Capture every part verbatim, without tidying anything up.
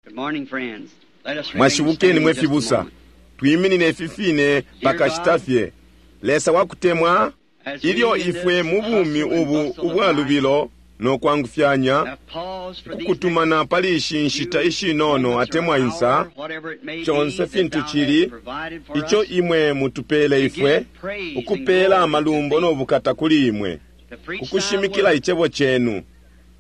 Good morning, friends. Let us remain Mwashibukeni standing mwe just a fibusa moment. twiminine fifine pakashita fye. Lesa wakutemwa, As we ilyo in ifwe this mu bumi hustle and ubu bustle of ubwa life lubilo no kwangufyanya have paused for these kukutumana pali ishi nshita few ishinono moments or atemwa insa, hour, whatever it may be conse that fintu thou chili, hast provided for ico us, imwe mutupele to ifwe give praise and ukupela glory to amalumbo thee, no bukata kuli imwe, to preach thy kukushimikila word, icebo cenu,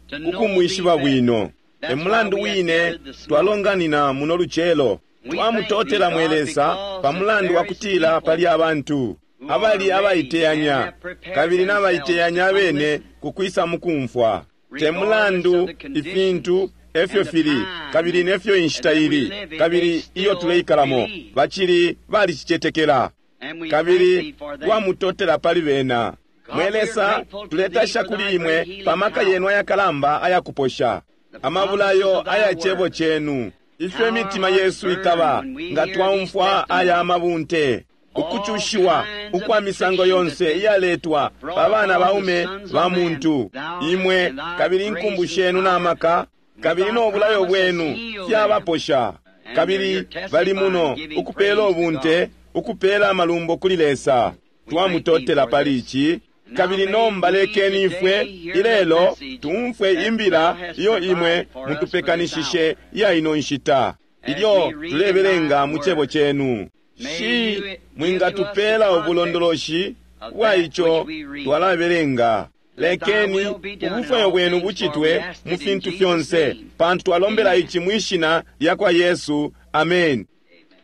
to know thee kukumwishiba better. bwino. That's E mulandu why we have wine gathered this morning. twalonganina muno lucelo. We thank thee, Twamutotela mwe God, Lesa because pa mulandu there wa is kutila people pali abantu who are abali ready and abaiteyanya have prepared kabili themselves n'abaiteyanya to come abene listen, kukwisa mukumfwa. Te regardless of mulandu the conditions ifintu efyo and the fili time kabili nefyo inshita that we ili live in, they kabili iyo still tuleikalamo believe. bacili balicicetekela And we thank kabili thee for them. twamutotela pali bena. God, Mwe we are Lesa, grateful to thee tuletasha for kuli thy imwe great healing pa maka power, yenu ayakalamba ayakuposha, the promises amabulayo of thy aya cebo word. chenu, ifyo How our imitima hearts yesu burn ikaba when we nga hear these twaumfwa aya testimonies. amabunte, All ukucushiwa kinds of ukwa misango affliction yonse that been iyaletwa brought pa bana upon the baume sons ba of man. muntu, Thou imwe and thy kabili grace inkumbu and shenu power n'amaka with kabili thy n'obulayo promise has bwenu healed them. fyabaposha, And they're kabili here bali testifying, muno giving ukupela praise to ubunte, God. ukupela amalumbo kuli Lesa. We thank thee Twamutotela for pali this. ici. Now Kabili may nomba we lekeni ifwe today hear the ilelo message tumfwe that imbila thou hast iyo imwe provided for us for this mutupekanishishe hour. iya ino nshita As ilyo we read in tulebelenga thy mu cebo word, chenu. may Shi you give to us the mwingatupela context ubulondoloshi of bwa that ico which we read. twalabelenga. Let thy Lekeni will be done in ubufwayo all bwenu things, for we bucitwe ask mu it in fintu Jesus' fyonse, name. pantu twalombela Amen. ici mwishina lya kwa Yesu. Amen.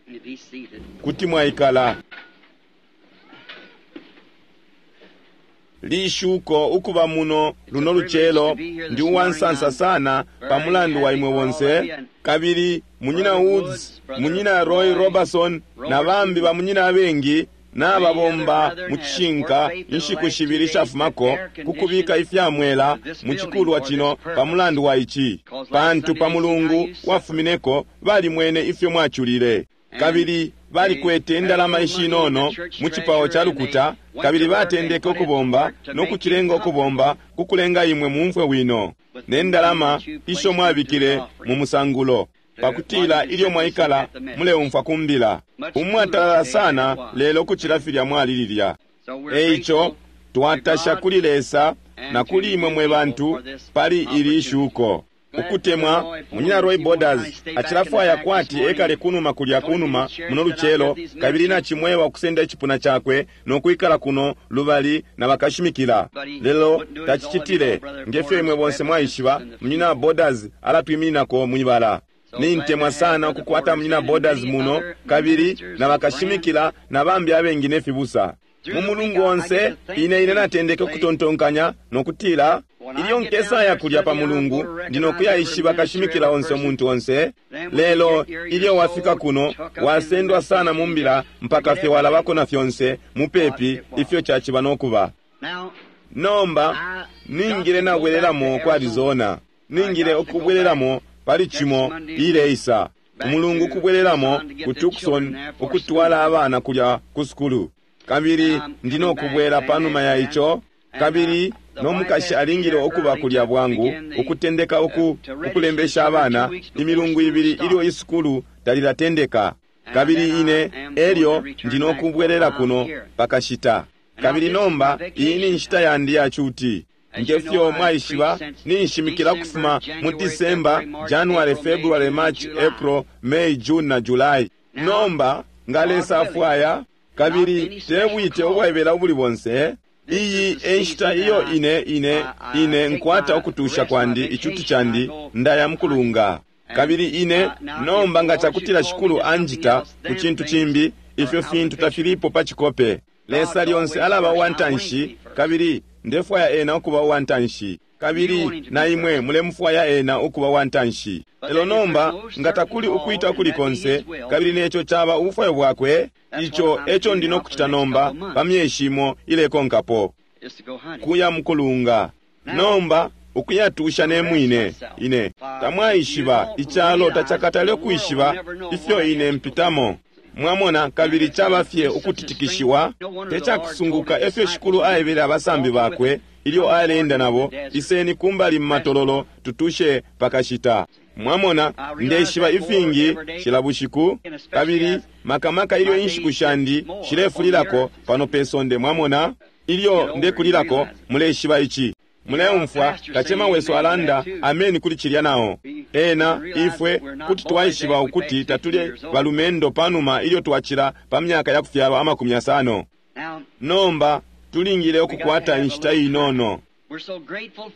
Amen. Be seated. Kuti mwaikala. Lishuko ukuba muno It's a luno privilege to lucelo be here ndi this morning. uwansansa I'm sana pa very mulandu wa happy imwe for all of bonse you and kabili munyina Brother Woods, Woods, Brother munyina Roy Roy Robertson na bambi Robertson, bamunyina abengi many other n'ababomba brethren mu has worked cishinka faithfully the inshiku last two shibili days to shafumako air kukubika condition ifyamwela this mu building cikulwa for this cino pa purpose. mulandu wa ici, Because last pantu Sunday pa they seen how mulungu you suffered. wafumineko balimwene ifyo mwaculile And kabili they balikwete had a indalama little money in the ishinono church mu cipao treasury ca and they lukuta went kabili to work and batendeke put it to ukubomba work to no make you kucilenga comfortable ukubomba kukulenga imwe mumfwe wino with the ne money ndalama that you isho placed into the mwabikile mu offering musangulo to while pakutila you ilyo sit and mwaikala at the message. muleumfwa kumbila Much cooler umwatalala today than it sana was. lelo kucila filya mwali lilya. So we're Eico grateful to twatasha God kuli Lesa na and to kuli imwe you mwe people bantu for this pali ili opportunity. ishuko. Glad Brother Ukutemwa Roy munyina Ford Roy he won't kind of Borders stay back in the acilafwaya back this kwati morning. ekale kunuma kulya Told me kunuma to share muno said I've lucelo got these kabili ministers, nachimwewa kusenda icipuna chakwe nokwikala kuno lubali na bakashimikila but he lelo wouldn't do it as all of you know, tacicitile Brother ngefyo imwe Porter's bonse represents mwaishiba us in the munyina field. Borders alatwimininako mwibala. So glad to Nintemwa have sana Brother ukukwata Porter's munyina in and Borders many muno other kabili ministers na and friends. bakashimikila na bambi abengi ne fibusa. Mu Through the week, mulungu I, I onse get to ine ine thinking, natendeke say, ukutontonkanya nokutila when I ilyo get down nkesaya there kulya pa Sunday, I'm mulungu going to ndino recognize every kuyaishiba minister, kashimikila every onse person. omuntu onse. Then when you Lelo get here, ilyo you're wafika so kuno took up in the wasendwa sana message mu you mbila just mpaka forget fye walabako everything na fyonse what mupepi it was. ifyo caciba nokuba. Now, Nomba I got ningile to go back to nabwelelamo ku Arizona. Arizona, I ningile got to go back ukubwelelamo pali next cimo Monday ileisa back umulungu to ukubwelelamo Tucson to get ku the Tucson children there for ukutwala school. abana kulya ku sukulu kabili I'm coming ndino back kubwela then panuma ya after that. ico And uh, kabili the no wife mukashi has to be alingile there ukuba early kulya to bwangu begin the ukutendeka uh, uku to register the ukulembesha children two abana weeks before imilungu school ibili ilyo starts. isukulu talilatendeka And kabili then I ine am going to elyo return ndino back for a kubwelela while kuno here. pakashita. And now Kabili this is my nomba iyi ni vacation nshita time. yandi ya cuti. As you know, Ngefyo I've preached mwaishiba since ninshimikila December, kufuma mu January, December, February, March, January, April, May, February, June, March, July. April, May, June na July. Now, Nomba nga God Lesa willing, afwaya not kabili any special tebwite call, ubwaibela ubuli bonse this iyi is the e nshita season iyo that I, ine ine I, I ine take nkwata my ukutusha rest, my kwandi icuti vacation. I candi go ndaya hunting. mukulunga And kabili ine uh, now, if nomba the nga Lord should cakutila call me shikulu to something anjita else, ku then cintu things cimbi are ifyo out of the fintu picture. tafilipo pa cikope. Lesa God's lyonse always alaba first. uwa I want him to ntanshi be first. kabili ndefwaya ena ukuba uwa ntanshi You kabili want him to na be imwe first. mulemufwaya ena ukuba uwa ntanshi. But Lelo then if there's nomba no nga certain takuli call, ukwita and kuli that be konse his will, kabili neco caba ubufwayo bwakwe that's what ico I'm eco to do ndino now for kucita the next nomba couple of pa months, myeshi imo ilekonkapo is to go hunting. kuya mukulunga. Now, Nomba ukuyatusha to ne rest mwine myself. ine Uh, if you tamwaishiba don't icalo realize, tacakatale the world will ukwishiba never know ifyo what I ine have to go through. mpitamo. Mwamona kabili And uh, caba fye it's such a strange, ukutitikishiwa no wonder te the Lord told cakusunguka his efyo disciples shikulu when he aebele abasambi walking with bakwe them, ilyo come aleenda forth into nabo the desert, iseni kumbali mu rest a matololo while. tutushe pakashita. Mwamona, ndeshiba ifingi cila bushiku, kabili makamaka ilyo inshiku shandi shilefulilako pano pe sonde. Mwamona, ilyo ndekulilako, muleshiba ici. Muleumfwa kacema wesu alanda ameni kuli cilya nao. Ena ifwe kuti twaishiba ukuti tatuli balumendo panuma ilyo twacila pa myaka ya kufyalwa amakumi yasano. Nomba tulingile ukukwata inshita inono.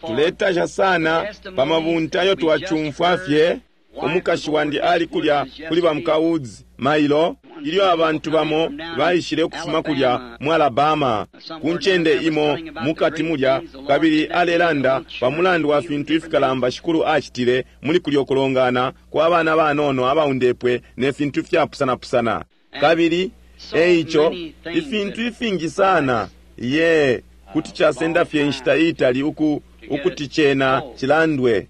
Tuletasha sana pa mabunta ayo twacumfwa fye. Umukashi wandi ali kulya kuli ba muka Woods mailo ilyo abantu bamo baishile ukufuma kulya mu Alabama ku ncende imo mukati mulya, kabili alelanda pa mulandu wa fintu ifikalamba Shikulu acitile muli kulya ukulongana kwa bana banono abaundepwe ne fintu ifyapusanapusana. Kabili eico ifintu ifingi sana ye kuti casenda fye inshita itali uku ukuti cena cilandwe.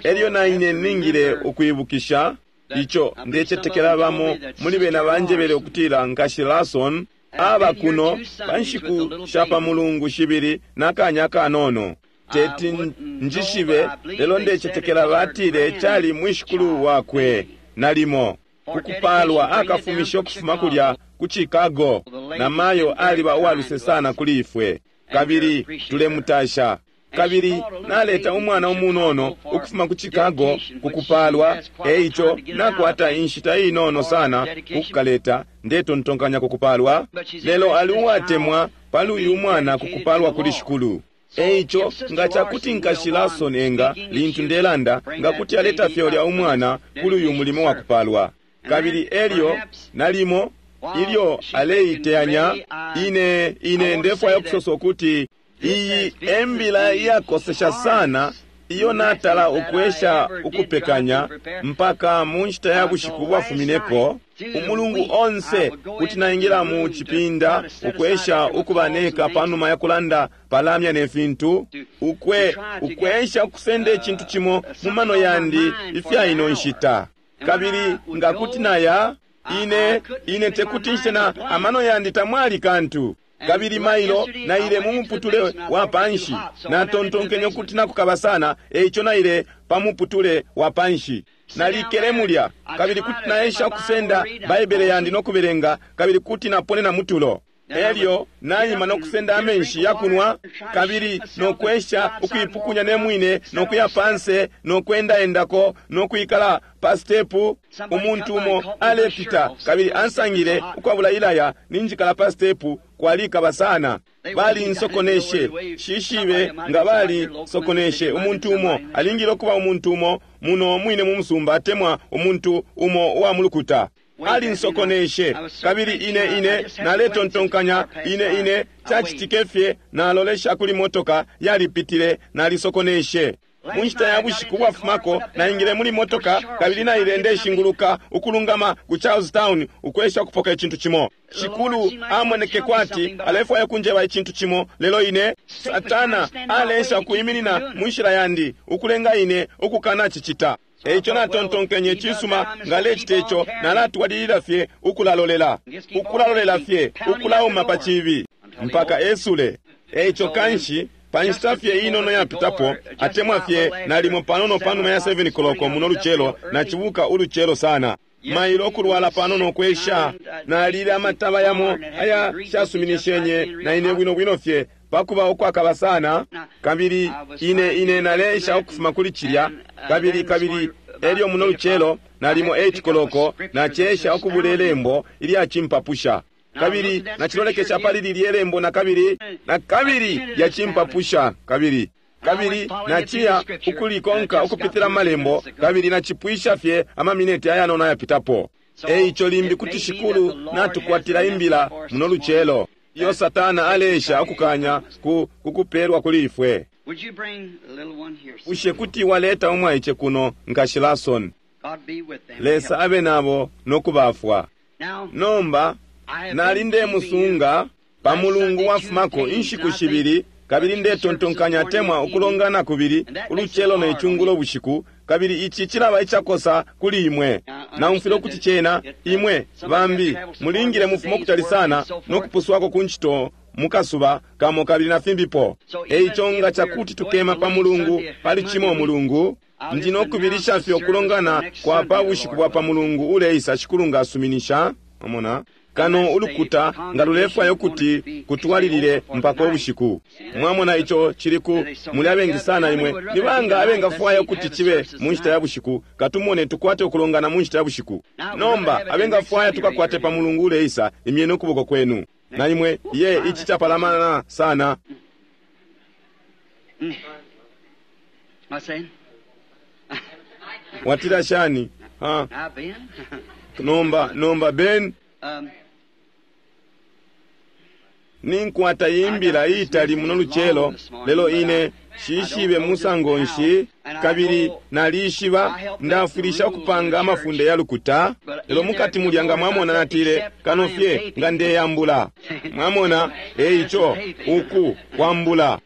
Elyo na ine ningile ukwibukisha ico ndecetekela bamo muli bena banjebele ukutila Nkashi Larson aba kuno pa nshiku sha pa mulungu shibili nakanya kanono. Teti njishibe, lelo ndecetekela batile cali mwishikulu wakwe nalimo kukupalwa akafumisha ukufuma kulya ku Chicago. Na mayo aliba uwaluse sana kuli ifwe, kabili tulemutasha. Kabili naleta umwana umunono ukufuma ku Chicago kukupalwa, eico nakwata inshita inono sana kukukaleta, ndetontonkanya kukupalwa. Lelo ali uwatemwa pali uyu mwana kukupalwa kuli Shikulu. Eico nga cakuti Nkashi Larson enga lintu ndelanda nga kuti aleta fye ulya umwana kuli uyu mulimo wa kupalwa. Kabili elyo nalimo ilyo aleiteyanya, ine ine ndefwaya ukusosa ukuti iyi embila iyakosesha sana iyo natala ukwesha ukupekanya mpaka mu nshita ya bushiku bwafumineko. Umulungu onse kuti naingila mu cipinda ukwesha ukuba neka panuma ya kulanda palamya ne fintu, ukwe ukwesha ukusenda icintu cimo mu mano yandi ifya ino nshita. Kabili nga kuti naya ine ine tekuti nshite na amano yandi tamwali kantu. Kabili mailo naile mu muputule wa panshi, natontonkenye ukuti nakukaba sana, eico naile pa muputule wa panshi. Nalikele mulya, kabili kuti naesha ukusenda Baibele yandi no kubelenga, kabili kuti naponena mutulo. Elyo naima no kusenda amenshi yakunwa, kabili no kwesha ukuipukunya ne mwine no kuya panse no kwendaendako no kwikala pa stepu. Umuntu umo alepita kabili ansangile ukwabula ilaya ninjikala pa stepu, kwalikaba sana. Bali nsokoneshe, shishibe nga bali sokoneshe. Umuntu umo alingile ukuba umuntu umo muno mwine mu musumba, atemwa umuntu umo uwa mulukuta. Ali nsokoneshe, kabili ine ine naletontonkanya ine ine cacitike fye, nalolesha kuli motoka yalipitile, nalisokoneshe. Mu nshita ya bushiku bwafumako naingile muli motoka kabili naile ndeshinguluka ukulungama ku Charlestown ukwesha ukupoka icintu cimo. Shikulu amoneke kwati alefwaya kunjeba icintu cimo, lelo ine Satana alesha kuiminina mu nshila yandi ukulenga ine ukukana cicita. Eico natontonkenye cisuma ngalecita ico, nalatwalilila fye ukulalolela, ukulalolela fye, ukulauma pa cibi mpaka esule. Eico kanshi pa nshita fye inono yapitapo, atemwa fye nalimo panono panuma ya seven koloko muno lucelo, nacibuka ulucelo sana mailo ukulwala panono kwesha, nalile amataba yamo aya shasuminishenye na ine bwino bwino fye pakuba ukwakaba sana. Kabili ine ine nalesha ukufuma kuli cilya, kabili kabili elyo muno lucelo nalimo eight koloko nacesha ukubula ilembo ilyacimpapusha, kabili nacilolekesha pali lilye lembo na kabili na kabili lyacimpapusha, kabili kabili naciya ukulikonka ukupitila malembo, kabili nacipwisha fye amamineti ayanono ayapitapo. Eico limbi kuti Shikulu natukwatila imbila muno lucelo iyo Satana alesha ukukanya ku kukupelwa kuli ifwe. Bushe kuti waleta umwaice kuno, Nkashi Larson? Lesa abe nabo no kubafwa. Nomba nali ndemusunga pa mulungu wafumako inshiku shibili, kabili ndetontonkanya atemwa ukulongana kubili ulucelo ne cungulo bushiku, kabili ici cilaba icakosa kuli imwe. Naumfwile ukuti cena imwe bambi mulingile mufumo kutali sana no kupuswako ku ncito mukasuba kamo kabili na fimbipo. Eico nga cakuti tukema pa mulungu pali cimo mulungu, Ndi no kubilisha fye ukulongana kwa pa bushiku bwa pa Mulungu uleisa, Shikulu nga asuminisha. Mwamona? Kano ulukuta nga lulefwaya ukuti kutwalilile mpaka ubushiku. Mwamona ico cili ku muli abengi sana imwe. Ni banga abengafwaya ukuti cibe mu nshita ya bushiku? Katumone tukwate ukulongana mu nshita ya bushiku. Nomba abengafwaya tukakwate pa Mulungu uleisa, imyeni ukuboko kwenu. Na imwe ye ici capalamana sana. What's that? Watila shani? Ha. Now, Ben. Nomba nomba Ben, um, ninkwata imbila iitali muno lucelo, lelo ine shishibe musango nshi, kabili nalishiba ndafwilisha ukupanga amafunde ya lukuta, lelo mukati mulya nga mwamona natile kano fye nga ndeyambula. Mwamona, eico uku kwambula.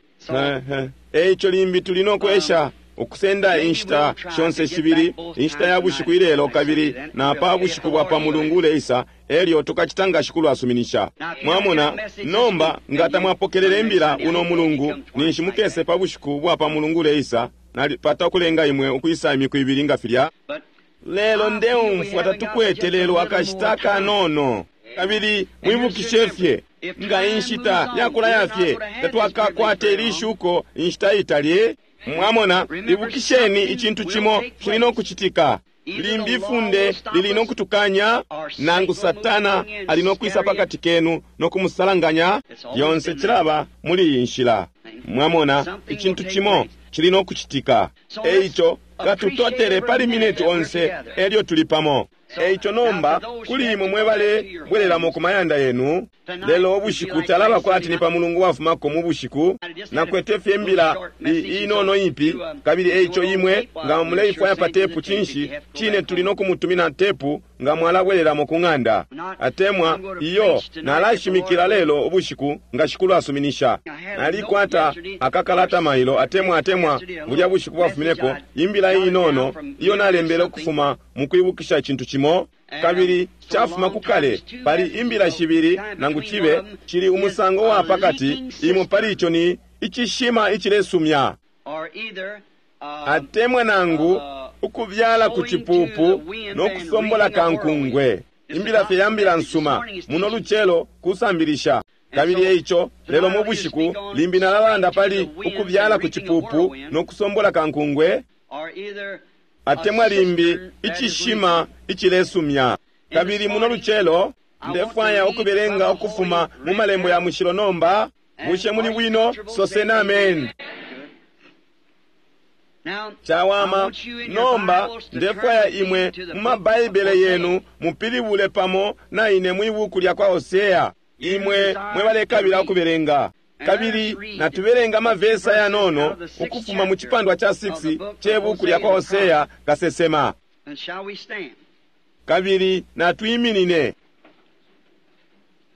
Eico limbi tuli no kwesha ukusenda inshita shonse shibili, inshita ya bushiku ilelo kabili na pa bushiku bwa pa Mulungu uleisa, elyo tukacita nga Shikulu asuminisha. Mwamona, nomba nga tamwapokelele imbila uno Mulungu, ninshi mukese pa bushiku bwa pa Mulungu uleisa, nalipata ukulenga imwe ukwisa imiku ibili nga filya. but Lelo ndeumfwa tatukwete lelo akashita kanono. Kabili mwibukishe fye nga inshita yakulaya fye tatwakakwate ilishuko inshita itali. Mwamona, ibukisheni icintu cimo cili no kucitika. Limbi ifunde lili no kutukanya, nangu Satana ali no kwisa pakati kenu no kumusalanganya. Lyonse cilaba muli iyi nshila. Mwamona, icintu cimo cili no kucitika. Eico katutotele pali mineti onse elyo tuli pamo. Eico nomba kuli imwe mwebale bwereramo ku mayanda yenu, lelo ubushiku talaba kwati ni pa Mulungu wafumako mu bushiku. Nakwete fye imbila inono ipi, kabili eico imwe nga muleifwaya pa tepu, cinshi cine tuli no kumutumina tepu nga mwalabwereramo ku ng'anda. Atemwa iyo nalashimikila lelo ubushiku nga Shikulu asuminisha. Nalikwata akakalata mailo atemwa atemwa bulya bushiku bwafumineko, imbila inono iyo nalembele ukufuma mu kwibukisha icintu cimo, kabili cafuma ku kale. Pali imbila shibili nangu cibe cili umusango wa pakati, imo pali ico ni icishima icilesumya, or either um, atemwa nangu ukubyala ku cipupu no kusombola kankungwe. Imbila fye ya mbila nsuma muno lucelo kusambilisha. Kabili eico lelo mu bushiku limbi nalalanda pali ukubyala ku cipupu no kusombola kankungwe, or either atemwa limbi icishima icilesumya. Kabili muno lucelo ndefwaya ukubelenga ukufuma mu malembo ya mushilo nomba. Bushe muli bwino? Soseni amen. Now, I Chawama. want you in your Nomba Bibles to ndefwaya turn with me imwe to the mu book of mabaibele Hosea. yenu mupilibule pamo na ine mwi buku lya kwa Hosea, imwe mwebalekabila ukubelenga. Kabili natubelenga amavesa yanono ukufuma mu chipandwa cha six chebuku lya kwa Hosea kasesema. And shall we stand? Kabili natwiminine.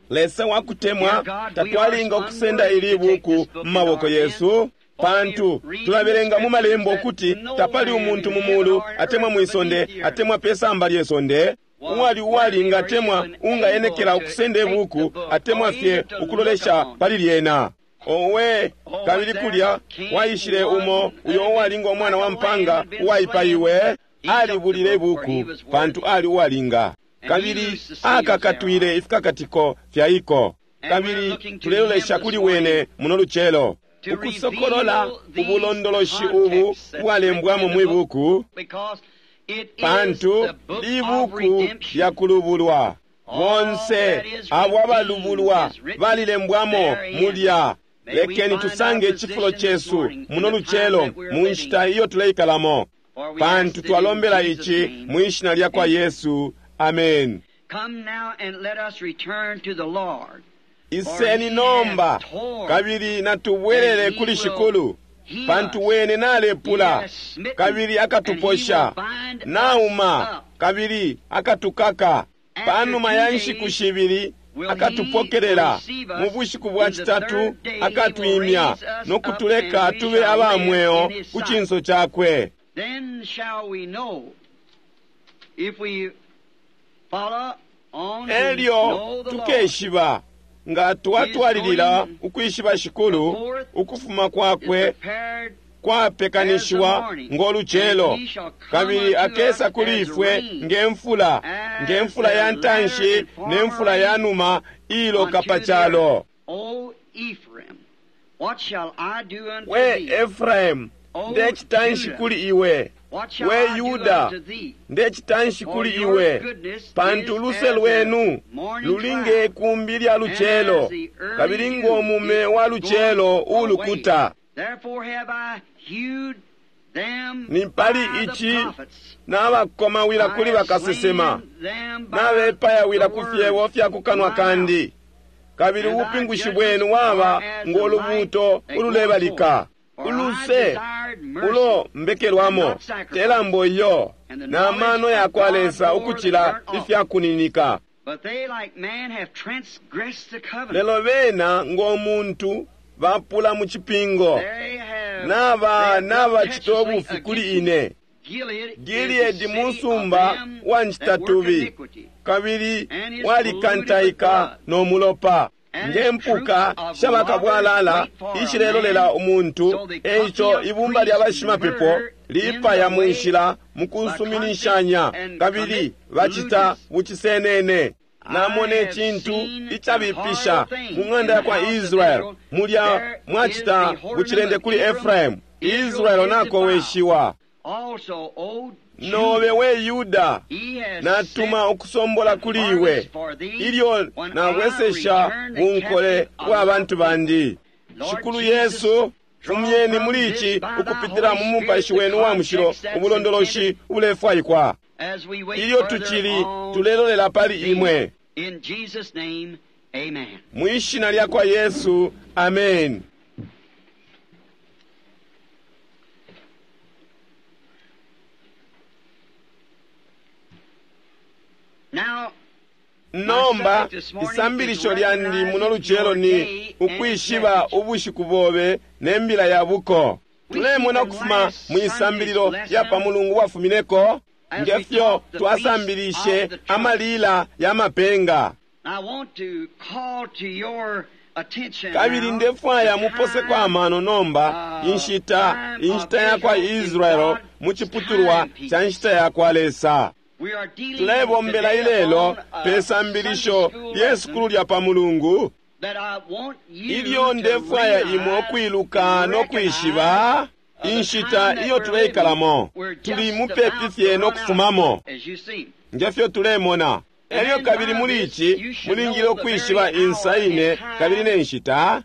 Lesa wakutemwa, tatwalinga ukusenda ili buku mu maboko yesu, pantu tulabelenga mu malembo ukuti tapali umuntu mu mulu atemwa mwisonde atemwa pesamba lyesonde uwali uwalinga atemwa ungayenekela ukusenda ibuku atemwa fye ukulolesha pali lyena. Owe, kabili kulya waishile umo uyo uwalinga umwana wa mpanga uwaipaiwe, alibulile ibuku pantu ali uwalinga, kabili akakatwile ifikakatiko fya iko. Kabili tulelolesha kuli wene muno lucelo ukusokolola ubulondoloshi ubu bwalembwamo mwi buku, Because it is pantu the book of libuku redemption. lya kulubulwa. Bonse abo abalubulwa balilembwamo mulya. Lekeni tusange icifulo cesu muno lucelo mu nshita iyo tuleikalamo, For we pantu ask it in twalombela Jesus' ici name. mwi shina lya kwa Yesu, amen. Come now and let us return to the Lord. Iseni nomba kabili natubwerere kuli Shikulu, pantu wene nalepula kabili akatuposha, nauma kabili akatukaka. Panuma ya nshiku shibili akatupokelela, mu bushiku bwa citatu akatwimya no kutuleka tube aba mweo ku cinso cakwe. Then shall we know if we follow on to Elyo know the Lord. tukeshiba nga twatwalilila ukwishiba Shikulu, ukufuma Is kwakwe prepared kwapekanishiwa ngo lucelo, kabili akesa kuli ifwe nge mfula, nge mfula ya ntanshi ne mfula ya numa iloka pa calo. We Efraimu, ndecitanshi kuli iwe. We Yuda, ndecitanshi kuli iwe, pantu uluse lwenu luli nge kumbi lya lucelo, kabili ngo mume wa lucelo ulukuta. Ni pali ici nabakomawila kuli bakasesema, nabepayawila ku fyebo fya kukanwa kandi, kabili ubupingushi bwenu waba ngo lubuuto ululebalika. Uluse ulo mbekelwamo telambo iyo na mano ya kwa Lesa ukucila ifya kuninika. Lelo bena ngo muntu bapula mu cipingo, naba nabacita ubufi kuli ine. Gileadi musumba wa ncitatubi, kabili walikantaika no mulopa. Nge mpuka shabakabwalala ishilelolela umuntu, eico ibumba lya bashimapepo lipaya mu nshila mu kusuminishanya, kabili bacita bucisenene. Namona icintu icabipisha mu ng'anda ya kwa Israeli, mulya mwacita bucilende kuli Efraimu. Israeli nakoweshiwa. Nobe we Yuda, natuma ukusombola kuli iwe, ilyo nabwesesha bunkole bwa bantu bandi. Shikulu Yesu, fumyeni muli ici ukupitila mu mupashi wenu wa mushilo ubulondoloshi ubulefwaikwa, ilyo tucili tulelolela pali imwe. Mwishina lya kwa Yesu, amen. Nomba isambilisho lyandi muno lucelo ni ukwishiba ubushiku bobe ne mbila ya buko. Tulemona ukufuma mu isambililo lya pa mulungu wafumineko ngefyo twasambilishe amalila ya mapenga. Kabili ndefwaya muposeko amano nomba inshita inshita ya kwa Israeli mu ciputulwa cha nshita ya kwa Lesa. Tulebombela ilelo pe sambilisho lye sukulu lya pa mulungu, ilyo ndefwaya imwe ukwiluka no kwishiba inshita iyo tuleikalamo. Tuli mupepi fye no kufumamo ngefyo tulemona. Elyo kabili muli ici mulingile ukwishiba insa ine kabili ne nshita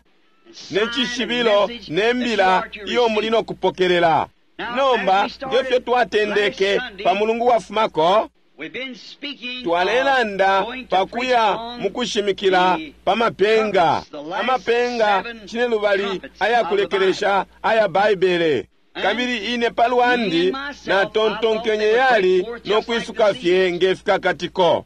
ne cishibilo ne mbila iyo muli no kupokelela. Nomba ngefyo twatendeke pa mulungu wafumako, twalelanda pakuya mukushimikila pa mapenga, amapenga cinelubali ayakulekelesha aya Baibele. Kabili ine palwandi natontonkenye yali no kwisuka fye nge fikakatiko.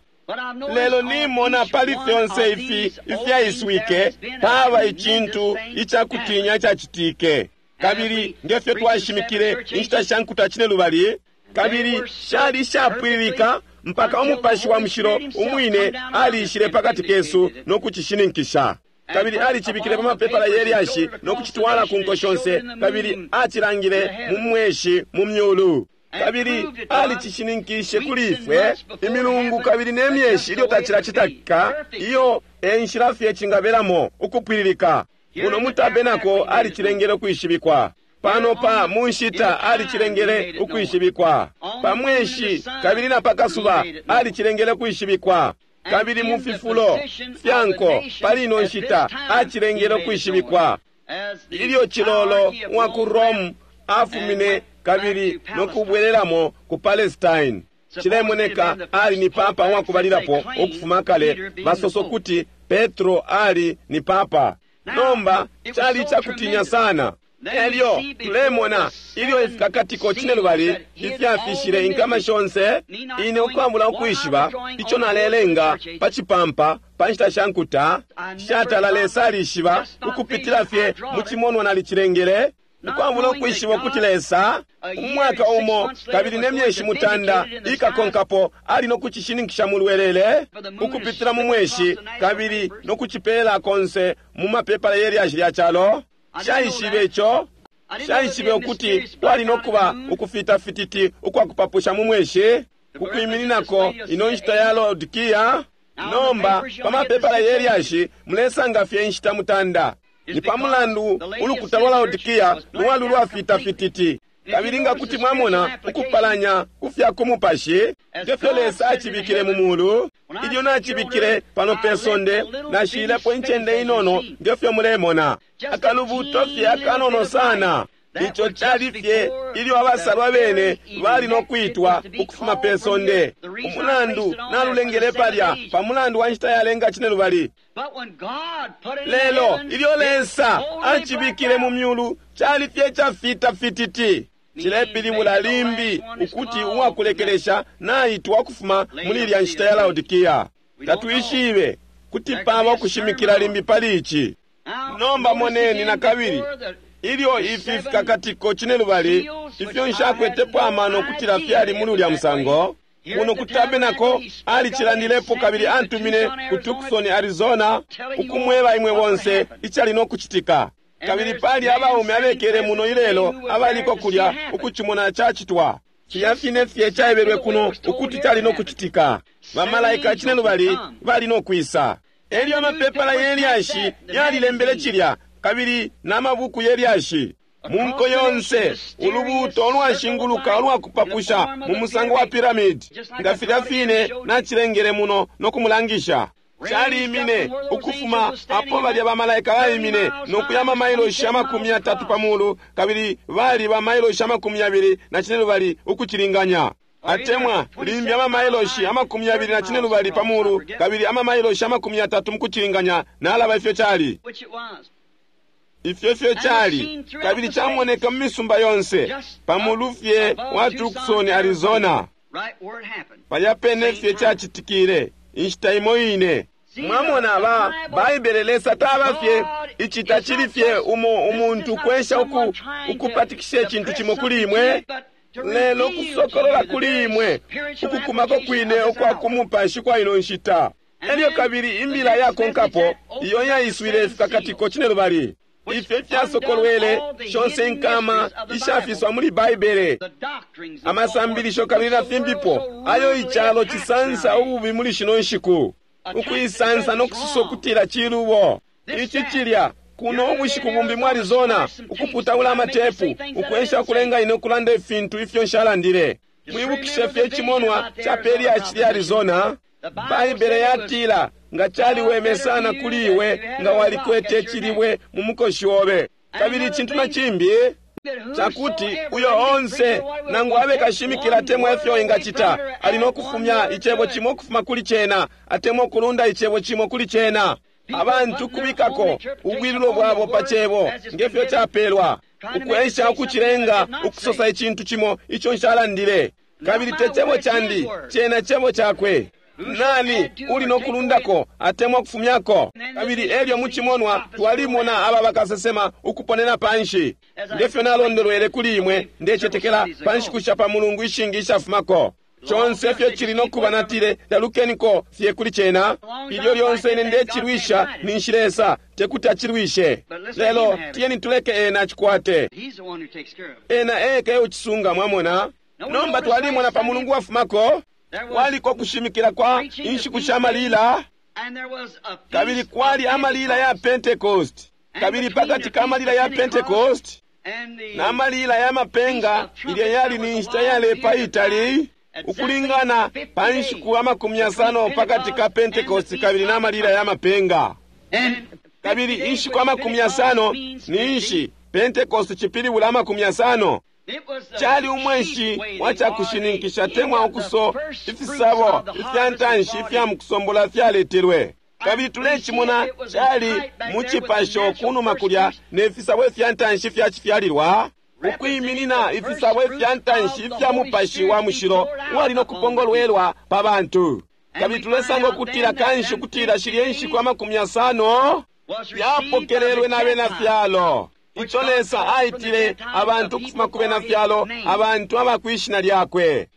Lelo nimona pali fyonse ifi ifyaiswike paba icintu icakutinya icacitike. Kabili ngefyo twashimikile inshita sha nkuta cinelubali, kabili shali shapwililika mpaka umupashi wa mushilo umwine alishile pakati kesu no kucishininkisha. Kabili alicibikile pa mapepala ye lyashi no kucitwala ku nko shonse, kabili acilangile mu mweshi mu myulu. Kabili alicishininkishe kuli ifwe imilungu kabili ne myeshi ilyo tacilacitaka, iyo e nshila fye cingabelamo ukupwililika. Muno mu tabenako alicilengele ukwishibikwa. Pano pa mu nshita alicilengele ukwishibikwa. Pa mweshi kabili na pakasuba alicilengele ukwishibikwa. Kabili mu fifulo fya nko pali ino nshita acilengele ukwishibikwa. Ilyo cilolo wa ku Rome afumine kabili no kubwelelamo ku Palestine, cilemoneka ali ni papa wakubalilapo ukufuma kale. Basoso kuti Petro ali ni papa. Nomba cali icakutinya sana. Elyo tulemona ilyo ifikakatiko cinelubali ifyafishile inkama shonse, ine ukwabula ukwishiba ico nalelenga pa cipampa pa nshita sha nkuta, shatala Lesa alishiba ukupitila fye mu cimonwa nalicilengele, ukwabula ukwishiba ukuti Lesa umwaka umo kabili ne myeshi mutanda ikakonkapo ali no kucishininkisha mu lwelele ukupitila mu mweshi kabili no kucipela konse mu mapepala ye lyashi lya calo. Shaishibe ico. Nshaishibe ukuti kwali no kuba ukufita fititi ukwakupapusha mu mweshi kukwimininako ino nshita ya Laodikia. Nomba pa mapepala ye lyashi mulesanga fye inshita mutanda. Ni pa mulandu ulukuta lwa Laodikia lwali lwafita fititi. Kabili nga kuti mwamona ukupalanya ku fya ku mupashi ngefyo Lesa acibikile mu mulu, ilyo nacibikile pano pe sonde nashilepo incende inono ngefyo mulemona, akalubuto fye akanono sana. Ico cali fye ilyo abasalwa bene bali no kwitwa ukufuma pe sonde. Umulandu nalulengele palya pa mulandu wa nshita yalenga cinelubali. Lelo ilyo Lesa acibikile mu myulu cali fye cafita fititi. Cilepilibula limbi ukuti uwakulekelesha naitwa ukufuma muli ilya nshita ya Laodikia. Tatwishibe kuti paba ukushimikila limbi pali ici. Nomba moneni na kabili ilyo ifi fikakatiko cinelubali ifyo nshakwetepo amano kutila fyali muli ulya musango. Kuno ku tabernacle alicilandilepo kabili antumine ku Tucson, Arizona, ukumweba imwe bonse icali no kucitika. Kabili pali abaume abekele muno ilelo abaliko kulya ukucimona cacitwa. Filya fine fye caebelwe kuno ukuti cali no kucitika. Bamalaika cinelubali bali no kwisa. Elyo amapepala ye lyashi yalilembele cilya kabili n'amabuku ye lyashi. Mu nko yonse ulubuuto ulwashinguluka ulwakupapusha mu musango wa piramidi, nga filya fine nacilengele muno no kumulangisha. Calimine ukufuma apo balya bamalaika baimine no kuya amamailoshi amakumi yatatu pa mulu, kabili bali bamailoshi amakumi yabili na cinelubali ukucilinganya. Atemwa limbi amamailoshi amakumi yabili na cinelubali pa mulu, kabili amamailoshi amakumi yatatu mukucilinganya. Nalaba ifyo cali. Ifyo fyo cali, kabili camoneka mu misumba yonse pa mulu fye wa Tucson, Arizona. Palya pene fye cacitikile inshita imo ine. Mwamona ba Baibele Lesa taba fye ici tacili fye umo umuntu kwesha uku ukupatikisha icintu cimo kuli imwe, lelo kusokolola kuli imwe ukukumako kwine ukwa kumupashi kwa ino nshita. Elyo kabili imbila yakonkapo iyo yaiswile ifikakatiko cinelubali ifyo ifyasokolwele shonse inkama ishafiswa muli Baibele, amasambilisho kabili na fimbipo ayo icalo cisansa ububi muli shino nshiku, ukuisansa no kususa ukutila cilubo. Ici cilya kuno ubushiku bumbi mu Arizona, ukuputaula amatepu, ukwesha ukulenga ine ukulanda ifintu ifyo nshalandile. Mwibukishe fye icimonwa ca pe lyashi lya Arizona. Baibele yatila nga caliweme sana kuli iwe nga walikwete icilibwe mu mukoshi obe. Kabili icintu na cimbi cakuti uyo onse nangu abe kashimikila atemwa ifyo ingacita ali no kufumya icebo cimo ukufuma kuli cena atemwa ukulunda icebo cimo kuli cena. Abantu kubikako ubwilulo bwabo pa cebo ngefyo capelwa, ukwesha ukucilenga ukusosa icintu cimo ico nshalandile. Kabili te cebo candi, cena cebo cakwe. Nani uli no kulundako atemwa kufumyako? Kabili elyo mucimonwa twalimona aba bakasesema ukuponena panshi ngefyo nalondolwele kuli imwe, ndecetekela pa nshiku sha pa mulungu ishingi ishafumako. Conse fye cili no kuba natile talukeniko fye kuli cena. Ilyo lyonse ine ndecilwisha ninshi Lesa tekuti acilwishe, lelo tiyeni tuleke ena acikwate. Ena eka eucisunga. Mwamona? Nomba twalimona pa mulungu wafumako kwaliko kushimikila kwa inshiku sha malila, kabili kwali amalila ya Pentecost, kabili pakati ka malila ya Pentecost na malila ya mapenga ilya yali ni nshita yalepa itali ukulingana pa nshiku amakumi yasano pakati ka Pentecost kabili na malila ya mapenga. Kabili inshiku amakumi yasano ninshi Pentecost cipilibula amakumi yasano. Cali umweshi wa cakushininkisha temwa ukuso ifisabo ifya ntanshi ifya mukusombola fyaletelwe. Kabili tulecimona cali mu cipasho kunuma kulya ne fisabo ifya ntanshi ifya cifyalilwa, ukwiminina ifisabo ifya ntanshi ifya mupashi wa mushilo uwali no kupongolwelwa pa bantu. Kabili tulesanga ukutila kanshi ukutila shilye nshiku amakumi yasano yapokelelwe na bena fyalo. Ico Lesa aitile abantu ukufuma ku bena fyalo, abantu abakwishina lyakwe,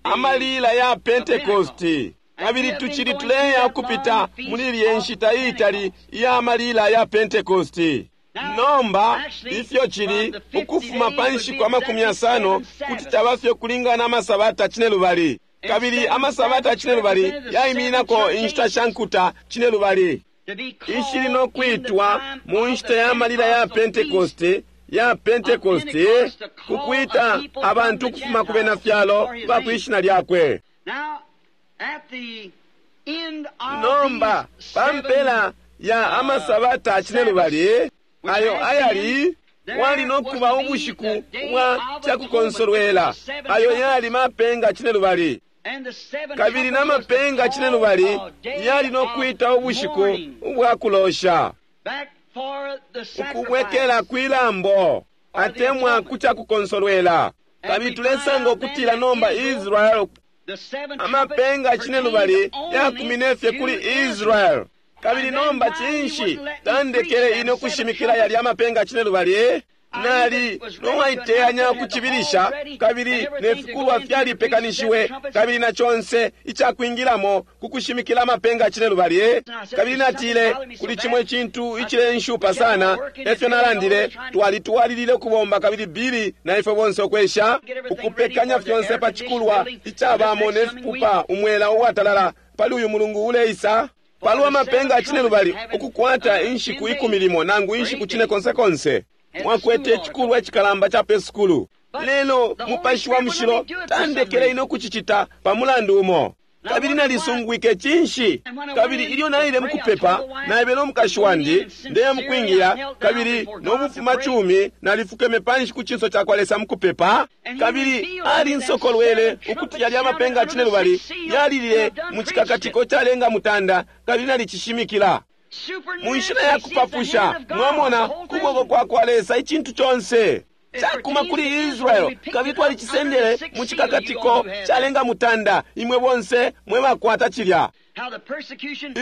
amalila ya Pentecosti. Kabili tucili tuleya ukupita muli ilye nshita iitali iya malila ya Pentecosti. Nomba ifyo cili ukufuma pa nshiku amakumi yasano kuti caba fye ukulingana na masabata cinelubali, kabili amasabata cinelubali yaimininako inshita sha nkuta cinelubali ishili no kwitwa mu nshita ya malila ya Pentekoste, ya Pentekoste, kukwita abantu ukufuma ku bena fyalo ba kwishina lyakwe. Nomba pa mpela ya amasabata cinelubali ayo ayali wali no kuba ubushiku bwa cakukonsolwela, ayo yali mapenga cinelubali, kabili na mapenga cinelubali yali no kwita ubushiku ubwa kulosha, ukubwekela kwilambo atemwa ku cakukonsolwela. Kabili tulesanga ukutila nomba Israel, amapenga cinelubali yakumine fye kuli Israel. Kabili nomba cinshi tandekele ine ukushimikila yali amapenga cinelubali? Nali nowaiteyanya ukucibilisha, kabili ne fikulwa fyalipekanishiwe, kabili na conse icakwingilamo kukushimikila amapenga cinelubali. Kabili natile kuli cimo icintu icilenshupa sana, efyo nalandile, twalitwalilile ukubomba, kabili Bili na ifwe bonse ukwesha ukupekanya fyonse pa cikulwa icabamo ne fipupa umwela uwatalala pali uyu mulungu uleisa palwa mapenga cinelubali ukukwata inshiku ikumi limo nangu inshiku cine konse konse. Mwakwete icikulwa icikalamba ca pe sukulu, lelo Mupashi wa Mushilo tandekele ine ukucicita pa mulandu umo. Kabili nalisungwike cinshi. Kabili ilyo naile mukupepa, naebele umukashi wandi ndeya mukwingila, kabili nobufumacumi nalifukeme panshi ku cinso cakwa Lesa mukupepa. Kabili alinsokolwele ukuti yali amapenga cinelubali yalilile mu cikakatiko calenga mutanda, kabili nalicishimikila mu nshila ya kupapusha. Mwamona kuboko kwa kwa Lesa icintu conse cakuma kuli Israel, kabili twalicisendele mu cikakatiko calenga mutanda. Imwe bonse mwe bakwata cilya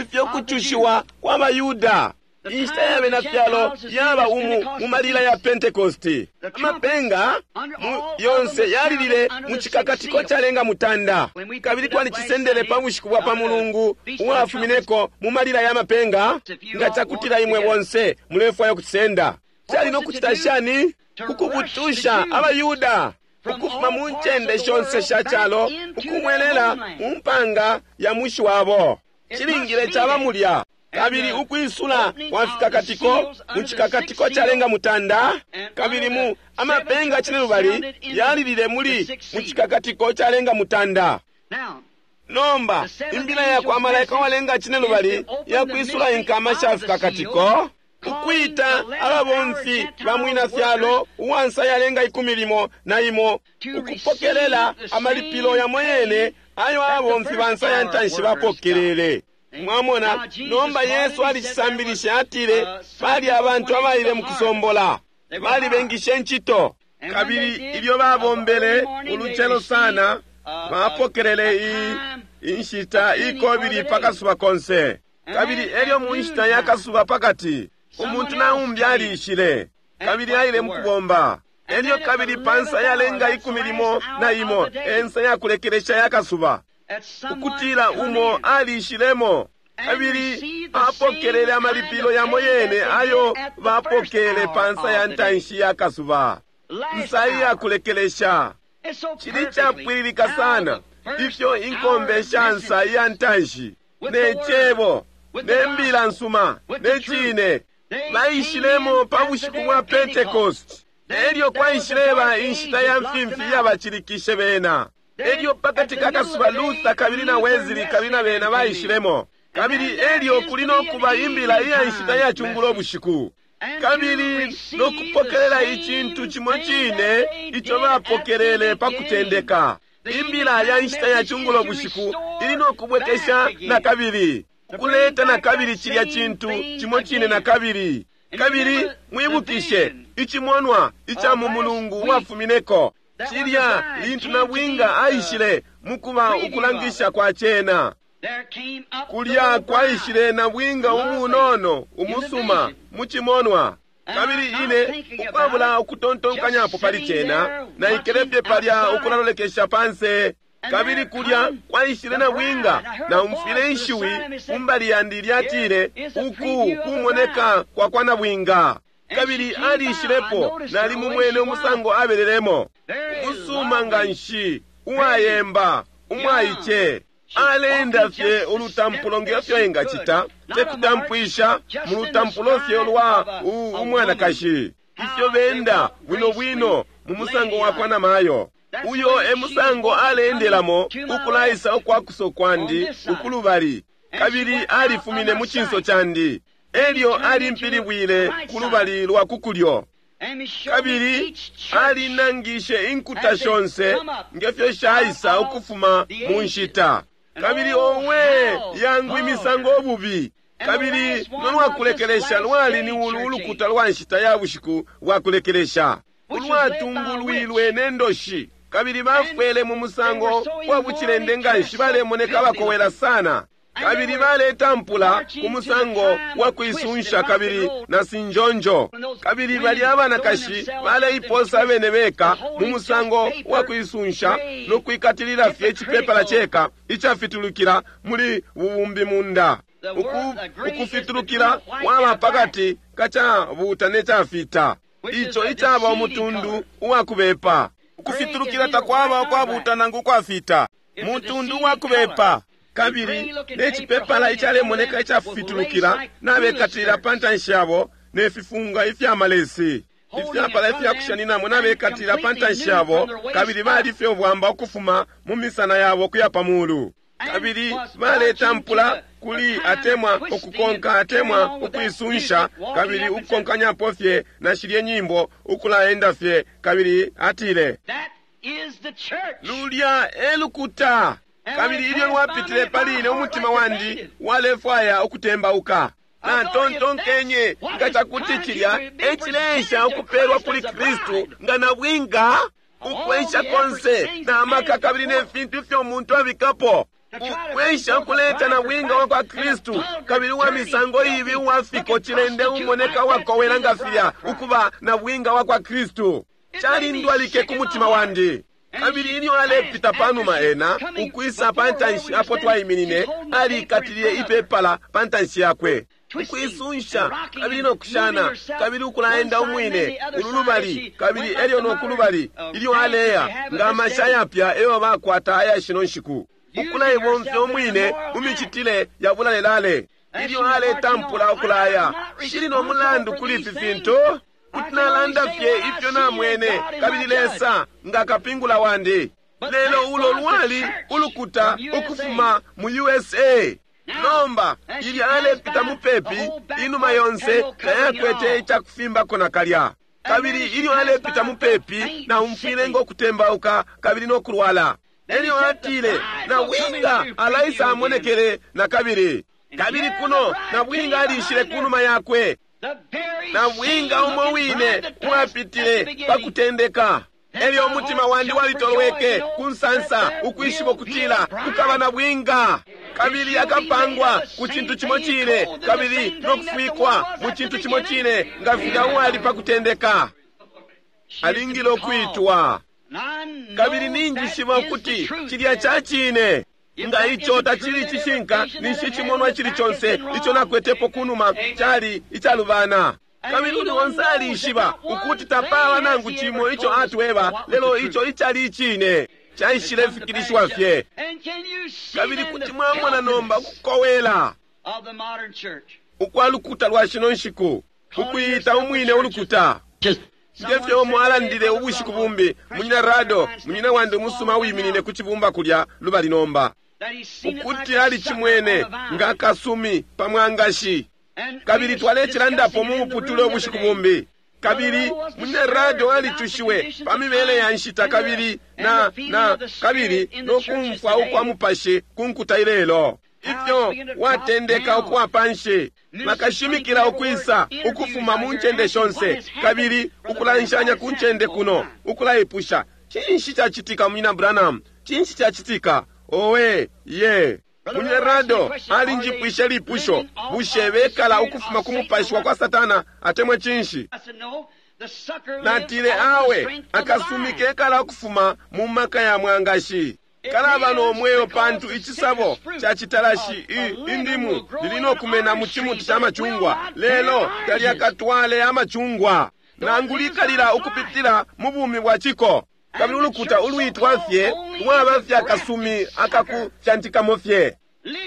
ifyo kucushiwa kwa Bayuda, inshita ya bena fyalo yaba umu mu malila ya Pentekosti. Amapenga yonse yalilile mu cikakatiko calenga mutanda, kabili twalicisendele pa bushiku bwa pa mulungu uwafumineko mu malila ya mapenga. Nga cakutila imwe bonse mulefwaya ukucisenda, cali no kucita shani? Kukubutusha abayuda ukufuma mu ncende shonse sha calo ukumwelela mu mpanga ya mushi wabo. Cilingile caba mulya. Kabili ukwisula kwa fikakatiko mu cikakatiko calenga mutanda, kabili mu amapenga cinelubali yalilile muli mu cikakatiko calenga mutanda. Nomba imbila ya kwa malaika walenga cinelubali yakwisula inkama sha fikakatiko, ukwita ababomfi ba mwina fyalo uwansa yalenga ikumi limo na imo ukupokelela amalipilo yamo yene ayo ababomfi ba nsa ya ntanshi bapokelele. Mwamona, nomba Yesu alicisambilisha, atile bali abantu abaile mu kusombola, balibengishe incito, kabili ilyo babombele ulucelo sana bapokelele iyi inshita ikobili pakasuba konse. Kabili elyo mu nshita ya kasuba pakati umuntu naumbi aliishile, kabili aile mukubomba. Elyo kabili pansa yalenga ikumi limo na imo ensa yakulekelesha ya kasuba, ukutila umo aliishilemo, kabili apokelele amalipilo yamo yene ayo bapokele pansa ya ntanshi ya kasuba, nsa iyakulekelesha. Cili capwililika sana ifyo inkombe sha nsa iya ntanshi ne cebo ne mbila nsuma ne cine baishilemo pa bushiku bwa Pentecost. Elyo kwaishileba inshita ya mfimfi yabacilikishe bena. Elyo pakati ka kasuba Luther kabili na Wesley kabili na bena baishilemo. Kabili elyo kuli no kuba imbila iya nshita ya cungulo bushiku, kabili no kupokelela icintu cimo cine ico bapokelele pa kutendeka. Imbila ya nshita ya cungulo bushiku ili no kubwekesha na kabili, kuleta na kabili cilya cintu cimo cine na kabili. Kabili mwibukishe icimonwa ica mu mulungu uwafumineko cilya lintu nabwinga aishile mukuba ukulangisha kwa cena. Kulya kwaishile nabwinga umunono umusuma mu cimonwa. Kabili ine ukwabula ukutontonkanyapo pali cena naikele fye palya ukulalolekesha panse. Kabili kulya kwaishile nabwinga, naumfwile inshiwi kumbali yandi lyatile, uku kumoneka kwa kwa nabwinga. Kabili alishilepo, nalimumwene umusango abelelemo, umusuma nga nshi, uwayemba, umwaice. Alenda fye ulutampulo ngefyo engacita, tekutampwisha mu lutampulo fye lwa umwanakashi, ifyo benda bwino bwino mu musango wa kwa namayo. Uyo e musango aleendelamo ukulaisa ukwakuso kwandi ukulubali, kabili alifumine mu cinso candi. Elyo alimpilibwile ku lubali lwa kukulyo, kabili alinangishe inkuta shonse ngefyo shaisa ukufuma mu nshita. Kabili owe, yangu imisango obubi! Kabili nolwakulekelesha lwali ni ulu ulukuta lwa nshita ya bushiku bwa kulekelesha, ulwatungulwilwe ne ndoshi, kabili bafwele mu musango wa bucilende nga nshi, balemoneka abakowela sana. Kabili baletampula ku musango wa kuisunsha kabili na sinjonjo. Kabili bali abanakashi baleiposa abene beka mu musango wa kuisunsha no kwikatilila fye icipepala ceka icafitulukila muli bubumbi munda. Uku, ukufitulukila kwaba pakati kacabuta ne cafita, ico icaba umutundu uwakubepa. Ukufitulukila takwaba ukwabuta nangu ukwafita, mutundu uwakubepa. Kabili ne cipepala icalemoneka icafitulukila nabekatilila pa ntanshi yabo, ne fifunga ifyamalesi ifyapala ifyakushaninamo nabekatilila pa ntanshi yabo, kabili bali fye ubwamba ukufuma mu misana yabo kuya pa mulu. Kabili baletampula kuli atemwa ukukonka atemwa ukuisunsha, kabili ukukonkanyapo fye na shilye nyimbo ukulaenda fye. Kabili atile, lulya e lukuta. Kabili ilyo lwapitile pali ine, umutima wandi walefwaya ukutembauka. Natontonkenye, nga cakuti cilya e cileesha ukupelwa kuli Kristu nga nabwinga, ukwesha konse na maka kabili ne fintu ifyo umuntu abikapo ukwesha ukuleta nabwinga wa kwa Kristu, kabili uwa misango ibi uwafiko cilende umoneka uwakowela nga filya ukuba nabwinga wa kwa Kristu. Calindwalike ku mutima wandi. Kabili ilyo alepita panuma ena ukwisa pa ntanshi apo twaiminine, alikatilile ipepala pa ntanshi yakwe, ukuisunsha kabili nokushana, kabili ukulaenda umwine ululubali kabili elyo nokulubali ilyo aleya nga amasha yapya eyo bakwata aya shino nshiku, ukulaibomfya umwine mu micitile ya bulalelale. Ilyo aletampula ukulaya, shili no mulandu kuli ifi fintu, kuti nalanda fye ifyo namwene, kabili Lesa nga kapingula wandi. Lelo ulo lwali ulukuta ukufuma mu U S A. Nomba ilyo alepita mupepi, inuma yonse tayakwete icakufimbako nakalya. Kabili ilyo alepita mupepi, naumfwile ngo kutembauka kabili no kulwala. Elyo atile, nabwinga alaisa amonekele na kabili. Kabili kuno nabwinga alishile kunuma yakwe, nabwinga umo wine uwapitile pa kutendeka. Elyo umutima wandi walitolweke ku nsansa ukwishiba ukutila kukaba nabwinga, kabili akapangwa ku cintu cimo cine, kabili no kufwikwa mu cintu cimo cine nga filya uwali pa kutendeka. Alingile ukwitwa. Kabili ninjishiba ukuti cilya ca cine. Nga ico tacili cishinka, ninshi cimonwa cili conse ico nakwetepo kunuma cali icalubana. Kabili uli onse alishiba ukuti tapaba nangu cimo ico atweba, lelo ico icali icine caishile fikilishiwa fye. Kabili kuti mwamona nomba ukukowela ukwa lukuta lwa shino nshiku, ukuyita umwine ulukuta. Ngefyo umo alandile ubushiku bumbi, munyina Rado, munyina wandi umusuma wiminine ku cibumba kulya lubali nomba, ukuti alicimwene nga akasumi pa mwangashi. Kabili twalecilandapo mu muputule ubushiku bumbi. Kabili munyina Rado alicushiwe pa mibele ya nshita kabili na na kabili no kumfwa ukwa mupashi ku nkuta ilelo, ifyo watendeka ukuwa panshi, bakashimikila ukwisa ukufuma mu ncende shonse, kabili ukulanshanya ku ncende kuno, ukulaipusha, cinshi cacitika munyina Branham? Cinshi cacitika? Owe ye Munyina Rado alinjipwishe lipusho, bushe bekala ukufuma ku mupashi wa kwa Satana atemwe cinshi? Natile, awe, akasumi kekala ukufuma mu maka ya mwangashi. Kalaba no mweo pantu icisabo ca citalashi indimu lili no kumena mu cimuti ca macungwa, lelo talyakatwale amacungwa nangu likalila ukupitila mu bumi bwa ciko. Kabili ulukuta ulwitwa fye lwaba fye akasumi akakufyantikamo fye,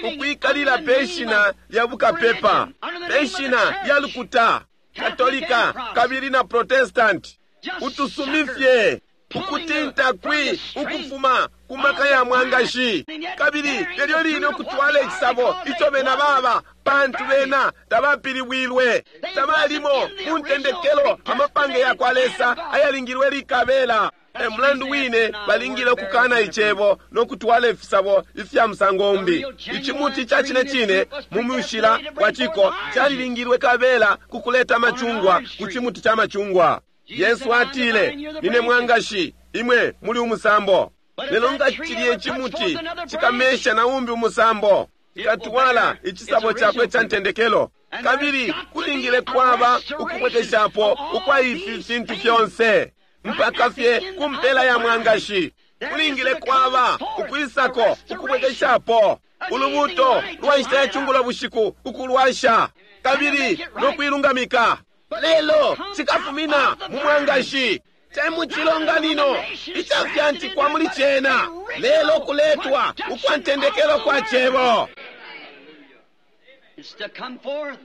ukwikalila pe shina lya bukapepa, pe shina lya lukuta Katolika kabili na Protestant, utusumi fye ukutinta kwi ukufuma ku maka ya mwangashi, kabili lelyo line ukutwala icisabo ico bena baba, pantu bena tabapilibwilwe, tabalimo mu ntendekelo amapange ya kwa Lesa ayalingilwe likabela. E mulandu wine balingile ukukana icebo no kutwala ifisabo ifya musango umbi. Icimuti ca cine cine mu mushila wa ciko calilingilwe kabela ku kuleta amacungwa ku cimuti ca macungwa. Yesu atile, nine mwangashi, imwe muli umusambo. Lelo nga cilye cimuti cikamesha na umbi umusambo, cikatwala icisabo cakwe ca ntendekelo. Kabili kulingile kwaba ukubwekeshapo ukwa ifi fintu fyonse mpaka fye ku mpela ya mwangashi. Kulingile kwaba ukwisako ukubwekeshapo ulubuto lwa nshita ya cungulo bushiku ukulwasha kabili no kuilungamika. Lelo cikafumina mu mwangashi, te mu cilonganino icafyantikwa muli cena, lelo kuletwa ukwa ntendekelo kwa cebo.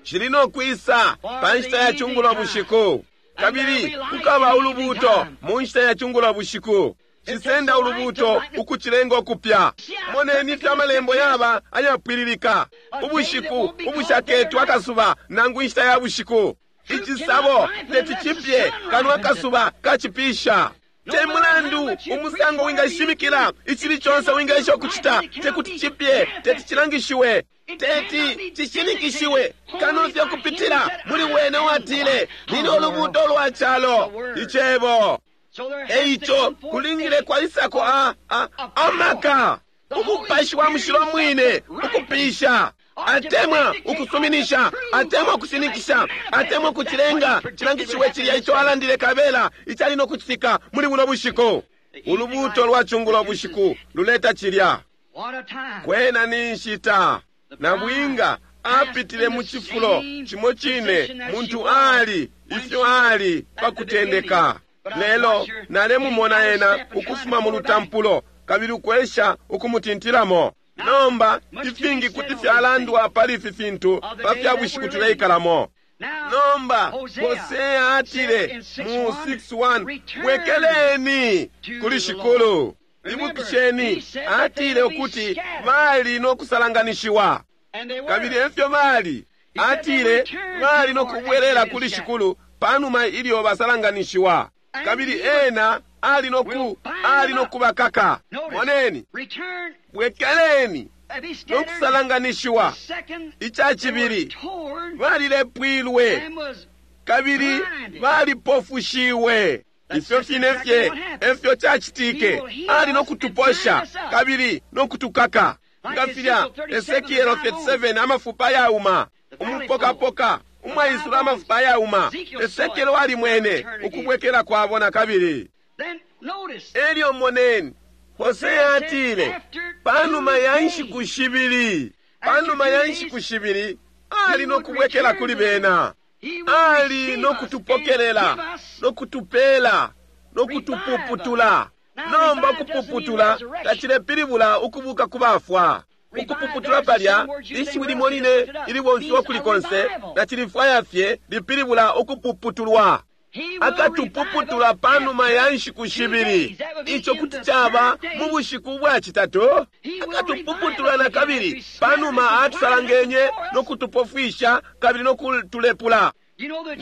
Cili no kwisa pa nshita ya cungulo bushiku, kabili kukaba ulubuto mu nshita ya cungulo bushiku. Cisenda ulubuto ukucilenga ukupya. Moneni ifyo amalembo yaba ayapwililika. Ubushiku ubushaketwa akasuba nangu inshita ya bushiku, icisabo teti cipye kano akasuba kacipisha. Te mulandu umusango wingashimikila, icili conse wingaisha ukucita, tekuti cipye, teti cilangishiwe, teti cishinikishiwe kano fye kupitila muli wene watile, nine ulubuto lwa calo, icebo. Eico kulingile kwaisako a, a, amaka, umupashi wa mushilo mwine ukupisha, atemwa ukusuminisha, atemwa ukushinikisha, atemwa ukucilenga cilangishiwe cilya ico alandile kabela icali no kucitika muli buno bushiku. Ulubuto lwa cungulo bushiku luleta cilya. Kwena ni nshita nabwinga apitile mu cifulo cimo cine muntu ali ifyo ali pa kutendeka. Lelo nalemumona ena ukufuma mu lutampulo kabili ukwesha ukumutintilamo. Nomba ifingi kuti fyalandwa pali ifi fintu pa fya bushiku tuleikalamo. Nomba Hosea atile mu six one, bwekeleni kuli Shikulu. Ibukisheni, atile ukuti bali no kusalanganishiwa, kabili efyo bali. Atile bali no kubwelela kuli Shikulu panuma ilyo basalanganishiwa, kabili ena ali no ku ali no kubakaka. Moneni, bwekeleni no kusalanganishiwa. Ica cibili, balilepwilwe kabili balipofushiwe. Ifyo fine fye efyo cacitike. Ali no kutuposha kabili no kutukaka, nga filya Esekielo thirty-seven, amafupa yauma, umupokapoka umwaisula amafupa ayauma. Esekielo alimwene ukubwekela kwabo na kabili. Elyo moneni, Hosea atile panuma ya nshiku shibili, panuma ya nshiku shibili ali no kubwekela kuli bena, ali no kutupokelela no kutupela no kutupuputula. Nomba ukupuputula tacilepilibula ukubuka ku bafwa. Ukupuputula palya ishiwi limo line ilibomfiwa kuli konse na cilifwaya fye lipilibula ukupuputulwa. Akatupuputula panuma ya nshiku shibili, ico kuti caba mu bushiku bwa citatu. Akatupuputula na kabili panuma atusalangenye no kutupofwisha kabili no kutulepula.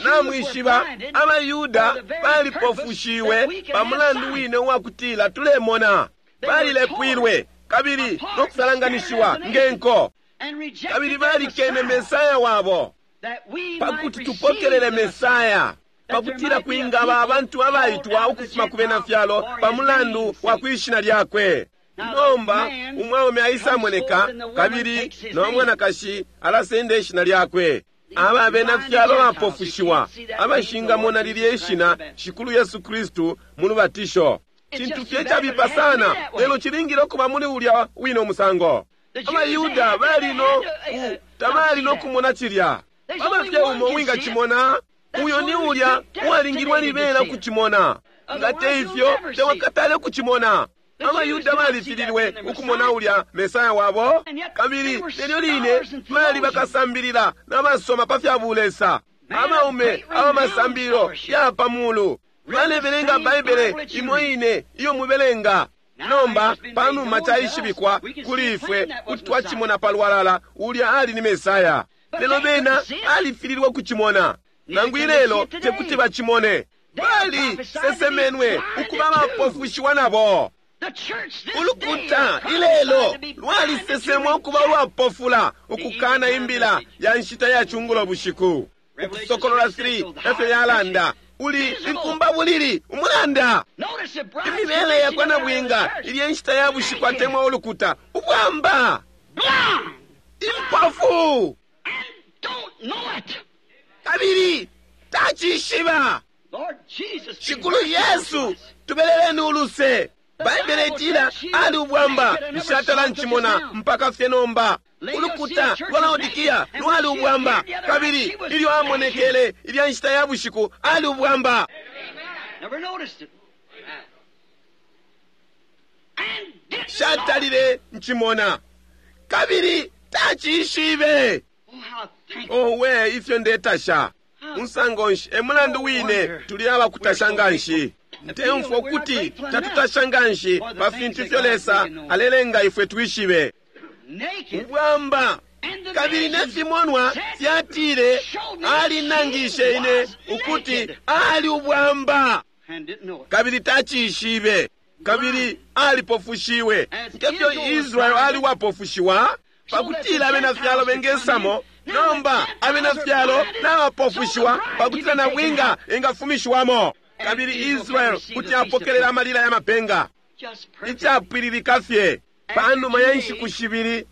Namwishiba, abayuda balipofushiwe pa mulandu wine uwakutila tulemona. Balilepwilwe kabili no kusalanganishiwa ngenko, kabili balikene Mesaya wabo pakuti tupokelele Mesaya, pakutila kwingaba abantu abaitwa ukufuma ku bena fyalo pa mulandu wa kwishina lyakwe. Nomba umwaume aisamoneka kabili no mwanakashi alasenda ishina lyakwe. Aba bena fyalo bapofushiwa abashingamona lilye ishina Shikulu Yesu Kristu mu lubatisho. Cintu fye cabipa sana, lelo cilingile ukuba muli ulya wine umusango. AbaYuda bali no tabali no kumona cilya. Baba fye umo wingacimona, uyo ni ulya uwalingilwe libela ukucimona. Nga te ifyo, tewakatale ukucimona. AbaYuda balifililwe ukumona ulya Mesaya wabo, kabili nelyo line bali bakasambilila n'abasoma pa fya bulesa. Abaume abamasambililo ya pa mulu balebelenga Baibele imo ine iyo mubelenga. Nomba panuma caishibikwa kuli ifwe kuti twacimona palwalala ulya ali ni Mesaya, lelo bena alifililwe ukucimona. Nangu ilelo tekuti bacimone. Bali sesemenwe ukuba abapofushiwa nabo. Ulukuta ilelo lwalisesemwa ukuba ulwapofula ukukana imbila ya nshita ya cungulo bushiku. Ukusokolola three efyo yalanda, uli inkumba bulili umulanda. Imibele yakwa nabwinga ilye nshita ya bushiku atemwa ulukuta ubwamba, impofu, kabili tacishiba. Shikulu Yesu, tubeleleni uluse. Baibele itila ali ubwamba, nshatala ncimona mpaka fye nomba. Ulukuta lwa Laodikia lwali ubwamba, kabili ilyo amonekele ilya nshita ya bushiku ali ubwamba. Shatalile ncimona, kabili tacishibe. Owe, ifyo ndetasha musango nshi! E mulandu wine tuli abakutasha nganshi. Ntemfwa ukuti tatutasha nganshi pa fintu ifyo Lesa alelenga ifwe twishibe. Ubwamba, kabili ne fimonwa fyatile alinangishe ine ukuti ali ubwamba, kabili tacishibe, kabili alipofushiwe ngefyo Israel ali wapofushiwa pakutila abena fyalo bengesamo. Nomba abena fyalo nabapofushiwa pakutila nabwinga engafumishiwamo, kabili Israel kuti apokelela amalila ya mapenga. Icapwililika fye panuma ya nshiku shibili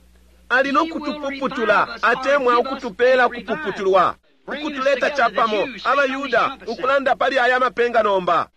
ali no kutupuputula atemwa ukutupela kupuputulwa, ukutuleta capamo abaYuda ukulanda pali aya mapenga nomba.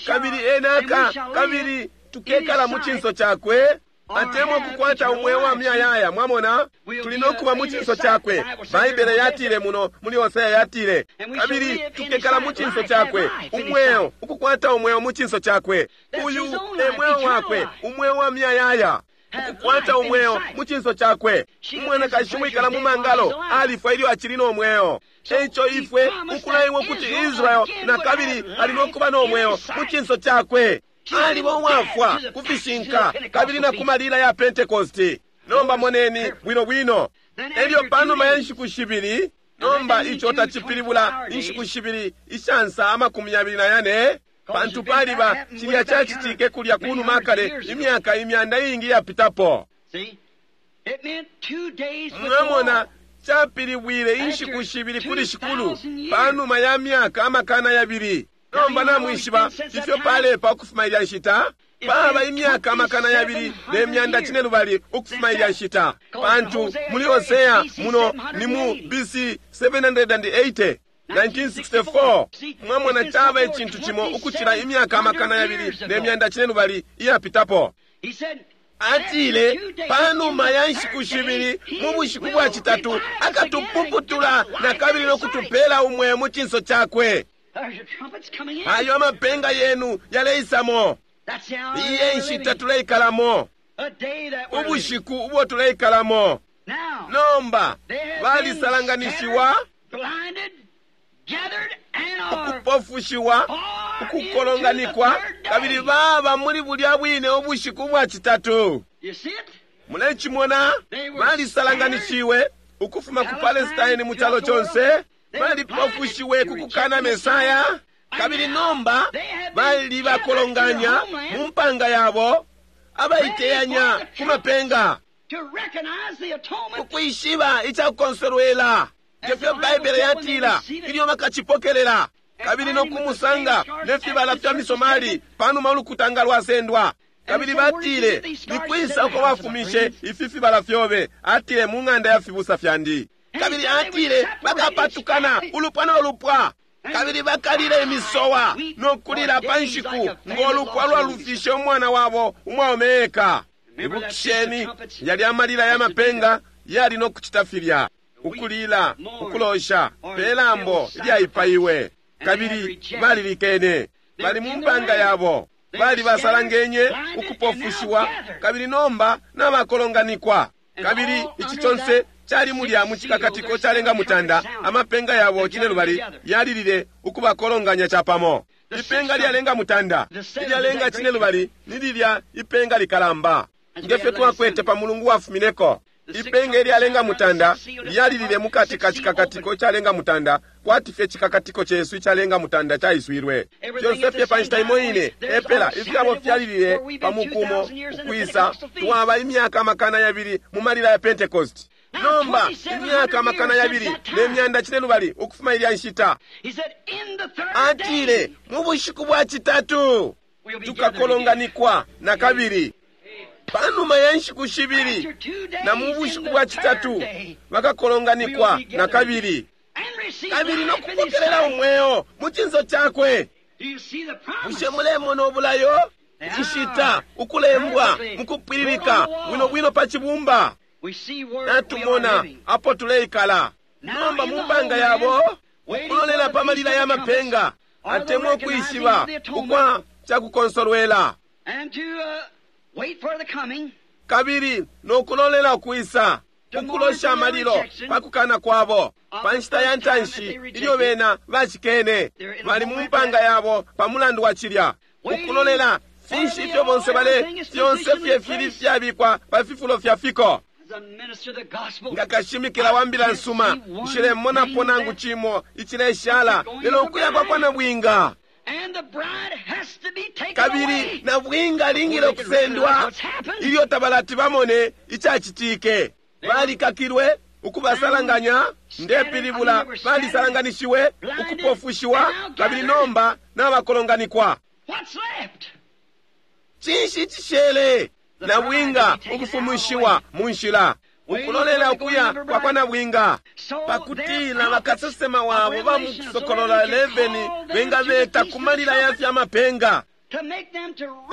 Kabili enaka, kabili tukekala mu cinso cakwe atemwa kukwata umweo wa muyayaya. Mwamona, tuli no kuba mu cinso cakwe. Baibele yatile muno muli Hosea yatile, kabili tukekala mu cinso cakwe, umweo, ukukwata umweo mu cinso cakwe. Uyu e mweo wakwe, umweo wa muyayaya, ukukwata umweo mu cinso cakwe. Umwanakashi wikala mu mangalo alifwa ilyo acili no mweo. Eico ifwe ukulaiwa ukuti Israel na kabili ali no kuba no mweo mu cinso cakwe. Aliba uwafwa kufishinka kabili na kumalila ya Pentecosti. Nomba moneni bwino bwino. Elyo panuma ya nshiku shibili, nomba ico tacipilibula inshiku shibili ishansa amakumi yabili na yane, pantu paliba cilya cacitike kulya kunuma kale imyaka imyanda iingi yapitapo. Mwamona, capilibwile inshiku shibili kuli shikulu panuma ya myaka amakana yabili. Nomba namwishiba ifyo palepa ukufuma ilya nshita? Paba imyaka amakana yabili ne myanda cine lubali ukufuma ilya nshita, pantu muli Hosea muno ni mu B C seven hundred eighty, nineteen sixty-four. Mwamona, caba icintu cimo ukucila imyaka amakana yabili ne myanda cine lubali iyapitapo. Atile panuma ya nshiku shibili mu bushiku bwa citatu akatupuputula na kabili no kutupela umweo mu cinso cakwe. Ayo amapenga yenu yaleisamo. Iye nshita tuleikalamo, ubushiku ubwo tuleikalamo. Nomba balisalanganishiwa, ukupofushiwa, ukukolonganikwa, kabili baba muli bulya bwine ubushiku bwa citatu. Mulecimona, balisalanganishiwe ukufuma ku Palestine mu calo conse, balipofushiwe ku kukana Mesaya, kabili nomba bali bakolonganya mu mpanga yabo, abaiteyanya ku mapenga, ukwishiba icakukonsolwela ngefyo Baibele yatila ilyo bakacipokelela, kabili no kumusanga ne fibala fya misomali panuma ulukutanga lwasendwa. Kabili batile, nikwisa uko wafumishe ifi fibala fyobe? Atile, mu ng'anda ya fibusa fyandi. Kabili atile, bakapatukana ulupwa no lupwa. Kabili bakalila imisowa no kulila pa nshiku ng'olupwa lwalufishe umwana wabo umwaume eka. Ibukisheni yali amalila ya mapenga yali no kucita filya, ukulila, ukulosha pe lambo ilyaipaiwe. Kabili balilikene, bali mu mpanga yabo, bali basalangenye, ukupofushiwa, kabili nomba nabakolonganikwa. Kabili ici conse cali mulya mu cikakatiko calenga mutanda, amapenga yabo cinelubali yalilile ukubakolonganya capamo. Ipenga lyalenga mutanda, ilyalenga cinelubali ni lilya ipenga likalamba, ngefyo twakwete pa mulungu wafumineko. Ipenga ilyalenga mutanda lyalilile mukati ka cikakatiko calenga mutanda, kwati fye cikakatiko cesu icalenga mutanda caiswilwe. Fyonse fye pa nshita imo ine epela ifyabo fyalilile pa mukumo ukwisa. Twaba imyaka amakana yabili mu malila ya Pentecost. Nomba imyaka amakana yabili ne myanda cinelubali ukufuma ilya nshita. Atile mu bushiku bwa citatu tukakolonganikwa na kabili. Panuma ya nshiku shibili na mu bushiku bwa citatu bakakolonganikwa na kabili, kabili no kupokelela umweo mu cinso cakwe. Bushe mulemona ubulayo? Inshita ukulembwa mukupwililika bwino bwino pa cibumba. Natumona apo tuleikala nomba mu mpanga yabo, ukulolela pa malila ya mapenga, atemwa ukwishiba ukwa cakukonsolwela, kabili nokulolela ukwisa, ukulosha amalilo pa kukana kwabo pa nshita ya ntanshi ilyo bena bacikene. Bali mu mpanga yabo pa mulandu wa cilya, ukulolela finshi ifyo bonse bale, fyonse fye fili fyabikwa pa fifulo fya fiko. Nga kashimikila wa mbila nsuma, nshilemonapo nangu cimo icileshala lelo ukuya kwa kwa nabwinga. Kabili nabwinga alingile ukusendwa ilyo tabalati bamone icacitike. Balikakilwe, ukubasalanganya, ndepilibula balisalanganishiwe, ukupofushiwa, kabili nomba nabakolonganikwa. Cinshi icishele? Nabwinga ukufumishiwa mu nshila, ukulolela ukuya kwa kwa nabwinga, pakutila bakasesema wabo ba mu Kusokolola eleveni bengabeta ku malila ya fya mapenga,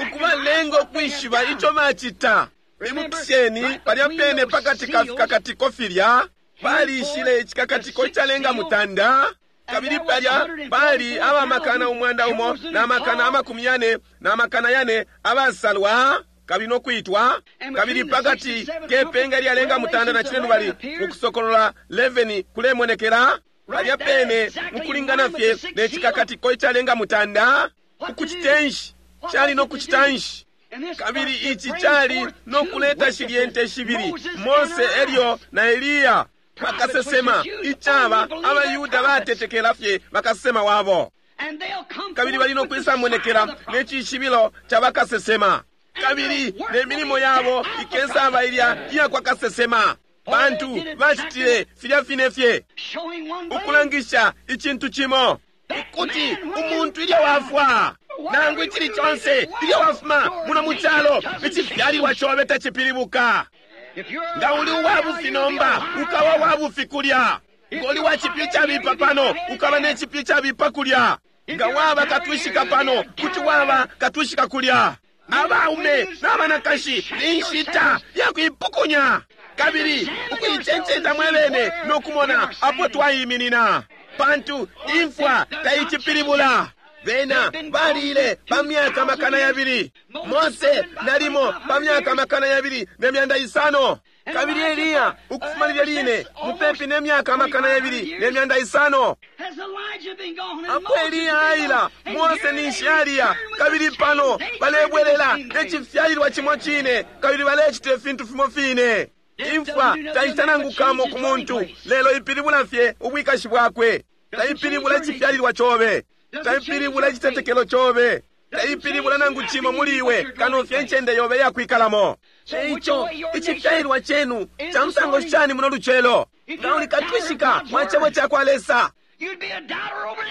ukubalenga ukwishiba ico bacita. Ibukisheni palya pene pakati ka fikakatiko filya palishile icikakatiko icalenga mutanda, kabili palya pali abamakana umwanda umo na makana amakumi yane na makana yane abasalwa kabili nokwitwa. Kabili pakati kepenga lyalenga mutanda na cinelubali mu Kusokolola eleveni kulemonekela palya pene mukulingana fye ne cikakatiko icalenga mutanda. Ukucitenshi cali nokucitanshi, kabili ici cali nokuleta shilye nte shibili, Mose elyo na Eliya, bakasesema, icaba abayuda batetekela fye bakasesema wabo, kabili bali nokwisamonekela ne cishibilo ca bakasesema, kabili ne milimo yabo ikesaba ilya iya kwa kasesema, pantu bacitile filya fine fye, ukulangisha icintu cimo, ukuti umuntu ilyo wafwa nangu icili conse ilyo wafuma muno mu calo, icifyalilwa cobe tacipilibuka. Nga uli uwabufi nomba, ukaba wabufi kulya. Nga uli wa cipyu cabipa pano, ukaba ne cipyu cabipa kulya. Nga waba katwishika pano, kuti waba katwishika kulya. Abaume n'abanakashi ni nshita ya kuipukunya kabili ukuicencenta mwebene no kumona apo twayiminina, pantu imfwa taicipilibula. Bena balile pa myaka amakana yabili, Mose nalimo pa myaka amakana yabili ne myanda isano, kabili Eliya ukufuma lilya line mupepi ne myaka amakana yabili ne myanda isano. Apo Eliya aila, Mose ninshi aliya, kabili pano balebwelela ne cifyalilwa cimo cine, kabili balecita ifintu fimo fine. Imfwa taita nangu kamo ku muntu, lelo ipilibula fye ubwikashi bwakwe. Taipilibula icifyalilwa cobe, taipilibula icitetekelo cobe, taipilibula nangu cimo muli iwe kano fye ncende yobe yakwikalamo. Eico icifyalilwa cenu ca musango shani muno lucelo? Nga uli katwishika mwa cebo ca kwa Lesa,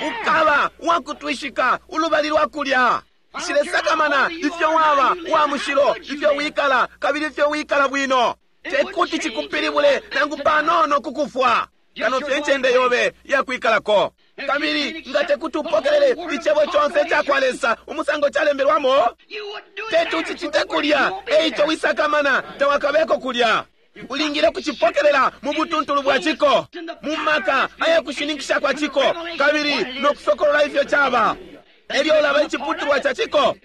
ukaba wakutwishika ulubali lwa kulya. Nshilesakamana ifyo waba wa mushilo, ifyo wikala, kabili ifyo wikala bwino, tekuti cikupilibule nangu panono kukufwa, kano fye ncende yobe yakwikalako. Kabili nga tekuti upokelele icebo conse icakwa Lesa umusango calembelwamo, teti ucicite kulya. Eico wisakamana, tawakabeko kulya. Ulingile kucipokelela mu butuntulu bwa ciko, mu maka ayakushininkisha kwa ciko, kabili no kusokolola ifyo caba. Elyo ulaba iciputulwa ca ciko.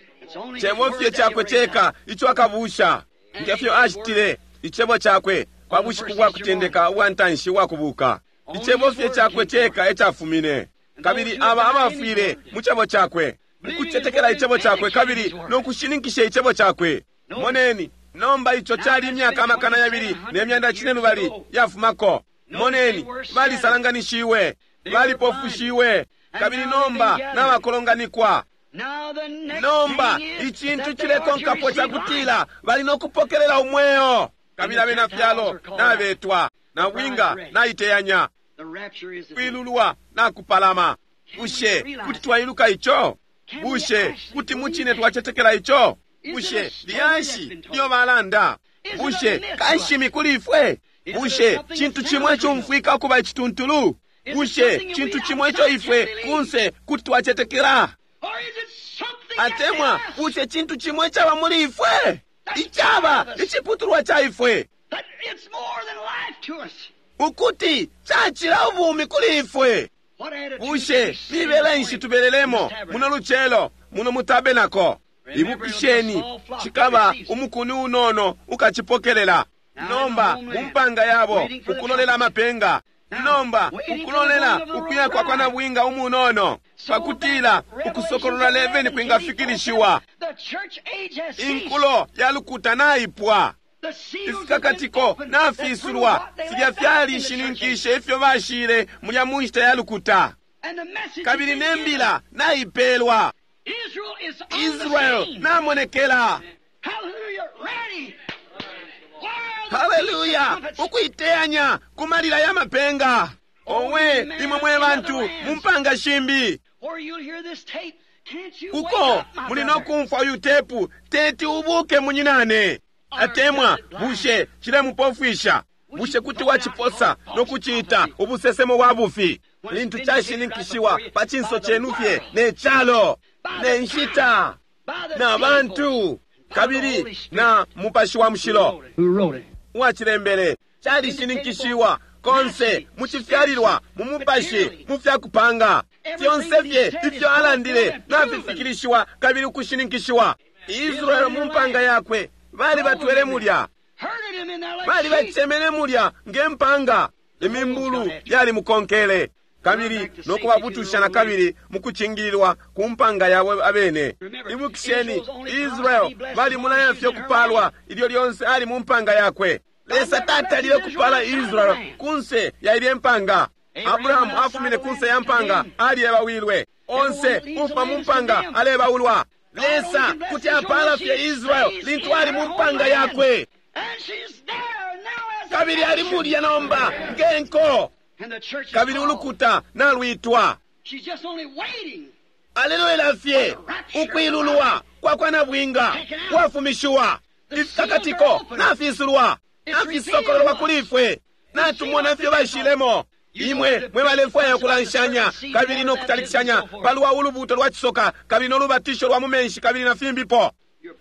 Cebo fye cakwe ceka ico akabusha, ngefyo acitile icebo cakwe kwa bushiku bwa kutendeka ubwa ntanshi ubwa kubuka. Icebo fye cakwe ceka ecafumine, kabili aba abafwile mu cebo cakwe, ukucetekela icebo cakwe kabili no kushininkisha icebo cakwe. Moneni nomba, ico cali imyaka amakana yabili ne myanda cinelubali yafumako. Moneni, balisalanganishiwe, balipofushiwe, kabili nomba nabakolonganikwa. Nomba icintu cilekonkapo cakutila bali no kupokelela umweo, kabili abena fyalo nabetwa, na bwinga naiteyanya, kwilulwa nakupalama. Bushe kuti twailuka ico? Bushe kuti mucine twacetekela ico? Bushe lyashi lyo balanda? Bushe kanshimi kuli ifwe? Bushe cintu cimwe cumfwika ukuba icituntulu? Bushe cintu cimwe ico ifwe kunse kuti twacetekela? Atemwa bushe cintu cimwe caba muli ifwe, icaba iciputulwa ca ifwe, ukuti cacila ubumi kuli ifwe? Bushe mibele nshi tubelelemo muno lucelo muno mutabenako? Ibukisheni, cikaba umukuni unono ukacipokelela. Nomba mu mpanga yabo ukulolela amapenga, nomba ukulolela ukuya kwa kwa nabwinga umunono, pakutila ukusokolola eleveni kwingafikilishiwa. Inkulo ya lukuta naipwa, ifikakatiko nafisulwa, filya fyalishininkishe ifyo bashile mulya mu nshita ya lukuta, kabili ne mbila naipelwa. Israel namonekela. Haleluya! Ukuiteyanya kumalila ya mapenga. Owe imwe mwe bantu mu mpanga shimbi, uko muli no kumfwa uyu tepu, teti ubuke munyinane. Atemwa bushe cilemupofwisha? Bushe kuti waciposa no kuciita ubusesemo bwa bufi, lintu cashininkishiwa pa cinso cenu fye ne calo ne nshita na bantu kabili na Mupashi wa Mushilo uwacilembele? Calishininkishiwa konse mucifyalilwa, mu mupashi, mu fyakupanga fyonse fye ifyo alandile nafifikilishiwa kabili ukushininkishiwa. Israel mu mpanga yakwe bali batwele mulya, bali bacemene mulya nge mpanga, imimbulu yali mukonkele, kabili no kubabutusha na kabili mukucingililwa ku mpanga yabo abene. Ibukisheni, Israel bali mulaya fye kupalwa ilyo lyonse ali mu mpanga yakwe. Lesa tatalile kupala Israel kunse ya ilye mpanga. Abrahamu afumine kunse ya mpanga, aliyebawilwe. Onse ufa mu mpanga alebaulwa. Lesa kuti apala fye Israel lintu ali mu mpanga yakwe, kabili ali mulya nomba ngenko, kabili ulukuta nalwitwa. Alelolela fye ukwilulwa kwa kwa nabwinga kwafumishiwa, ifikakatiko nafisulwa, nafisokololwa kuli ifwe, natumona ifyo bashilemo. Imwe mwe balefwaya ukulanshanya kabili no kutalikishanya palwa ulubuto lwa cisoka kabili no lubatisho lwa mu menshi kabili na fimbipo,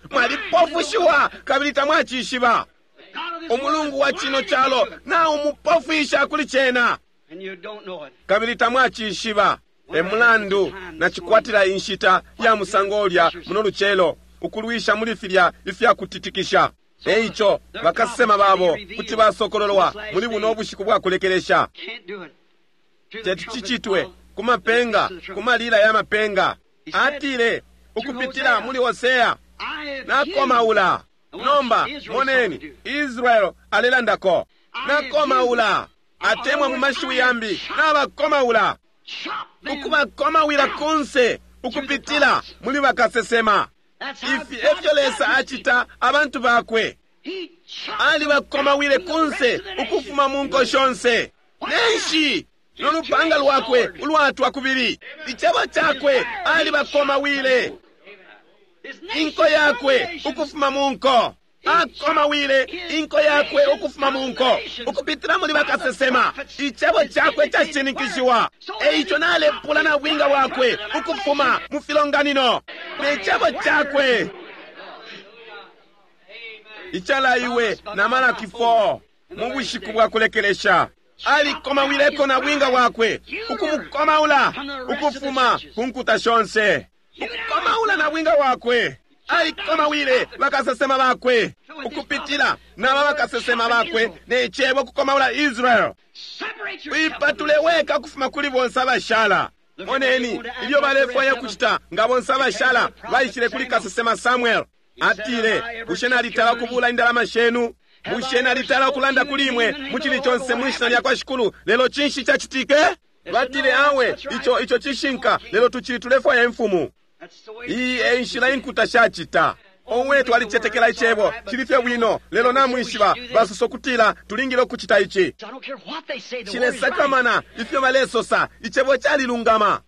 mwalipofushiwa kabili tamwacishiba. Umulungu wa cino calo na umupofwisha kuli cena, kabili tamwacishiba. E mulandu nacikwatila inshita ya musango ulya muno lucelo, ukulwisha muli filya ifya kutitikisha. Eico bakasesema babo kuti basokololwa muli buno bushiku bwa kulekelesha. Teti cicitwe ku mapenga, ku malila ya mapenga. Atile ukupitila muli Hosea, nakomaula. Nomba moneni, Israel alelandako, nakomaula, atemwa mu mashiwi yambi, nabakomaula, ukubakomawila kunse ukupitila muli bakasesema. Ifi efyo Lesa acita abantu bakwe. Alibakomawile kunse ukufuma mu nko shonse. Nenshi nolupanga lwakwe ulwatwa kubili, icebo cakwe alibakomawile inko yakwe ukufuma mu nko. Akomawile inko yakwe ukufuma mu nko ukupitila muli bakasesema. Icebo cakwe cashininkishiwa. Eico nalepula na bwinga wakwe ukufuma mu filonganino ne cebo cakwe icalaiwe na Malaki four mu bushiku bwa kulekelesha. Alikomawileko na bwinga wakwe ukumukomaula ukufuma ku nkuta shonse, ukukomaula na bwinga wakwe. Alikomawile bakasesema bakwe ukupitila naba bakasesema bakwe ne cebo kukomaula Israel. Wipatule weka kufuma kuli bonse abashala. Moneni ilyo balefwaya kucita nga bonse abashala baishile kuli kasesema Samuel. Atile, bushe nalitala kubula indalama shenu? Bushe nalitala kulanda kuli imwe mu chili chonse mwishina lya kwa Shikulu? Lelo chinshi chachitike? Batile, awe icho icho chishinka, lelo tuchili tulefwaya imfumu. Iyi e nshila inkuta shachita. Owe twalichetekela icebo chili fye bwino, lelo namwishiba basosa kutila tulingile ukuchita ichi. Chilesakamana ifyo balesosa, icebo chalilungama.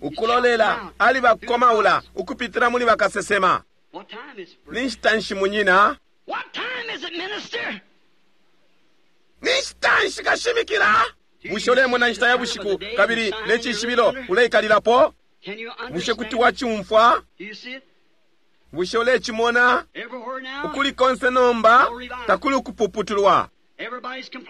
Ukulolela ali bakomaula ukupitila muli bakasesema. Ni nshita nshi munyina? Ni nshita nshi kashimikila? Bushe ulemona nshita ya bushiku kabili ne cishibilo uleikalilapo? Bushe kuti wachumfwa? Bushe ulechimona? Ukuli konse nomba takuli ukupuputulwa.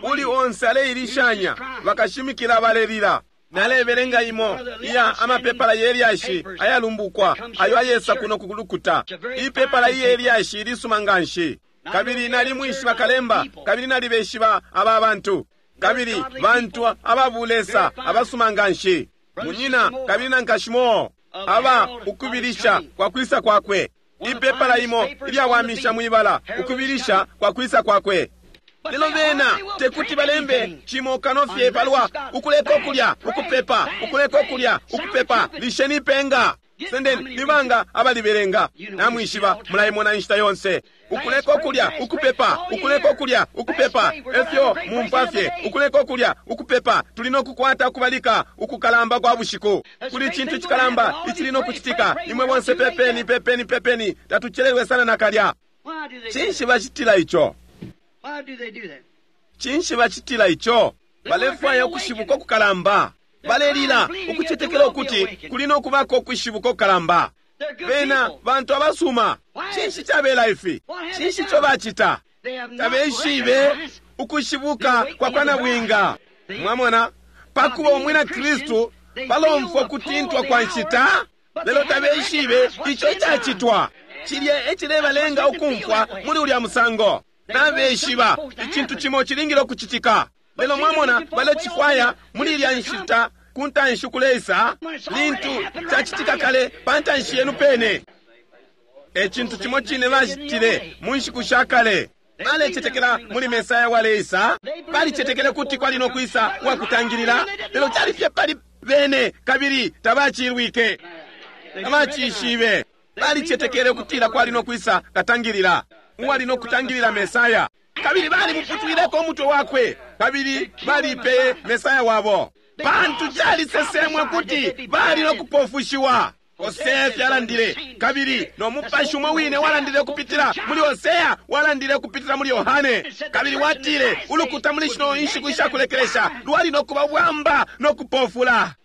Uli onse aleilishanya, bakashimikila balelila. Nalebelenga imo iya amapepala yelyashi ayalumbukwa ayo ayesa kuno kulukuta. Ipepala iyelyashi lisuma nganshi. Kabili nalimwishiba kalemba, kabili nalibeshiba aba bantu. Kabili bantu ababulesa abasuma nganshi. Munyina kabili na nkashimo aba ukubilisha kwa kwisa kwakwe. Ipepala imo ilyawamisha mwibala ukubilisha kwa kwisa kwakwe. Lelo bena tekuti balembe chimo kanofye palwa ukuleka okulya ukupepa, ukuleka okulya ukupepa, lisheni penga. Sendeni libanga abalibelenga. Namwishiba mulaimona inshita yonse. Ukuleka okulya ukupepa, ukuleka okulya ukupepa, efyo mumpafye ukuleka okulya ukupepa. Tuli nokukwata ukubalika ukukalamba kwa bushiku. Kuli chintu chikalamba ichili nokuchitika. Imwe bonse pepeni pepeni pepeni, tatuchelelwe sana nakalya. Chinshi bachitila icho? Chinshi bachitila icho? Balefwaya ukushibuka okukalamba. Balelila ukuchetekela ukuti kuli nokubako ukushibuka okukalamba. Bena bantu abasuma. Chinshi chabela ifi? Chinshi cho bachita? Tabeshibe ukushibuka kwa kwa nabwinga. Mwamona, pakuba umwina Kristu balomfwa kutintwa kwa nshita, lelo tabeshibe icho chachitwa. Chilye echilebalenga ukumfwa muli ulya musango. Nabeshiba ichintu chimo chilingile okuchitika. Lelo mwamona balechifwaya muli ilya nshita kuntanshi kuleisa lintu chachitika kale pantanshi yenu pene. Echintu chimo chine bachitile mu nshiku sha kale. Balechetekela muli Mesaya waleisa, balichetekele kuti kwali nokwisa wakutangilila, lelo chali fye pali bene kabili tabachilwike, tabachishibe. Balichetekele kutila kwali nokwisa katangilila uwali nokutangilila Mesaya, kabili balimuputwileko umutwe wakwe, kabili balipeye Mesaya wabo. Pantu chalisesemwe kuti bali nokupofushiwa. Hosea fyalandile, kabili no mupashi umwe wine walandile kupitila muli Hosea, walandile kupitila muli Yohane, kabili watile ulukuta muli shino inshiku ishakulekelesha lwali nokuba bwamba nokupofula.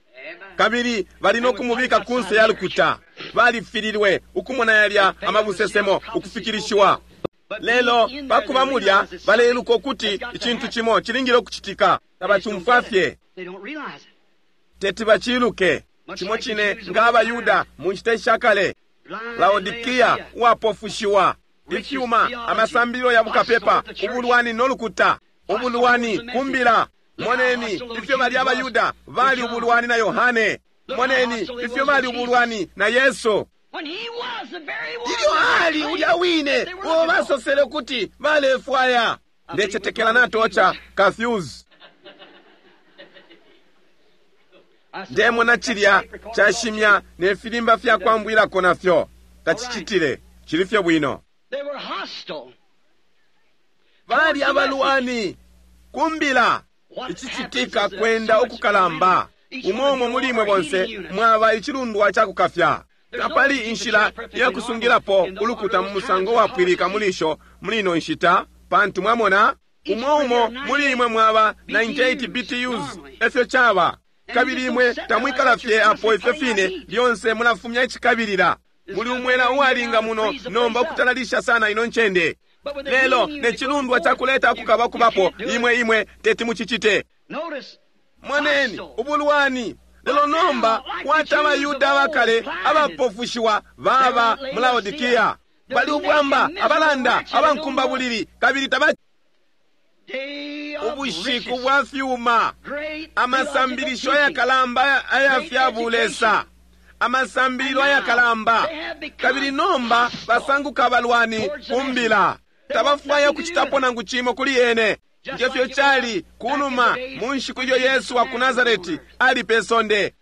Kabili bali nokumubika kunse ya lukuta. Balifililwe ukumona yalya amabusesemo ukufikilishiwa. Lelo pakuba mulya baleiluka ukuti ichintu chimo chilingile okuchitika. Tabachumfwa fye, teti bachiluke. Chimo chine nga abayuda mu nshita ishakale. Laodikia uwapofushiwa, ifyuma, amasambililo ya bukapepa, ubulwani nolukuta, ubulwani kumbila. Moneni ifyo bali abayuda bali ubulwani na Yohane. Moneni ifyo bali ubulwani na Yesu. Ilyo ali ulya wine uo basosele kuti balefwaya. Ndechetekela natocha kafuse. Ndemona chilya chashimya ne filimba fya kwambwilako nafyo tachichitile chili fye bwino. Bali abalwani kumbila. Ichichitika kwenda ukukalamba. Umo umo muli imwe bonse mwaba ichilundwa chakukafya. Tapali inshila ya kusungilapo ulukuta mu musango wapwilika muli isho muli ino nshita, pantu mwamona umo umo muli imwe mwaba ninety-eight B T Us efyo chaba, kabili imwe tamwikala fye apo ifyo fine lyonse mulafumya icikabilila. Muli umwela uwalinga muno nomba ukutalalisha sana ino ncende, lelo ne cilundwa cakuleta kukaba kubapo imwe imwe teti mucicite. Moneni ubulwani. Lelo nomba kwata abayuda abakale abapofushiwa baba mu Laodikia, bali ubwamba abalanda abankumba bulili kabili taba ubushiku bwa fyuma, amasambilisho ayakalamba aya fya bulesa, amasambililo ayakalamba, kabili nomba basanguka abalwani kumbila, tabafwaya kuchitapo nangu chimo kuli ene. Ngefyo chali kunuma mu nshiku ilyo Yesu wa ku Nazareti ali pe sonde.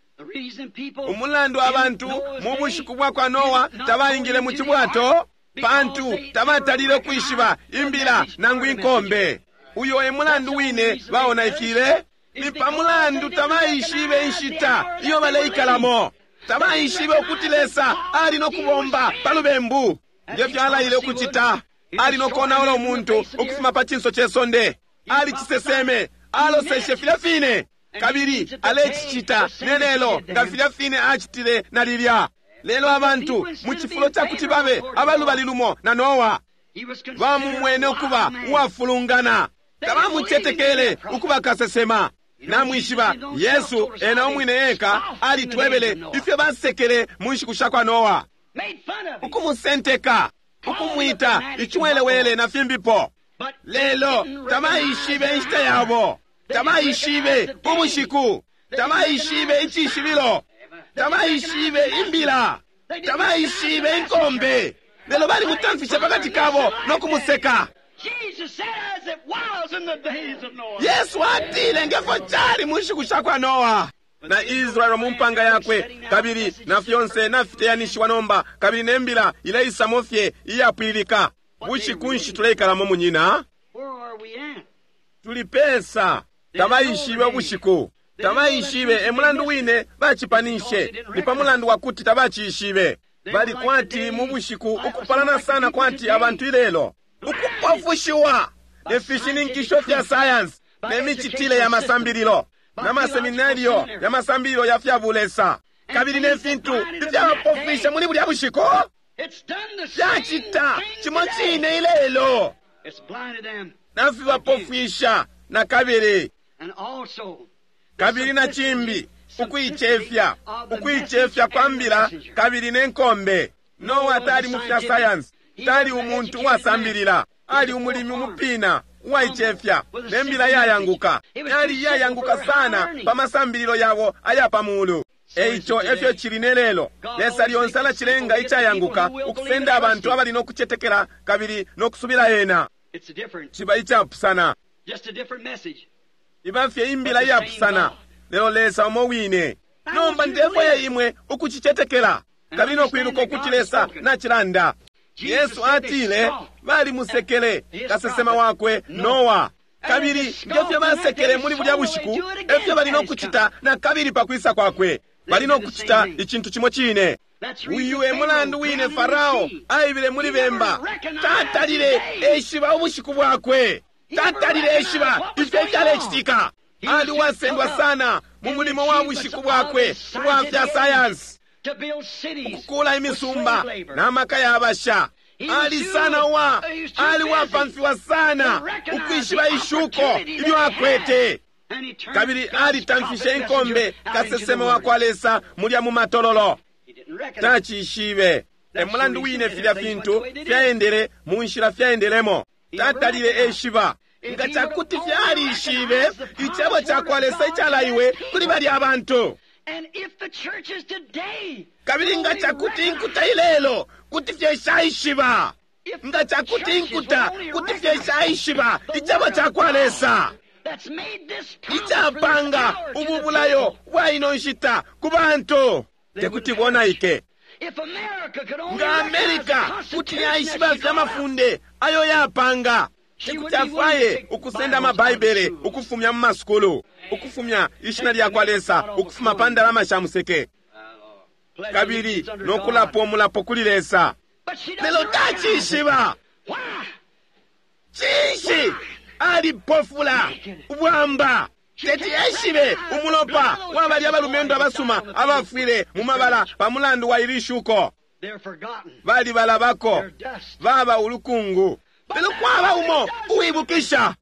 Umulandu abantu mu bushiku bwa kwa Noa tabaingile mu cibwato pantu tabatalile kwishiba imbila nangu inkombe. Uyo e mulandu wine baonaikile, ni pa mulandu tabaishibe inshita iyo baleikalamo. Tabaishibe ukuti Lesa ali no kubomba pa lubembu ngefyo alaile ukucita. Ali no konaula umuntu ukufuma pa cinso ce sonde. Ali ciseseme, aloseshe filya fine, kabili alecicita nelelo nga filya fine acitile na lilya. Lelo abantu mu cifulo ca kuti babe abalubali lumo na Noa bamumwene ukuba uwafulungana, tabamucetekele ukuba kasesema. Namwishiba Yesu ena umwine eka alitwebele ifyo basekele mu nshiku sha kwa Noa, ukumusenteka, ukumwita iciwelewele na fimbipo. Lelo tabaishibe inshita yabo, tabaishibe ubushiku, tabaishibe icishibilo, tabaishibe imbila, tabaishibe inkombe. Lelo bali mutamfishe pakati kabo no kumuseka. Yesu atile ngefyo cali mu nshiku sha kwa Noa na Israeli mu mpanga yakwe, kabili na fyonse nafiteyanishiwa nomba, kabili nembila ileisamo fye iyapwilika. Bushiku nshi tuleikalamo munyina? Tulipesa. Tabaishibe ubushiku, tabaishibe e mulandu wine bacipanishe, ni pa mulandu wakuti tabacishibe. Bali kwati mu bushiku ukupalana sana kwati abantu ilelo, ukupofushiwa ne fishininkisho fya science ne micitile ya masambililo na maseminario ya masambililo ya fya bulesa, kabili ne fintu ifyabapofisha muli bulya bushiku fyacita cimo cine ilelo, nafibapofisha na kabili. Kabili na cimbi ukuicefya, ukuicefya kwa mbila kabili ne nkombe. Noa tali mu fya science, tali umuntu uwasambilila, ali umulimi umupina uwaicefya ne mbila yayanguka. Yali iyayanguka sana pa masambililo yabo aya pa mulu. Eico efyo cili ne lelo. Lesa lyonse alacilenga icayanguka ukusenda abantu abali no kucetekela kabili no kusubila ena. Ciba icapusana, iba fye imbila iyapusana, lelo Lesa umo wine. Nomba ndefwaya imwe ukucicetekela kabili no kwiluka ukuti Lesa nacilanda. Yesu atile balimusekele kasesema wakwe Noa, kabili ngefyo basekele muli bulya bushiku efyo bali no kucita na kabili pa kwisa kwakwe. Bali no kucita icintu cimo cine. Uyu e mulandu wine Farao aibile muli bemba, tatalile eshiba ubushiku bwakwe, tatalile eshiba ifyo ifyalecitika. Ali uwasendwa sana mu mulimo wa bushiku bwakwe ubwa fya sayansi, ukukula imisumba na maka ya basha. Ali sana wa ali wapamfiwa sana ukwishiba ishuko ilyo akwete, kabili alitamfishe inkombe kasesema wa kwa Lesa mulya mu matololo. Tacishibe. E mulandu wine filya fintu fyaendele mu nshila fyaendelemo. Tatalile eshiba. Nga cakuti fyalishibe icebo ca kwa Lesa icalaiwe kuli balya abantu. Kabili nga cakuti inkuta ilelo kuti fye shaishiba, nga cakuti inkuta kuti fye shaishiba icebo ca kwa Lesa icapanga ubu bulayo bwa ino nshita ku bantu, tekuti bonaike. Nga Amerika kuti yaishiba fye amafunde ayo yapanga, tekuti afwaye ukusenda amabaibele ukufumya mu masukulu, ukufumya ishina lya kwa Lesa ukufuma pa ndalama sha museke. Kabili no kulapa umulapo kuli Lesa. Lelo tacishiba. Cinshi? Alipofula ubwamba. Teti eshibe umulopa wa balya abalumendo abasuma abafwile mu mabala pa mulandu wa ili shuko. Balibalabako, baba ulukungu. Lelo kwaba umo uwibukisha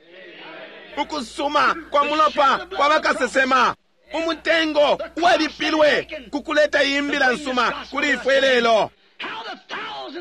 ukusuma kwa mulopa kwa bakasesema, umutengo uwalipilwe kukuleta imbila nsuma kuli ifwe lelo.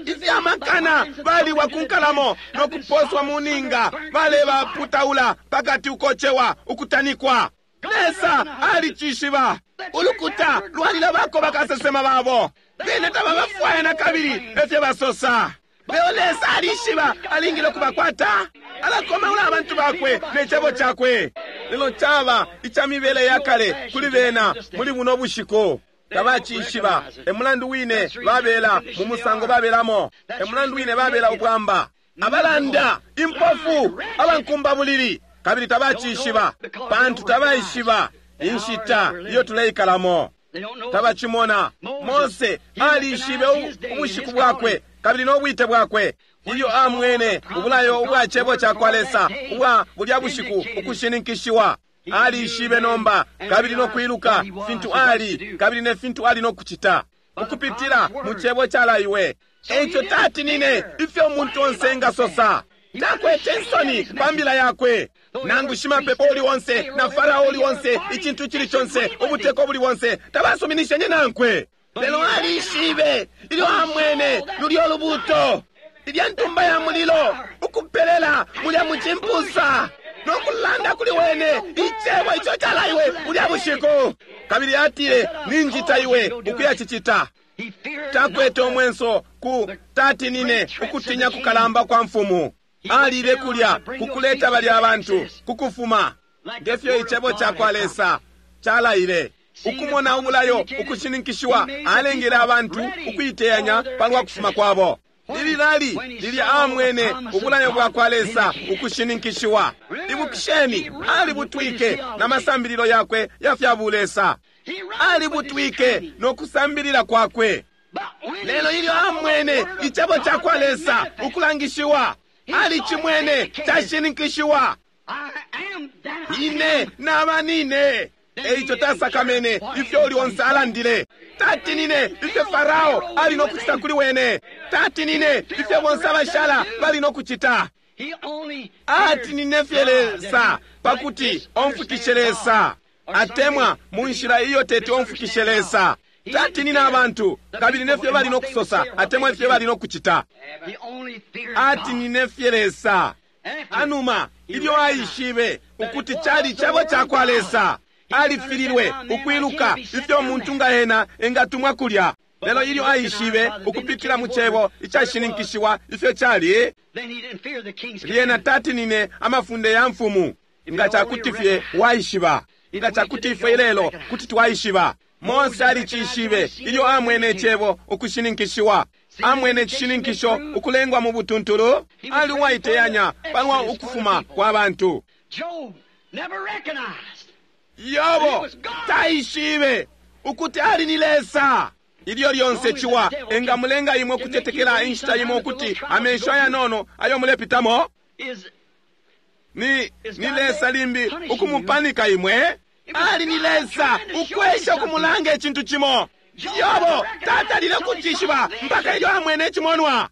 Ifyamakana baliwa ku nkalamo no kuposwa mu ninga, balebaputaula pakati ukocewa ukutanikwa. Lesa alicishiba. Ulukuta lwalilabako bakasesema babo, bene tababafwaya na kabili, efyo basosa. Lelo Lesa alishiba alingile kubakwata. Alakomaula abantu bakwe ne cebo cakwe. Lelo caba ica mibele ya kale kuli bena muli buno bushiku. Tabacishiba. E mulandu wine babela mu musango babelamo. E mulandu wine babela ubwamba, abalanda, impofu, abankumba bulili, kabili tabacishiba pantu tabaishiba inshita iyo tuleikalamo. Tabacimona. Mose alishibe ubushiku bwakwe kabili no bwite bwakwe. Ilyo amwene ubulayo ubwa cebo ca kwa Lesa ubwa bulya bushiku ukushininkishiwa, alishibe nomba kabili no kwiluka fintu ali kabili ne fintu ali no kucita ukupitila mu cebo calaiwe. Eico tatinine ifyo umuntu onse engasosa. Takwete insoni pa mbila yakwe. Nangu shimapepo uli onse na Farao uli onse, icintu cili conse, ubuteko buli bonse, tabasuminishenye nankwe. Lelo alishibe ilyo amwene lulyo lubuto, ilya ntumba ya mulilo ukupelela mulya mucimpusa no kulanda kuli wene icebo ico calaiwe bulya bushiku. Kabili atile, ninjita iwe ukuyacicita. Takwete omwenso ku tatinine ukutinya kukalamba kwa mfumu. Alile kulya kukuleta balya abantu kukufuma ngefyo icebo ca kwa Lesa calaile. Ukumona ubulayo ukushininkishiwa, alengele abantu ukuiteyanya palwa kufuma kwabo. Lilali lilya amwene ubulayo bwa kwa Lesa ukushininkishiwa. Ibukisheni, alibutwike na masambililo yakwe ya fya bulesa. Alibutwike no kusambilila kwakwe. Lelo ilyo amwene icebo ca kwa Lesa ukulangishiwa, alicimwene cashininkishiwa. Ine naba nine. Eico tasakamene ifyo uli onse alandile. Tatinine ifyo Farao ali no kucita kuli wene. Tatinine ifyo bonse abashala bali no kucita. Atinine fye Lesa pakuti omfukishe Lesa, atemwa mu nshila iyo teti omfukishe Lesa. Tatinine abantu kabili nefyo bali no kusosa atemwa ifyo bali no kucita. Atinine fye Lesa. Anuma ilyo aishibe ukuti cali cebo ca kwa Lesa, alifililwe ukwiluka ifyo umuntu nga ena engatumwa kulya. Lelo ilyo aishibe ukupitila mu cebo icashininkishiwa ifyo cali, lyena tatinine amafunde ya mfumu. Nga cakuti fye waishiba, nga cakuti ifwe ilelo kuti twaishiba. Mose alicishibe ilyo amwene icebo ukushininkishiwa. Amwene icishininkisho ukulengwa mu butuntulu. Ali uwaiteyanya palwa ukufuma kwa bantu. Yobo taishibe ukuti ali ni Lesa. Ilyo lyonse ciwa engamulenga imwe kutetekela inshita imo ukuti amesho ayanono ayo mulepitamo ni, ni Lesa limbi ukumupanika imwe. Ali ni Lesa ukwesha ukumulanga icintu cimo. Yobo tatalile kucishiba mpaka ilyo amwene icimonwa.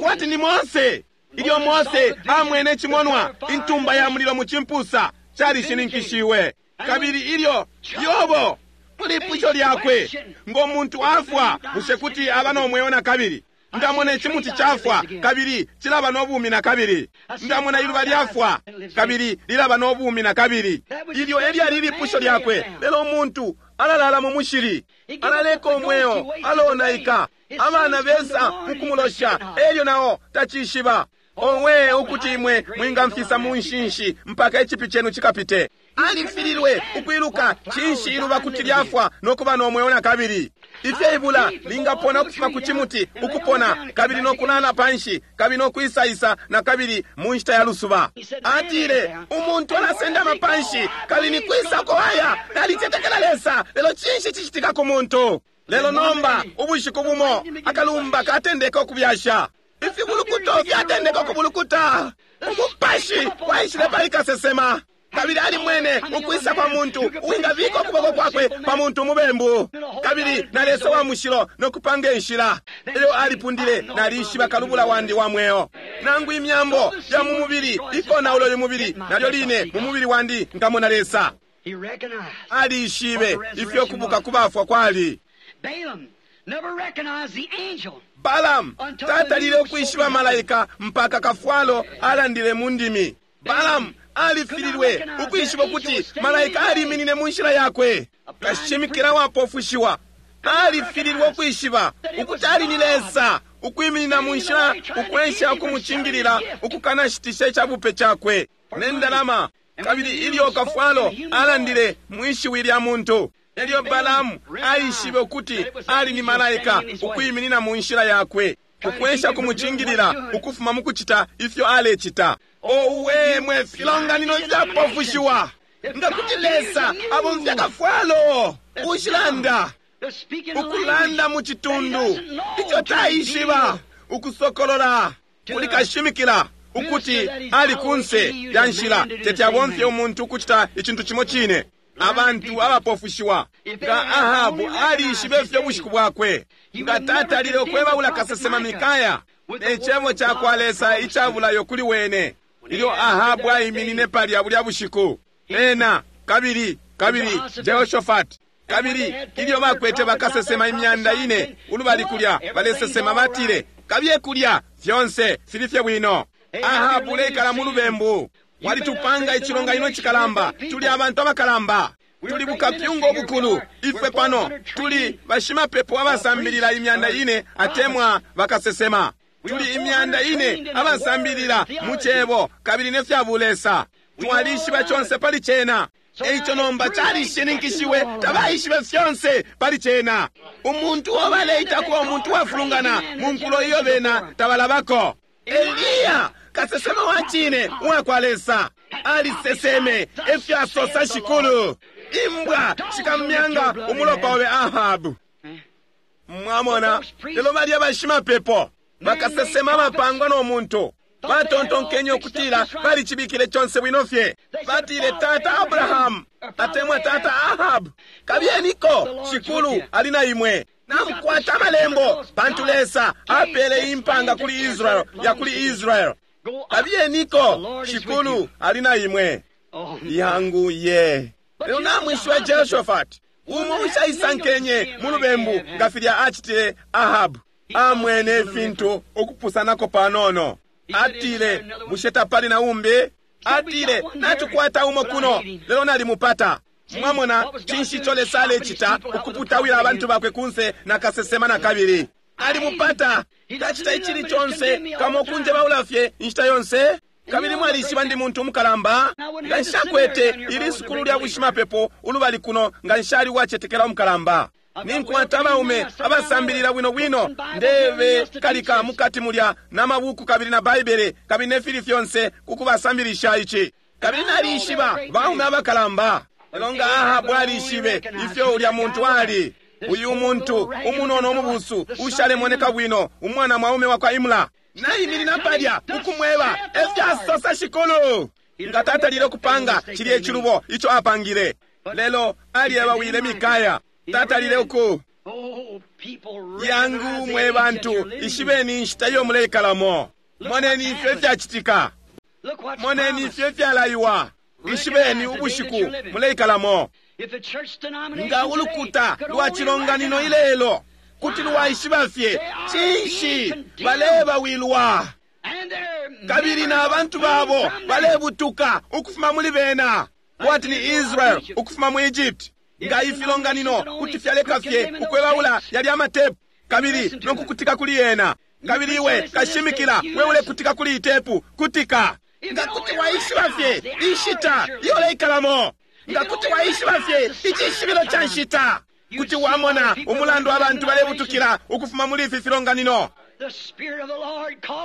Kwati ni Mose. Ilyo Mose amwene icimonwa, intumba ya mulilo mu cimpusa calishininkishiwe. Kabili ilyo Yobo mulipusho lyakwe, ngo muntu afwa bushe kuti aba no mweo na kabili? Ndamona icimuti cafwa kabili cilaba no bumi na kabili. Ndamona iluba lyafwa kabili lilaba no bumi na kabili. Ilyo elyali lipusho lyakwe. Lelo umuntu alalala mu mushili, alaleka umweo, alonaika. Abana besa mukumulosha, elyo nao tacishiba. Owe ukuti imwe mwingamfisa mu nshinshi mpaka icipi chenu chikapite. Alifililwe ukwiluka cinshi iluba kuti lyafwa no kuba no mweo na kabili. Ifyo ibula lingapona ukufuma ku cimuti ukupona kabili no kulala panshi kabili no kwisaisa na kabili mu nshita ya lusuba. Atile umuntu alasendama panshi kabili ni kwisa ko aya, nalicetekela Lesa, lelo cinshi cicitika ku muntu? Lelo nomba ubushiku bumo akalumba katendeka ukubyasha, ifibulukuto fyatendeka ukubulukuta. Umupashi waishile pali kasesema, kabili alimwene ukwisa kwa muntu uwingabika ukuboko kwakwe pa muntu umubembu, kabili na Lesa wa mushilo nokupanga inshila. Elyo alipundile, nalishiba kalubula wandi wa mweo. Nangu imyambo ya mu mubili ikonaula uyu mubili, nalyo line mu mubili wandi nkamona Lesa. Alishibe ifyo kubuka kubafwa kwali. Balaam tatalile ukwishiba malaika mpaka kafwalo alandile mu ndimi. Balaam alifililwe ukwishiba ukuti malaika aliminine mu nshila yakwe. Kashimikila wapofushiwa alifililwe ukwishiba ukuti ali ni Lesa ukwiminina mu nshila, ukwensha ukumucingilila ukukanashitisha icabupe cakwe ne ndalama. Kabili ilyo kafwalo alandile mwishiwi lya muntu, elyo Balaamu aishibe ukuti ali ni malaika ukwiminina mu nshila yakwe, ukwensha kumucingilila ukufuma mu kucita ifyo alecita. Owe mwe filonganino fyapofushiwa! Nga kuti Lesa abomfya kafwalo ushilanda ukulanda mu citundu ico taishiba, ukusokolola kuli kashimikila ukuti ali kunse ya nshila, teti abomfye umuntu ukucita icintu cimo cine. Abantu abapofushiwa! Nga Ahabu alishibe ifyo bushiku bwakwe, nga tatalile ukwebaula kasesema Mikaya ne cebo ca kwa Lesa icabulayo kuli wene. Ilyo Ahabu aiminine palya bulya bushiku, ena kabili kabili Jehoshaphat, kabili ilyo bakwete bakasesema imyanda ine ulubali kulya balesesema, batile, kabiye kulya, fyonse fili fye bwino. Ahabu uleikala mu lubembu. Walitupanga icilonganino cikalamba, tuli abantu abakalamba, tuli bukapyunga ubukulu. Ifwe pano tuli bashimapepo abasambilila imyanda ine atemwa bakasesema, tuli imyanda ine abasambilila mu cebo kabili ne fya bulesa, twalishiba conse pali cena. Eico nomba calishininkishiwe, tabaishibe fyonse pali cena. Umuntu uo baleitako umuntu wafulungana mu nkulo iyo bena tabalabako. Eliya kasesema wa cine uwa kwa Lesa aliseseme efyo asosa Shikulu, imbwa shikamyanga umulopa obe Ahabu. Mwamona, lelo balya bashimapepo bakasesema bapangwa no muntu batontonkenye ukutila balicibikile conse bwino fye. Batile, tata Abrahamu atemwa tata Ahabu, kabyeniko, Shikulu ali na imwe. Namukwata amalembo, pantu Lesa apele impanga kuli Israel ya kuli Israel. Kabyeniko, Shikulu ali na imwe. Yangu ye. Lelo namwishiba Jehoshaphat, umo ushaisankenye mu lubembu nga filya acitile Ahabu, amwene ifintu ukupusanako panono. Atile, bushe tapali na umbi? Atile, natukwata umo kuno, lelo nalimupata. Mwamona cinshi ico Lesa alecita ukuputawila abantu bakwe kunse na kasesema na kabili. Alimupata. Tacita icili conse kamo kunjebaula fye inshita yonse. Kabili mwalishiba ndi muntu umukalamba, nga nshakwete ili sukulu lya bushimapepo ulubali kuno, nga nshali uwacetekela umukalamba. Ninkwata abaume abasambilila bwino bwino, ndebe kalika mukati mulya na mabuku kabili na Baibele kabili ne fili fyonse kukubasambilisha ici. Kabili nalishiba baume abakalamba. Lelo nga Ahabu alishibe ifyo ulya muntu ali. Uyu muntu umunono umubusu ushalemoneka bwino, umwana mwaume wa kwa Imla, naiminina palya ukumweba efyasosa Shikulu. Nga tatalile ukupanga cilya icilubo ico apangile, lelo alyebawile Mikaya. Tatalile uku yangu mwe bantu, ishibeni inshita iyo muleikalamo. Moneni ifyo ifyacitika, moneni ifyo ifyalaiwa, ishibeni ubushiku muleikalamo. Nga ulukuta lwa cilonganino ilelo kuti lwaishiba fye cinshi balebawilwa, kabili na bantu babo balebutuka ukufuma muli bena, kwati ni Israel ukufuma mu Egypt. Nga ifilonganino kuti fyaleka fye ukwebaula yali amatepu kabili nokukutika kuli yena, kabili iwe kashimikila we ulekutika kuli itepu, kutika. Nga kuti waishiba fye inshita iyo uleikalamo, nga kuti waishiba fye icishibilo ca nshita, kuti wamona umulandu abantu balebutukila ukufuma muli ifi filonganino.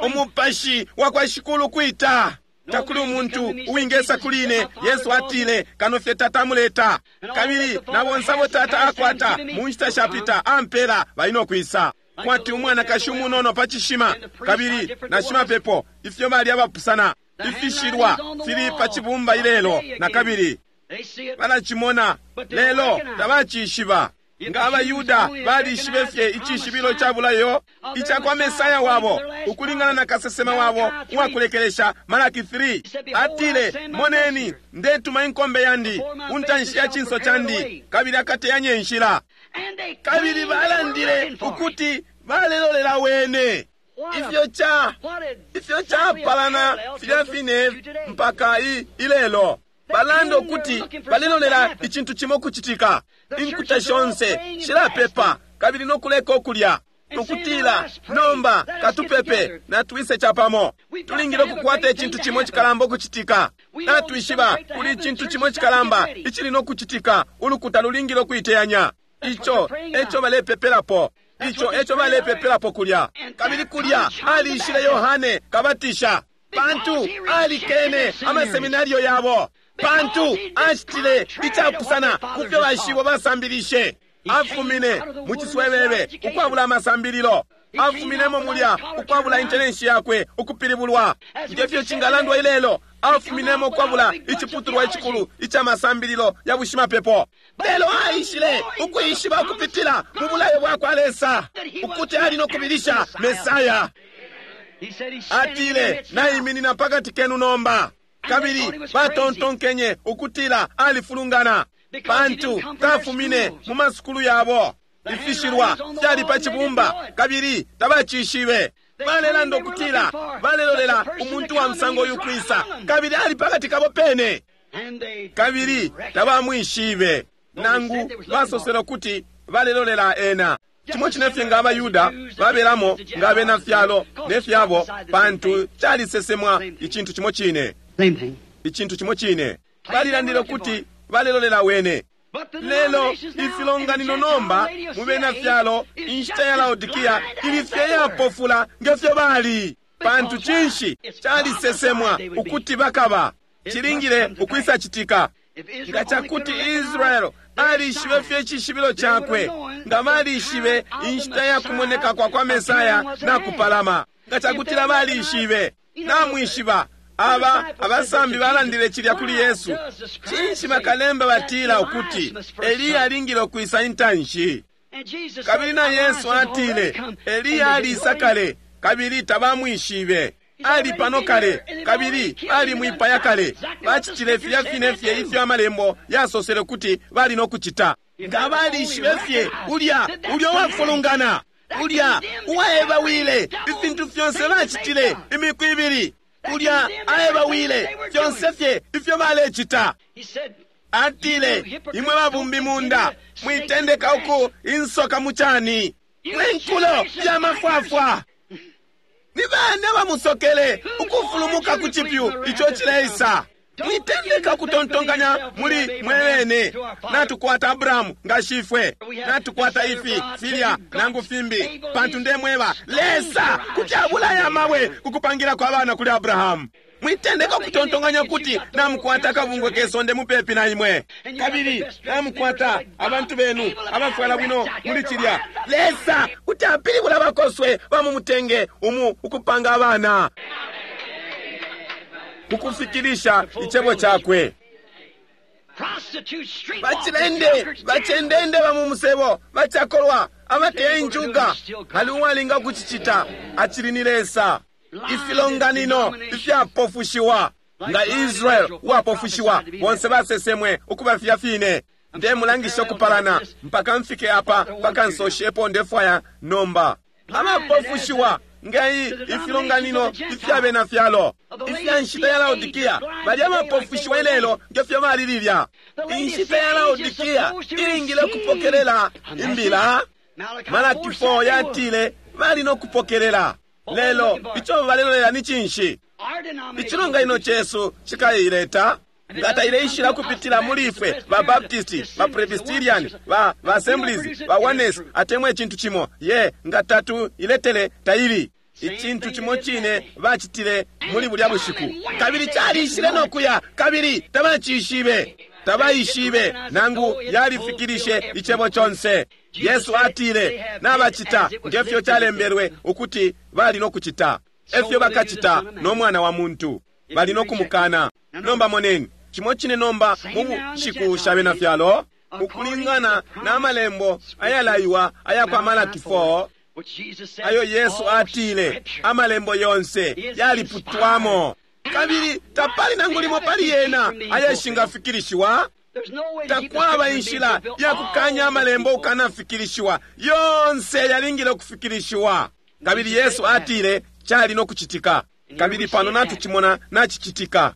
Umupashi wa kwa Shikulu kwita, Takuli umuntu uwingesa kuli ine, Yesu atile, kano fye Tata amuleta. Kabili na bonse abo Tata akwata mu nshita shapita ampela bali no kwisa. Kwati umwanakashi umunono pa cishima, kabili na shimapepo, ifyo bali abapusana. Ifishilwa fili pa cibumba ilelo na kabili balacimona, lelo tabacishiba. Nga abaYuda balishibe fye icishibilo ca bulayo ica kwa Mesaya wabo ukulingana na kasesema wabo uwakulekelesha Malaki three, atile, moneni ndetuma inkombe yandi untanshi ya cinso candi, kabili akateyanye inshila. Kabili balandile ukuti balelolela wene. Ifyo ca ifyo capalana filya fine mpaka i ilelo. Balanda ukuti balelolela icintu cimo kucitika. Inkuta shonse shilapepa kabili nokuleka ukulya, nokutila nomba katupepe natwise capamo. Tulingile ukukwata icintu cimo cikalamba ukucitika. Natwishiba kuli icintu cimo cikalamba icili nokucitika. Ulukuta lulingile ukuiteyanya. Ico eco balepepelapo. Ico eco balepepelapo kulya. Kabili kulya alishile Yohane Kabatisha, pantu alikene amaseminario yabo, pantu acitile icapusana kufyo bashibo basambilishe. Afumine mu ciswebebe ukwabula amasambililo, afuminemo mulya ukwabula intellensi yakwe ukupilibulwa. Ngefyo cingalandwa ilelo, afuminemo ukwabula iciputulwa icikulu ica masambililo ya bushimapepo, lelo aishile ukwishiba ukupitila mu bulayo bwa kwa Lesa ukuti ali no kubilisha Mesaya. Atile, naiminina pakati kenu nomba. Kabili batontonkenye ukutila alifulungana, pantu tafumine mu masukulu yabo. Ifishilwa fyali pa cibumba kabili tabacishibe. Balelanda ukutila balelolela umuntu wa musango uyu kwisa, kabili ali pakati kabo pene, kabili tabamwishibe. Nangu basosele ukuti balelolela ena. Cimo cine fye nga abaYuda babelamo nga abena fyalo ne fyabo, pantu calisesemwa icintu cimo cine. Icintu cimo cine. Balilandile ukuti balelolela wene. Lelo ifilonganino nomba mu bena fyalo inshita ya Laodikia ili fye yapofula ngefyo bali, pantu cinshi calisesemwa ukuti bakaba. Cilingile ukwisa citika. Nga cakuti Israel alishibe fye icishibilo cakwe, nga balishibe inshita ya kumoneka kwa kwa Mesaya na kupalama. Nga cakutila balishibe, namwishiba aba abasambi balandile cilya kuli Yesu. Cinshi bakalemba batila ukuti Eliya alingile ukwisa intanshi? Kabili na Yesu atile Eliya alisa kale, kabili tabamwishibe. Ali pano kale, kabili alimwipaya kale. Bacitile filya fine fye ifyo amalembo yasosele ukuti bali no kucita. Nga balishibe fye ulya ulya uwafulungana, ulya uwaebawile ifintu fyonse bacitile imiku ibili, ulya aebawile fyonse fye ifyo balecita. Atile, imwe babumbi munda, mwitendeka uku insoka mucani, mwe nkulo ya mafwafwa. Ni bane bamusokele ukufulumuka ku cipyu ico cileisa. Mwitendeka ukutontonkanya muli mwebene. Natukwata Abrahamu nga shifwe, natukwata ifi filya nangu fimbi, pantu ndemweba Lesa kuti abulaya amabwe kukupangilako abana kuli Abrahamu. Mwitendeka ukutontonkanya kuti namukwata akabungwe kesonde mupepi na imwe, kabili namukwata abantu benu abafwala bwino muli cilya. Lesa kuti apilibula abakoswe bamumutenge umu ukupanga abana kukufikilisha icebo cakwe. Bacilende bacendende bamumusebo bacakolwa abateya injuga, ali uwalinga kucicita acili ni Lesa. Ifilonganino ifyapofushiwa nga Israel uwapofushiwa, bonse basesemwe ukuba filya fine. Ndemulangisha ukupalana mpaka mfike apa pakansoshepo ndefwaya nomba. Abapofushiwa ngai ifilonganino ifyabena fyalo ifya nshita ya Laodikia bali abapofushiwa ilelo ngefyo bali lilya. Inshita ya Laodikia ilingile kupokelela imbila. Malaki four yatile bali no kupokelela. Lelo ico balelolela ni cinshi? Icilonganino cesu cikaileta nga taileishila kupitila muli ifwe ba Baptisti, ba Presbyterian, ba ba Assemblies, ba Oneness atemwa icintu cimo. Ye nga tatu iletele taili. Icintu cimo cine bacitile muli bulya bushiku, kabili calishile no kuya, kabili tabacishibe, tabaishibe nangu yalifikilishe icebo conse. Yesu atile nabacita ngefyo calembelwe ukuti bali no kucita, efyo bakacita no Mwana wa Muntu, bali no kumukana. Nomba moneni cimo cine nomba mu bushiku sha bena fyalo, ukulingana na malembo ayalaiwa aya kwa Malaki four, ayo Yesu atile amalembo yonse yaliputwamo, kabili tapali nangu limo pali yena ayashingafikilishiwa. Takwaba inshila ya kukanya amalembo ukanafikilishiwa, yonse yalingile ukufikilishiwa. Kabili Yesu atile cali no kucitika, kabili pano natucimona nacicitika.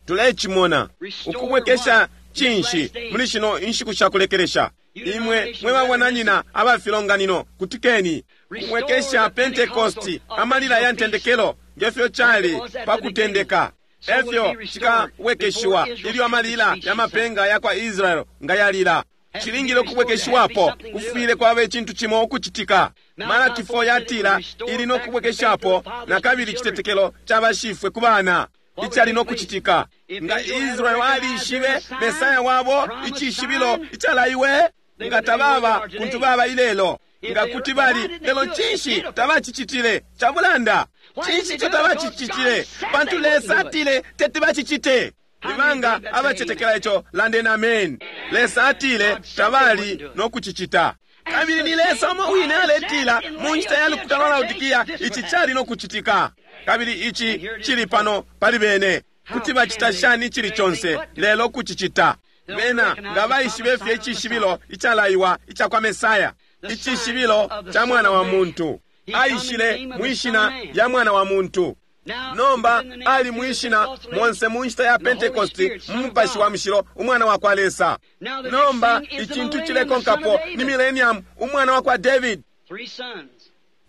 Tulecimona ukubwekesha cinshi muli shino inshiku sha kulekelesha. Imwe mwe babwananyina abafilonganino, kutikeni. Kubwekesha Pentekosti, amalila ya ntendekelo ngefyo cali pa kutendeka, efyo cikabwekeshiwa ilyo amalila ya mapenga ya kwa Israel nga yalila. Cilingile ukubwekeshiwapo, kufwile kwaba icintu cimo ukucitika. Malaki four yatila ili no kubwekeshapo na kabili icitetekelo ca bashifwe ku bana. Icali no kucitika nga Israel alishibe Mesaya wabo, icishibilo icalaiwe, nga tababa kuntu baba ilelo, nga kuti bali lelo. Cinshi tabacicitile? Cabulanda. Cinshi ico tabacicitile? Pantu Lesa atile teti bacicite. Ibanga abacetekela ico, landeni amen. Lesa atile tabali no kucicita, kabili ni Lesa umo wine aletila mu nshita ya lukuta lwa Laodikia ici cali no kucitika, kabili ici cili pano pali bene. Kuti bacita shani icili conse lelo kucicita? Bena nga baishibe fye icishibilo icalaiwa ica kwa Mesaya, icishibilo ca Mwana wa Muntu. Aishile mwishina ya Mwana wa Muntu. Nomba ali mwishina monse mu nshita ya Pentekosti mu Mupashi wa Mushilo, Umwana wa kwa Lesa. Nomba icintu cilekonkapo ni Millennium, Umwana wa kwa David.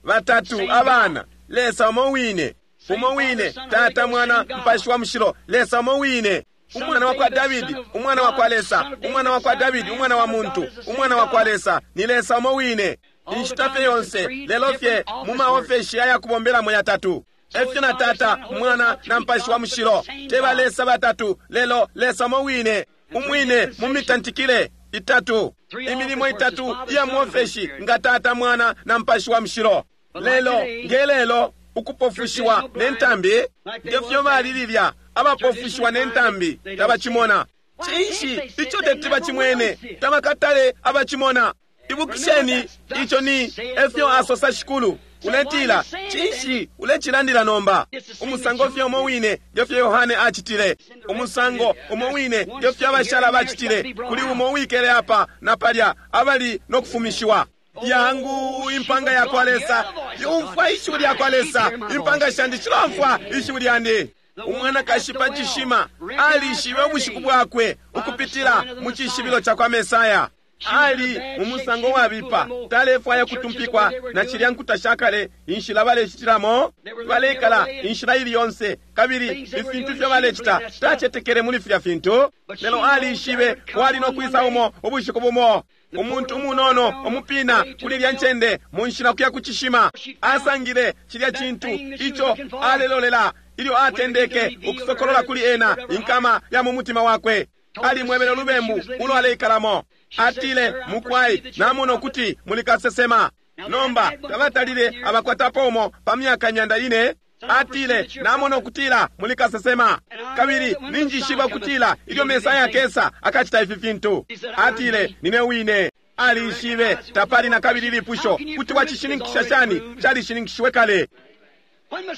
Batatu abana, Lesa umo wine, umo wine, Tata, Mwana, Mupashi wa Mushilo, Lesa umo wine. Umwana wa kwa Davidi, Umwana wa kwa Lesa, Umwana wa kwa Davidi, Umwana wa Muntu, Umwana wa kwa Lesa, ni Lesa umo wine. Inshita fye yonse, lelo fye mu maofeshi ayakubombelamo yatatu. Efyo na Tata, Mwana na Mupashi wa Mushilo teba Lesa batatu, lelo Lesa umo wine, umwine mu mitantikile itatu, imilimo itatu iya muofeshi nga Tata, Mwana na Mupashi wa Mushilo. Lelo ngelelo ukupofushiwa ne ntambi ngefyo bali lilya abapofushiwa ne ntambi tabacimona. Cinshi ico teti bacimwene? Tabakatale abacimona. Ibukisheni, ico ni efyo asosa Shikulu. Uletila cinshi ulecilandila nomba? Umusango fye umo wine ngefyo Yohane acitile, umusango umo wine ngefyo abashala bacitile, kuli umo wikele apa na palya abali no kufumishiwa. Yangu impanga ya kwa Lesa yumfwa ishiwi lya kwa Lesa, impanga shandi shilomfwa ishiwi lyandi. Umwanakashi pa cishima alishibe ubushiku bwakwe ukupitila mu cishibilo ca kwa Mesaya. Ali mu musango wabipa, talefwaya kutumpikwa na cilya nkuta shakale, inshila balecitilamo, balekala inshila ili yonse, kabili ifintu ifyo balecita, tacetekele muli filya fintu. Lelo alishibe wali no kwisa umo ubushiku bumo, umuntu umunono umupina kuli lya ncende mu nshila kuya ku cishima, asangile cilya cintu ico alelolela ilyo atendeke ukusokolola kuli ena inkama ya mu mutima wakwe. Alimwebele ulubembu ulo aleikalamo. Atile, mukwai, namona ukuti muli kasesema. Nomba tabatalile abakwatapo umo pa myaka myanda ine. Atile, namona ukutila muli kasesema, kabili ninjishiba ukutila ilyo Mesaya akesa akacita ifi fintu. Atile, nine wine. Alishibe tapali na kabili lipusho kuti wacishininkisha shani? Calishininkishiwe kale.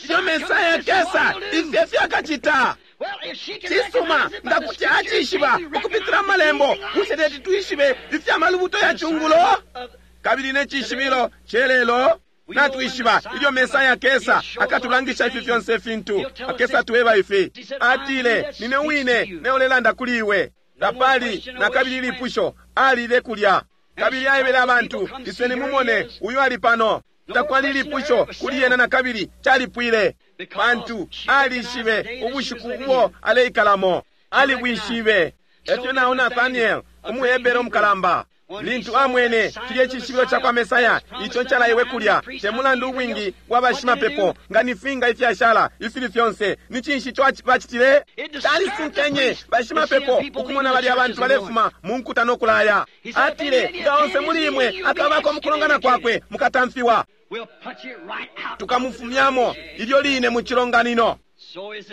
Ilyo Mesaya akesa ifi efyo akacita. Cisuma nga kuti acishiba ukupitila malembo, bushe teti twishibe ifya malubuto ya cungulo kabili ne cishibilo celelo? Natwishiba ilyo Mesaya akesa akatulangisha ifi fyonse fintu, akesa tuweba ifi. Atile, nine wine neolelanda kuli iwe. Tapali na kabili lipusho, alile kulya kabili aebele abantu, iseni mumone uyu ali pano. Takwali lipusho kuli yena na kabili, calipwile, pantu alishibe ubushiku ubo aleikalamo, alibwishibe. Efyo nao Nathaniel umuHebere umukalamba Lintu amwene cilye cishibilo ca kwa Mesaya ico ncalaiwe kulya, te mulandu ubwingi bwa bashimapepo nga ni finga ifyashala ifili fyonse, ni cinshi ico bacitile? Calisunkenye bashimapepo ukumona balya abantu balefuma mu nkuta no kulaya. Atile, nga onse muli imwe akabako mukulongana kwakwe, mukatamfiwa. Tukamufumyamo ilyo line mu cilonganino.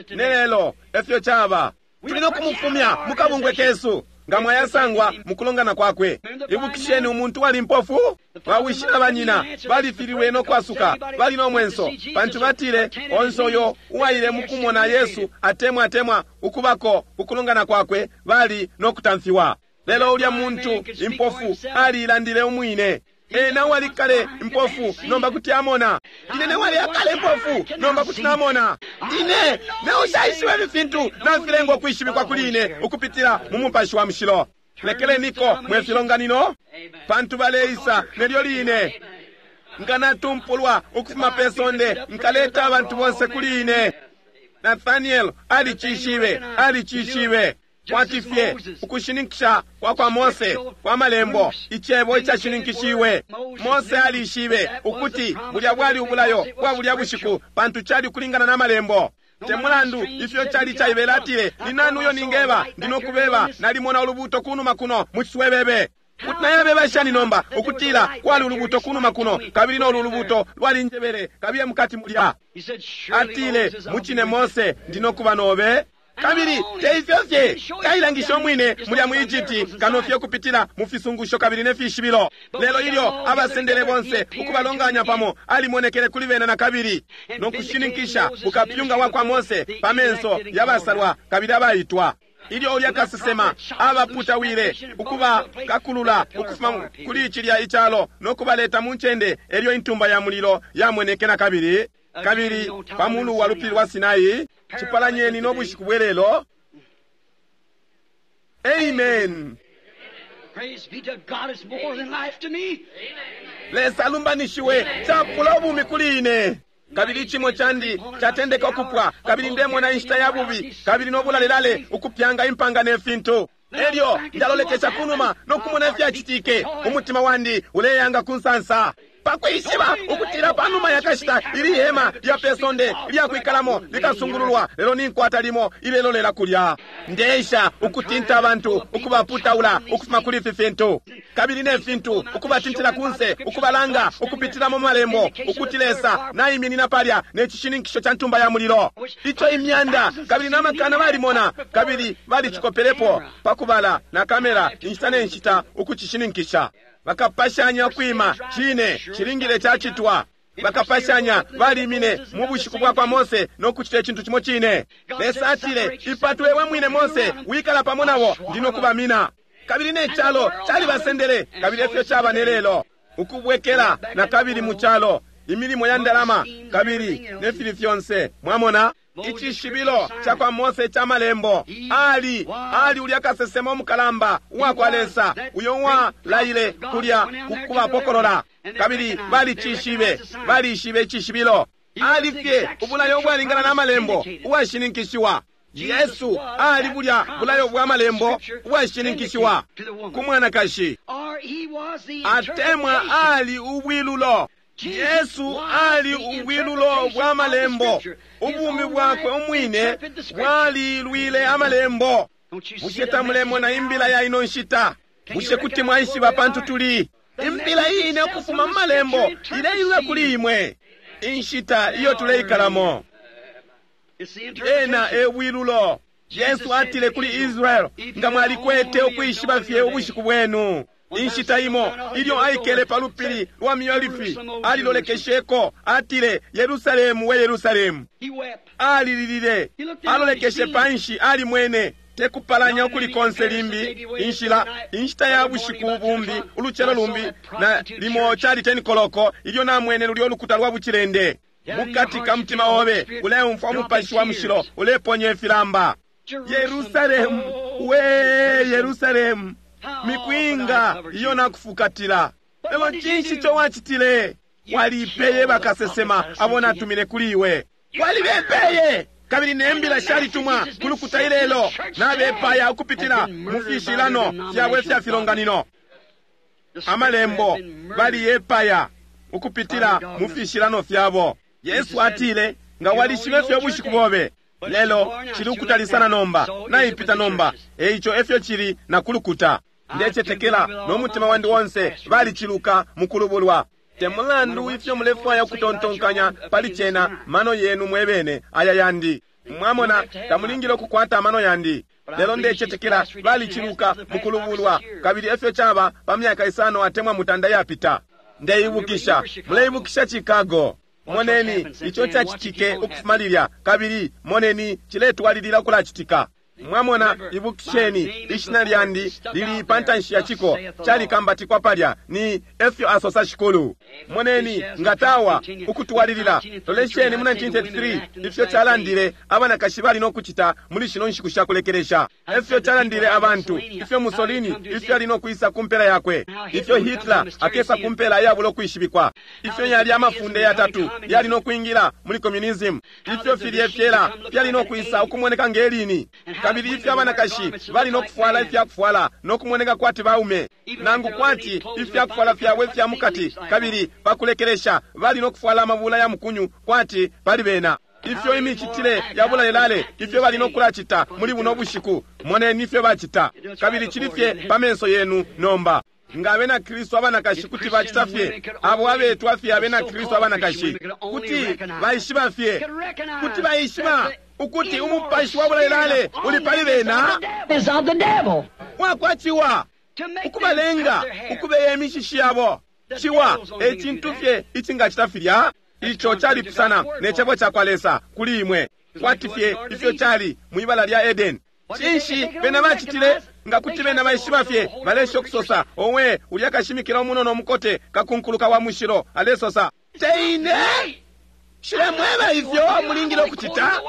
Nelelo efyo caba, tuli no kumufumya mu kabungwe kesu nga mwayasangwa mukulongana kwakwe. Ibukisheni umuntu wali mpofu, bawishi na banyina balifililwe no kwasuka, bali no mwenso pantu batile onse uyo uwaile mukumona Yesu atemwa atemwa ukubako ukulongana kwakwe bali no kutamfiwa. Lelo ulya muntu impofu alilandile umwine. Ena wali kale impofu nomba kuti amona. Ine ne wali akale impofu nomba kuti namona. Ine ne ushaishiwe ifi fintu nafilengwa kwishibikwa kuli ine ukupitila mu mupashi wa mushilo. Lekeleniko mwe filonganino, pantu baleisa nelyo line. Nga natumpulwa ukufuma pe sonde, nkaleta abantu bonse kuli ine. Nathaniel alicishibe, alicishibe. Kwati fye ukushininkisha kwa kwa Mose kwa malembo, icebo icashininkishiwe. Mose alishibe ukuti bulya bwali ubulayo bwa bulya bushiku, pantu cali kulingana na malembo. Te mulandu ifyo cali caibela, atile, ni nani uyo ningeba? Ndinokubeba, nalimona ulubuto kunuma kuno mu ciswebebe. Kuti nayabeba shani nomba ukutila kwali ulubuto kunuma kuno, kabili nolu ulubuto lwali njebele kabiye mukati mulya. Atile, mucine Mose, ndinokuba nobe. Kabili te ifyo fye kailangisha umwine mulya mu Egypti kano fye kupitila mu fisungusho kabili ne fishibilo. Lelo ilyo abasendele bonse ukubalonganya pamo, alimonekele kuli bena na kabili no kushininkisha ukapyunga wa kwa Mose pa menso yabasalwa kabili abaitwa. Ilyo ulya kasesema abaputawile ukuba kakulula ukufuma kuli cilya icalo no kubaleta mu ncende, elyo intumba ya mulilo yamoneke na kabili. Kabili pa mulu wa lupili lwa Sinai, cipalanyeni no bushiku bwelelo. Amen. Praise be to God, it's more than life to me. Lesa alumbanishiwe, chapula ubumi kuli ine. Kabili icimo candi catendeka ukupwa, kabili ndemona inshita ya bubi, kabili nobulalelale ukupyanga impanga ne fintu. Elyo ndalolekesha kunuma no kumona ifyacitike, umutima wandi uleyanga ku nsansa. Pakwishiba ukutila panuma yakashita ili hema lya pesonde lya kwikalamo likasungululwa, lelo ninkwata limo ilelolela kulya. Ndeisha ukutinta abantu ukubaputaula ukufuma kuli ifi fintu kabili ne fintu, ukubatintila kunse, ukubalanga ukupitila mu malembo ukuti Lesa naiminina palya ne cishininkisho ca ntumba ya mulilo ico imyanda kabili namakana balimona kabili balicikopelepo pakubala na kamera inshita ne nshita ukucishininkisha. Bakapashanya kwima cine cilingile cacitwa. Bakapashanya balimine mu bushiku bwa kwa Mose no kucita icintu cimo cine. Lesa atile, ipatule we mwine Mose, wikala pamo nabo, ndino kubamina. Kabili ne calo calibasendele, kabili efyo caba ne lelo. Ukubwekela na kabili mu calo, imilimo ya ndalama kabili ne fili fyonse. Mwamona icishibilo ca kwa Mose ca malembo. Ali ali ulya kasesema umukalamba uwa kwa Lesa uyo walaile kulya kukubapokolola, kabili balicishibe, balishibe icishibilo. Ali fye ubulayo ubwalingana na malembo uwashininkishiwa. Yesu ali bulya bulayo bwa malembo ubwashininkishiwa ku mwanakashi, atemwa ali ubwilulo. Yesu ali ubwilulo bwa malembo. Ubumi bwakwe umwine bwalilwile amalembo. Bushe tamulemona imbila ya ino nshita? Bushe kuti mwaishiba pantu tuli? Imbila ine ukufuma mu malembo ileilula kuli imwe inshita iyo tuleikalamo. Ena e bwilulo. Yesu atile kuli Israel, nga mwalikwete ukwishiba fye ubushiku bwenu. Inshita imo ilyo aikele pa lupili lwa Miolifi, alilolekesheko, atile, Yerusalemu we Yerusalemu. Alililile, alolekeshe panshi, alimwene tekupalanya ukuli konse limbi inshila inshita ya bushiku bumbi, ulucelo lumbi, na limo cali ten koloko ilyo namwene lulyo lukuta lwa bucilende. Mukati ka mutima obe uleumfwa umupashi wa mushilo uleponya ifilamba. Yerusalemu we Yerusalemu, mikwinga iyo nakufukatila. Lelo cinshi ico wacitile? Walipeye bakasesema abo natumine kuli iwe, walibepeye. Kabili nembila shalitumwa kulukuta ilelo, nabepaya ukupitila mu fishilano fyabwe fya filonganino. Amalembo baliyepaya ukupitila mu fishilano fyabo. Yesu atile, nga walishibe fye ubushiku bobe. Lelo cili ukutali sana nomba, naipita nomba. Eico efyo cili na kulukuta. Ndecetekela no mutima wandi wonse baliciluka mukulubulwa. Te mulandu ifyo mulefwaya ukutontonkanya pali cena, mano yenu mwebene aya yandi. Mwamona, tamulingile ukukwata amano yandi. Lelo ndecetekela baliciluka mukulubulwa, kabili efyo caba pa myaka isano atemwa mutanda yapita. Ndeibukisha, muleibukisha Chicago. Moneni ico cacitike ukufuma lilya, kabili moneni ciletwalilila ukulacitika. Mwamona, ibukisheni, ishina lyandi lili pa ntanshi ya ciko, calikambatikwa palya, ni efyo asosa Shikulu. Moneni nga tawa ukutwalilila. Lolesheni mu nineteen thirty-three ifyo calandile abanakashi bali no kucita muli shino nshiku sha kulekelesha. Efyo calandile abantu, ifyo Mussolini ifyo ali no kwisa ku mpela yakwe, ifyo Hitler akesa ku mpela yabulo kwishibikwa, ifyo yali amafunde yatatu yali no kwingila muli communism, ifyo filye fyela fyali no kwisa ukumoneka ngelini, kabili ifyo abanakashi bali no kufwala ifya kufwala no kumoneka kwati baume, nangu kwati ifya kufwala fyabo ifya mukati, kabili pakulekelesha bali no kufwala amabula ya mukunyu kwati pali bena. Ifyo imicitile ya bulalelale ifyo bali no kulacita muli buno bushiku, moneni ifyo bacita, kabili cili fye pa menso yenu nomba. Nga abena Kristu abanakashi kuti bacita fye, abo abetwa fye abena Kristu abanakashi kuti baishiba fye, kuti baishiba ukuti umupashi wa bulalelale uli pali bena wakwaciwa ukubalenga ukubeya imishishi yabo. Ciwa e cintu fye icingacita filya. Ico calipusana ne cebo cakwa Lesa kuli imwe, kwati fye ifyo cali mwibala lya Eden. Cinshi bena bacitile? Nga kuti bena baishiba fye, balesha ukusosa, owe ulya kashimikila umunono mukote kakunkuluka wa mushilo alesosa, teine shilemweba ifyo mulingile ukucita,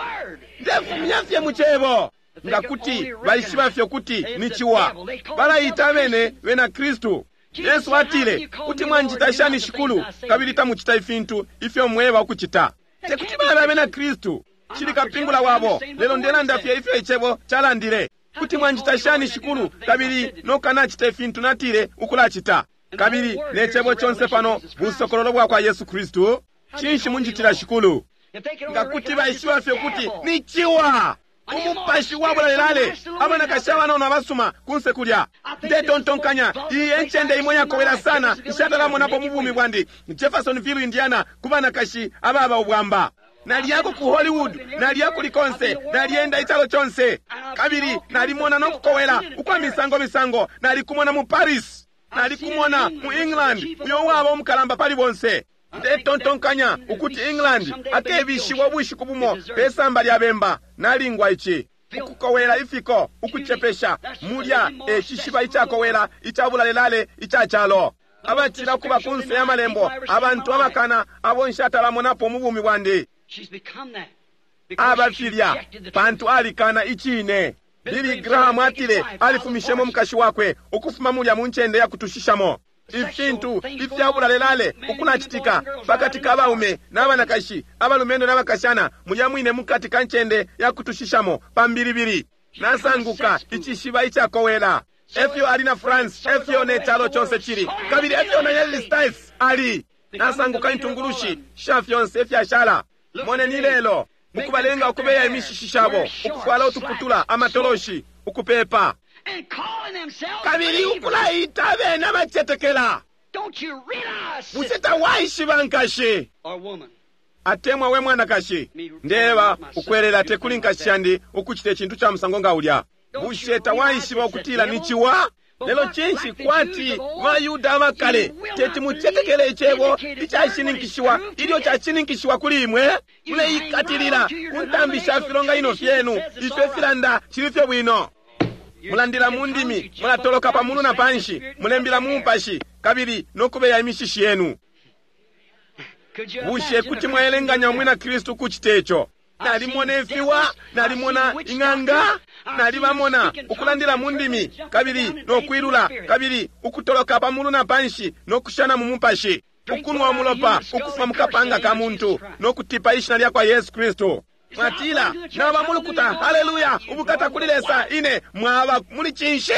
ndefumya fye mu cebo. Nga kuti baishiba fye ukuti ni ciwa, balaita abene bena Kristu. Yesu atile, kuti mwanjita shani Shikulu, kabili tamucita ifintu ifyo mweba ukucita? Tekuti babe abena Kristu. Shili kapingula wabo, lelo ndelanda fye ifyo icebo calandile. Kuti mwanjita shani Shikulu, kabili nokanacita ifintu natile ukulacita? Kabili ne cebo conse pano busokololo bwa kwa Yesu Kristu. Cinshi munjitila Shikulu? Nga kuti baishiba fye kuti ni ciwa, umupashi wa bulalelale, abanakashi abanono abasuma kunse kulya. Ndetontonkanya iyi encende imwe yakowela sana nshatalamonapo mu bumi bwandi, Jeffersonville, Indiana, ku banakashi ababa ubwamba. Naliyako ku Hollywood, naliya kuli konse, naliyenda icalo conse, kabili nalimona no kukowela ukwa misango misango. Nalikumona mu Paris, nalikumona mu England, uyo waba umukalamba pali bonse. Ndetontonkanya ukuti England akebishiwa ubushiku bumo pesamba lya bemba. Nalingwa ici ukukowela ifiko ukucepesha mulya e cishiba icakowela icabulalelale ica calo. Abacila kuba kunse ya malembo, abantu abakana abo nshatalamonapo mu bumi bwandi. Abafilya pantu alikana icine. Billy Graham atile alifumishemo mukashi wakwe ukufuma mulya mu ncende ya kutushishamo. Ifintu ifya bulalelale ukulacitika pakati ka baume n'abanakashi, abalumendo n'abakashana, mulya mwine mukati ka ncende ya kutushishamo pambilibili. Nasanguka icishiba icakowela. Efyo ali na France, efyo ne calo conse cili, kabili efyo na United States ali. Nasanguka intungulushi sha fyonse ifyashala. Moneni lelo ukubalenga ukubeya imishishi shabo, ukufwala utuputula, amatoloshi, ukupepa, kabili ukulaita abene abacetekela. Bushe tawaishiba nkashi atemwa we mwanakashi? Ndeba ukwelela tekuli nkashi yandi ukucita icintu ca musango nga ulya. Bushe tawaishiba ukutila ni ciwa? Lelo cinshi kwati bayuda abakale teti mucetekele icebo icashininkishiwa ilyo cashininkishiwa kuli imwe? Muleikatilila ku ntambi sha filonganino fyenu ifyo filanda cili fye bwino. Mulandila mu ndimi, mulatoloka pamulu na panshi, mulembila mu mupashi, kabili nokubeya imishishi yenu. Bushe kuti mwaelenganya umwina Kristu kucita ico? Nalimona ifiwa, nalimona ing'anga, nalibamona ukulandila mu ndimi, kabili nokwilula, kabili ukutoloka pamulu na panshi, nokushana mu mupashi, ukunwa umulopa ukufuma mu kapanga ka muntu, nokutipa ishina lya kwa Yesu Kristu. Mwatila, naba mulukuta, haleluya, ubukata kuli Lesa, ine mwaba muli cinshi?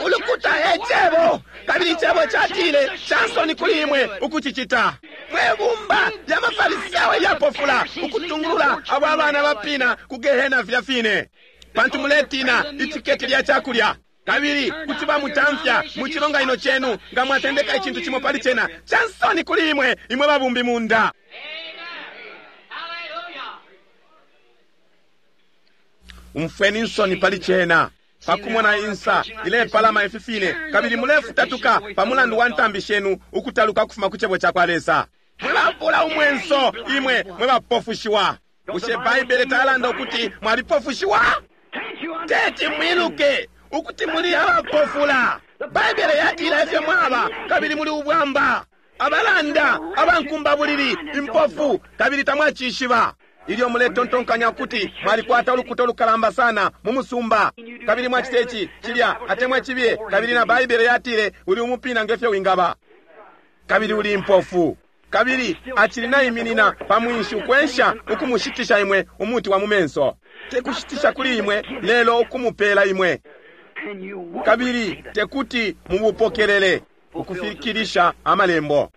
Ulukuta e Cebo, kabili Icebo catile cansoni kuli imwe ukucicita. Mwe bumba lya maFarisayo ilyapofula, ukutungulula abo abana bapina ku gehena filya fine, pantu muletina itiketi lya cakulya, kabili kuti bamutamfya mu cilonganino cenu nga mwatendeka icintu cimo pali cena. Cansoni kuli imwe, imwe babumbi munda. Umfweni insoni pali cena. Pakumona insa ilepalama ifi fine, kabili mulefutatuka pa mulandu wa ntambi shenu ukutaluka kufuma ku cebo cakwa Lesa. Mwebapula umwenso imwe mwe bapofushiwa. Bushe Baibele talanda ukuti mwalipofushiwa? Teti mwiluke ukuti muli abapofula. Baibele yatila ifyo mwaba, kabili muli ubwamba, abalanda, abankumbabulili, impofu, kabili tamwacishiba. Ilyo muletontonkanya ukuti mwalikwata ulukuta ulukalamba sana mu musumba, kabili mwacita ici cilya atemwa cibiye, kabili na Baibele yatile uli umupina ngefyo wingaba, kabili uli impofu, kabili acili naiminina pa mwinshi ukwensha ukumushitisha imwe umuti wa mu menso. Tekushitisha kuli imwe, lelo ukumupela imwe, kabili tekuti mubupokelele ukufikilisha amalembo.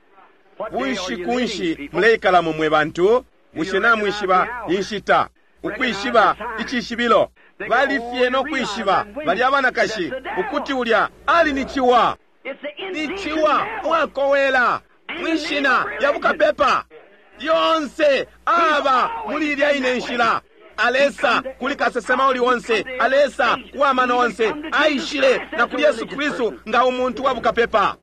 Bushiku nshi muleikalamo mwe bantu? Bushe namwishiba inshita, ukwishiba icishibilo? Bali fye no kwishiba bali abanakashi ukuti ulya ali ni ciwa, ni ciwa uwakowela mwishina lya bukapepa. Yonse aba muli ilya ine nshila. Alesa kuli kasesema uli onse, alesa kuwamano onse, aishile na kuli Yesu Kristu nga umuntu wa bukapepa.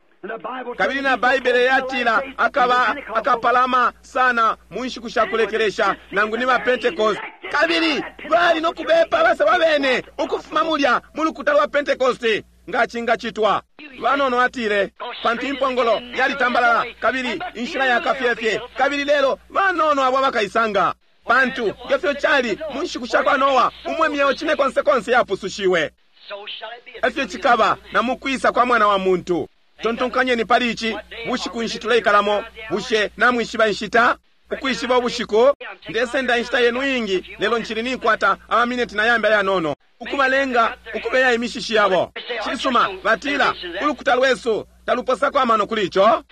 Kabili na Baibele yatila akaba akapalama sana mu nshiku sha kulekelesha, nangu ni ba Pentecost. Kabili bali no kubepa abasaba bene ukufuma mulya mu lukuta lwa Pentecost nga cingacitwa. Banono atile pantu impongolo yalitambalala kabili inshila yakafyefye, kabili lelo banono abo abakaisanga. Pantu ngefyo cali mu nshiku sha kwa Noa, umwe myeo cine konse konse yapusushiwe, efyo cikaba na mukwisa kwa Mwana wa Muntu. Tontonkanyeni pali ici. Bushiku nshi tuleikalamo? Bushe namwishiba inshita? Ukwishiba ubushiku? Ndesenda inshita yenu ingi, lelo nchili ninkwata amamineti na yambi ayanono ukubalenga ukubeya imishishi yabo. Cisuma, batila ulukuta lwesu taluposako amano kuli ico.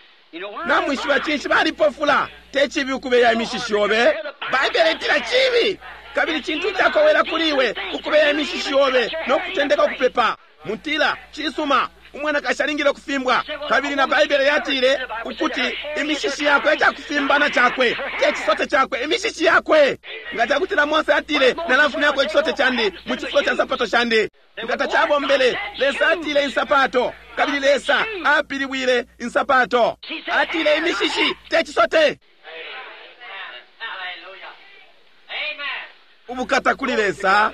Namwishiba cinshi balipofula? Te cibi ukubeya imishishi yobe. Baibele itila cibi, kabili cintu cakowela kuli iwe ukubeya imishishi yobe no kutendeka ukupepa. Mutila cisuma, umwanakashi alingile ukufimbwa, kabili na Baibele yatile ukuti imishishi yakwe ecakufimbana cakwe, te cisote cakwe, imishishi yakwe. Nga cakutila Mose atile nalafumyako icisote candi mu cifulo ca nsapato shandi, nga tacabombele. Lesa atile insapato, kabili Lesa apilibwile insapato. Atile imishishi te cisote. Ubukata kuli Lesa.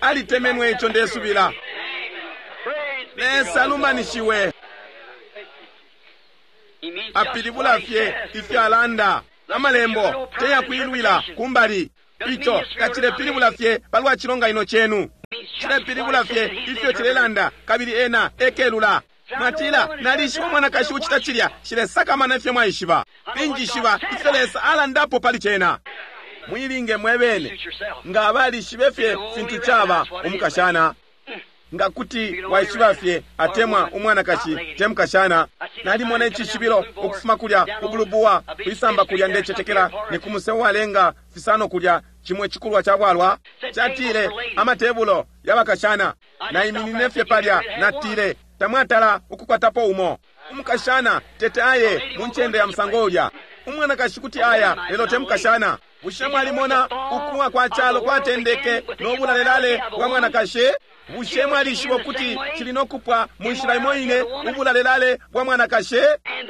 Alitemenwe ico ndesubila. Lesa alumanishiwe. Apilibula fye ifyo alanda. Amalembo teyakwilwila kumbali. Ico tacilepilibula fye palwa cilonganino cenu, cilepilibula fye ifyo cilelanda, kabili ena ekelula. Mwatila nalishiba umwanakashi ucita cilya. Cilesakamana ifyo mwaishiba. Ninjishiba ifyo Lesa alandapo pali cena. Mwilinge mwebene nga abalishibe fye fintu caba umukashana. Nga kuti waishiba fye atemwa umwanakashi te mukashana. Nalimona icishibilo ukufuma kulya kubulubuwa kwisamba kulya, ndecetekela ni ku musebo walenga fisano kulya, cimwe cikulwa ca bwalwa. Catile amatebulo yabakashana. Naiminine fye palya, natile tamwatala ukukwatapo umo. Umukashana tete aye mu ncende ya musango ulya. Umwanakashi kuti aya, lelo te mukashana. Bushe mwalimona ukuwa kwa calo kwatendeke no bulalelale bwa mwanakashi? Bushe mwalishiba ukuti cili no kupwa mu nshila imo ine ubulalelale bwa mwanakashi,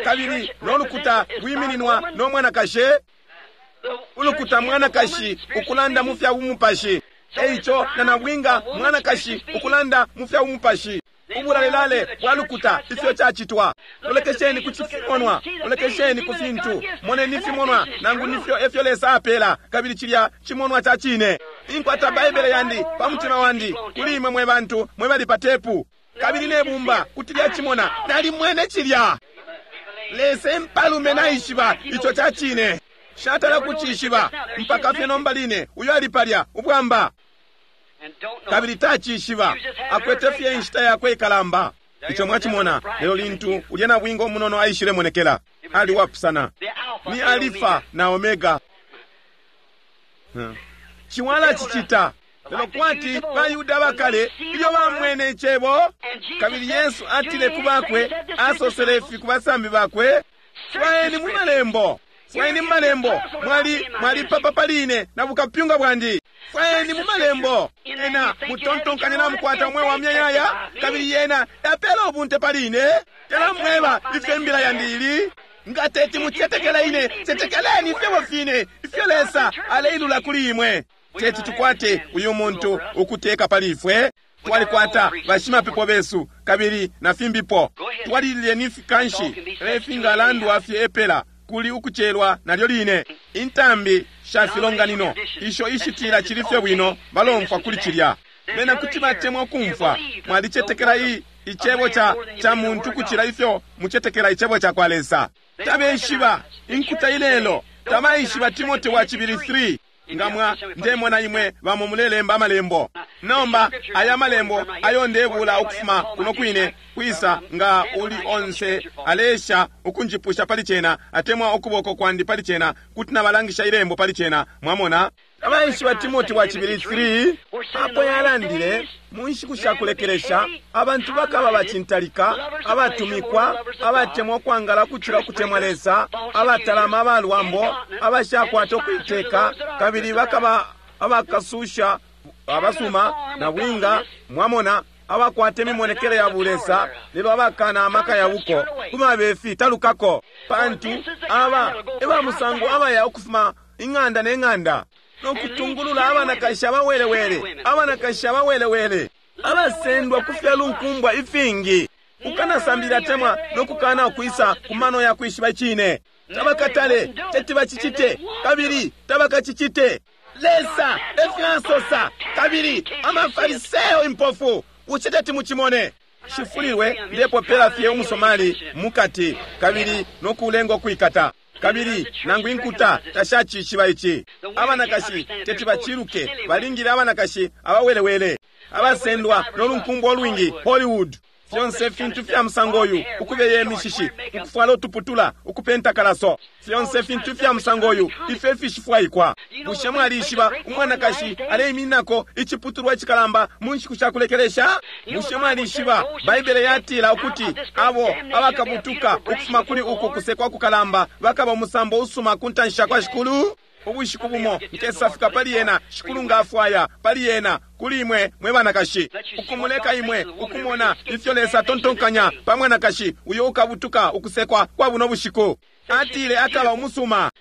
kabili no lukuta lwimininwa no mwanakashi? Ulukuta mwanakashi ukulanda mu fya bumupashi. Eico na nabwinga mwanakashi ukulanda mu fya bumupashi. Ubulalelale bwa lukuta ifyo cacitwa. Lolekesheni ku cifimonwa, lolekesheni ku fintu, moneni ifimonwa nangu nifyo efyo Lesa apela, kabili cilya cimonwa ca cine. Inkwata Baibele yandi pa mutima wandi kuli imwe mwe bantu mwe bali pa tepu, kabili ne bumba kuti lyacimona. Nalimwene cilya. Lesa empalume naishiba ico ca cine. Shatala kucishiba mpaka fye nomba line uyo ali palya ubwamba. Kabili tacishiba, akwete fye inshita yakwe ikalamba. Ico mwacimona, lelo lintu ulya nabwinga umunono aishile monekela, ali wapusana. Ni Alifa na Omega. Ciwala cicita. Lelo kwati baYuda bakale ilyo bamwene icebo, kabili Yesu atile ku bakwe, asosele ifi ku basambi bakwe, fwayeni mu malembo, fwayeni mu malembo, mwali mwalipapa pali ine na bukapyunga bwandi. Fwayeni mu malembo, ena mutontonkanye namukwata umweo wa myayaya, kabili yena yapela ubunte pali ine. Talamweba ifyo imbila yandi ili. Nga teti mucetekela ine, cetekeleni ifyebo fine ifyo Lesa aleilula kuli imwe. Teti tukwate uyu muntu ukuteka pali ifwe. Twalikwata bashimapepo besu kabili na fimbipo. Twalilile kanshi efingalandwa fye epela kuli ukucelwa nalyo line. Intambi sha filonganino isho ishitila chili fye bwino balomfwa kuli cilya. Bena kuti batemwa ukumfwa mwalicetekela i icebo cha cha muntu kucila ifyo mucetekela icebo cha kwa Lesa. Tabeshiba inkuta ilelo, tabaishiba Timote wa chibili three. Ngamwa ndemona imwe bamo mulelemba amalembo. Nomba aya malembo ayo ndebula ukufuma kuno kwine kwisa nga uli onse alesha ukunjipusha pali cena atemwa ukuboko kwandi pali cena kuti nabalangisha ilembo pali cena. Mwamona abaishiba Timote wa chibili three apo yalandile mu nshiku sha kulekelesha abantu bakaba bacintalika, abatumikwa, abatemwa ukwangala kucila ukutemwa Lesa, abatalama abalwambo, abashakwata ukuiteka, kabili bakaba abakasusha abasuma na bwinga. Mwamona abakwata imimonekele ya bulesa lelo abakana amaka ya buko kumabefi talukako, pantu aba ebamusango abaya ukufuma ing'anda ne ng'anda nokutungulula abanakashi abawelewele, abanakashi abawelewele abasendwa kufya lunkumbwa ifingi, ukanasambilila temwa nokukana ukwisa kumano ya kwishiba icine. Tabakatale teti bacicite kabili tabakacicite. Lesa efyasosa, kabili amafariseo impofu bushe teti mucimone. Shifulilwe ndepopela fye umusomali mukati kabili nokulenga ukwikata, kabili nangu inkuta tashacishiba ici. Abanakashi teti baciluke, balingile abanakashi abawelewele abasendwa nolunkumbwa olwingi Hollywood. Fyonse fintu fya musango uyu, ukubeye imishishi, ukufwala utuputula, ukupenta kalaso, fyonse fintu fya musango uyu ifyo ifishifwaikwa. Bushe mwalishiba umwanakashi aleimininako iciputulwa icikalamba mu nshiku sha kulekelesha? Bushe mwalishiba Baibele yatila ukuti abo abakabutuka ukufuma kuli uku kusekwa kukalamba bakaba umusambo usuma ku ntanshi ya kwa Shikulu? Ubushiku bumo nkesafika pali yena, Shikulu ngafwaya pali yena, kuli imwe mwe banakashi, ukumuleka imwe ukumona ifyo Lesa atontonkanya pa mwanakashi uyo ukabutuka ukusekwa kwa buno bushiku. Atile akaba umusuma.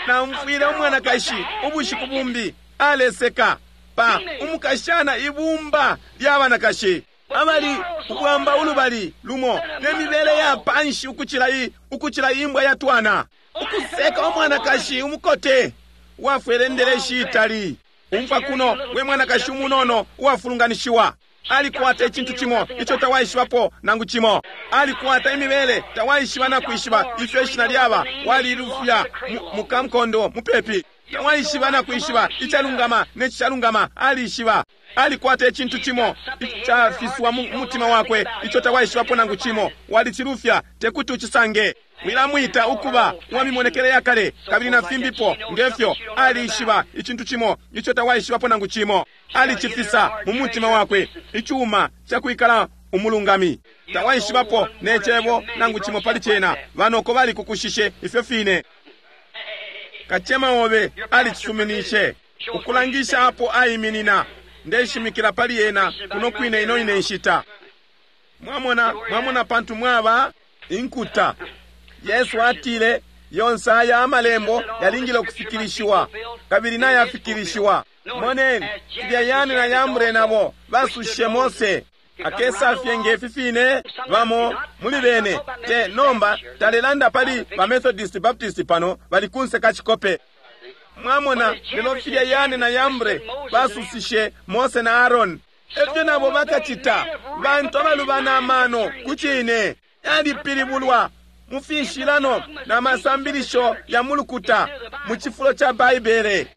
Naumfwile umwanakashi ubushiku bumbi aleseka pa umukashana ibumba lya banakashi abali ubwamba ulubali lumo ne mibele ya panshi ukucila i ukucila imbwa ya twana. Ukuseka umwanakashi umukote wafwele ndeleshi itali. Umfa kuno we mwanakashi umunono uwafulunganishiwa, alikwata icintu cimo ico tawaishibapo nangu cimo. Alikwata imibele tawaishiba na kwishiba ifyo ishina lyaba, walilufya mukamkondo mupepi. Tawaishiba na kwishiba icalungama ne cishalungama, alishiba. Alikwata icintu cimo icafiswa mu mutima wakwe ico tawaishibapo nangu cimo, walicilufya tekuti ucisange. Mwilamwita ukuba uwa mimonekele ya kale kabili na fimbipo ngefyo. Alishiba icintu cimo ico tawaishibapo nangu cimo, alicifisa mu mutima wakwe, icuma ca kwikala umulungami. Tawaishibapo ne cebo nangu cimo pali cena, banoko balikukushishe ifyo fine. Kacema obe alicisuminishe ukulangisha apo aiminina. Ndeshimikila pali yena kuno kwine ino ine nshita. Mwamona, mwamona pantu mwaba inkuta. Yesu atile yonse aya amalembo yalingile ukufikilishiwa, kabili nayafikilishiwa. Moneni filya Yane na Yambre nabo basushe Mose akesafye ngefi fine bamo muli bene te nomba talelanda pali ba Methodist Baptist pano bali kunse kachikope. Mwamona lelo filya Yane na Yambre basusishe Mose na Aaron, efyo nabo bakacita bantu abalubana amano kucine yalipilibulwa mu fishilano na masambilisho ya mulukuta mu cifulo ca Baibele.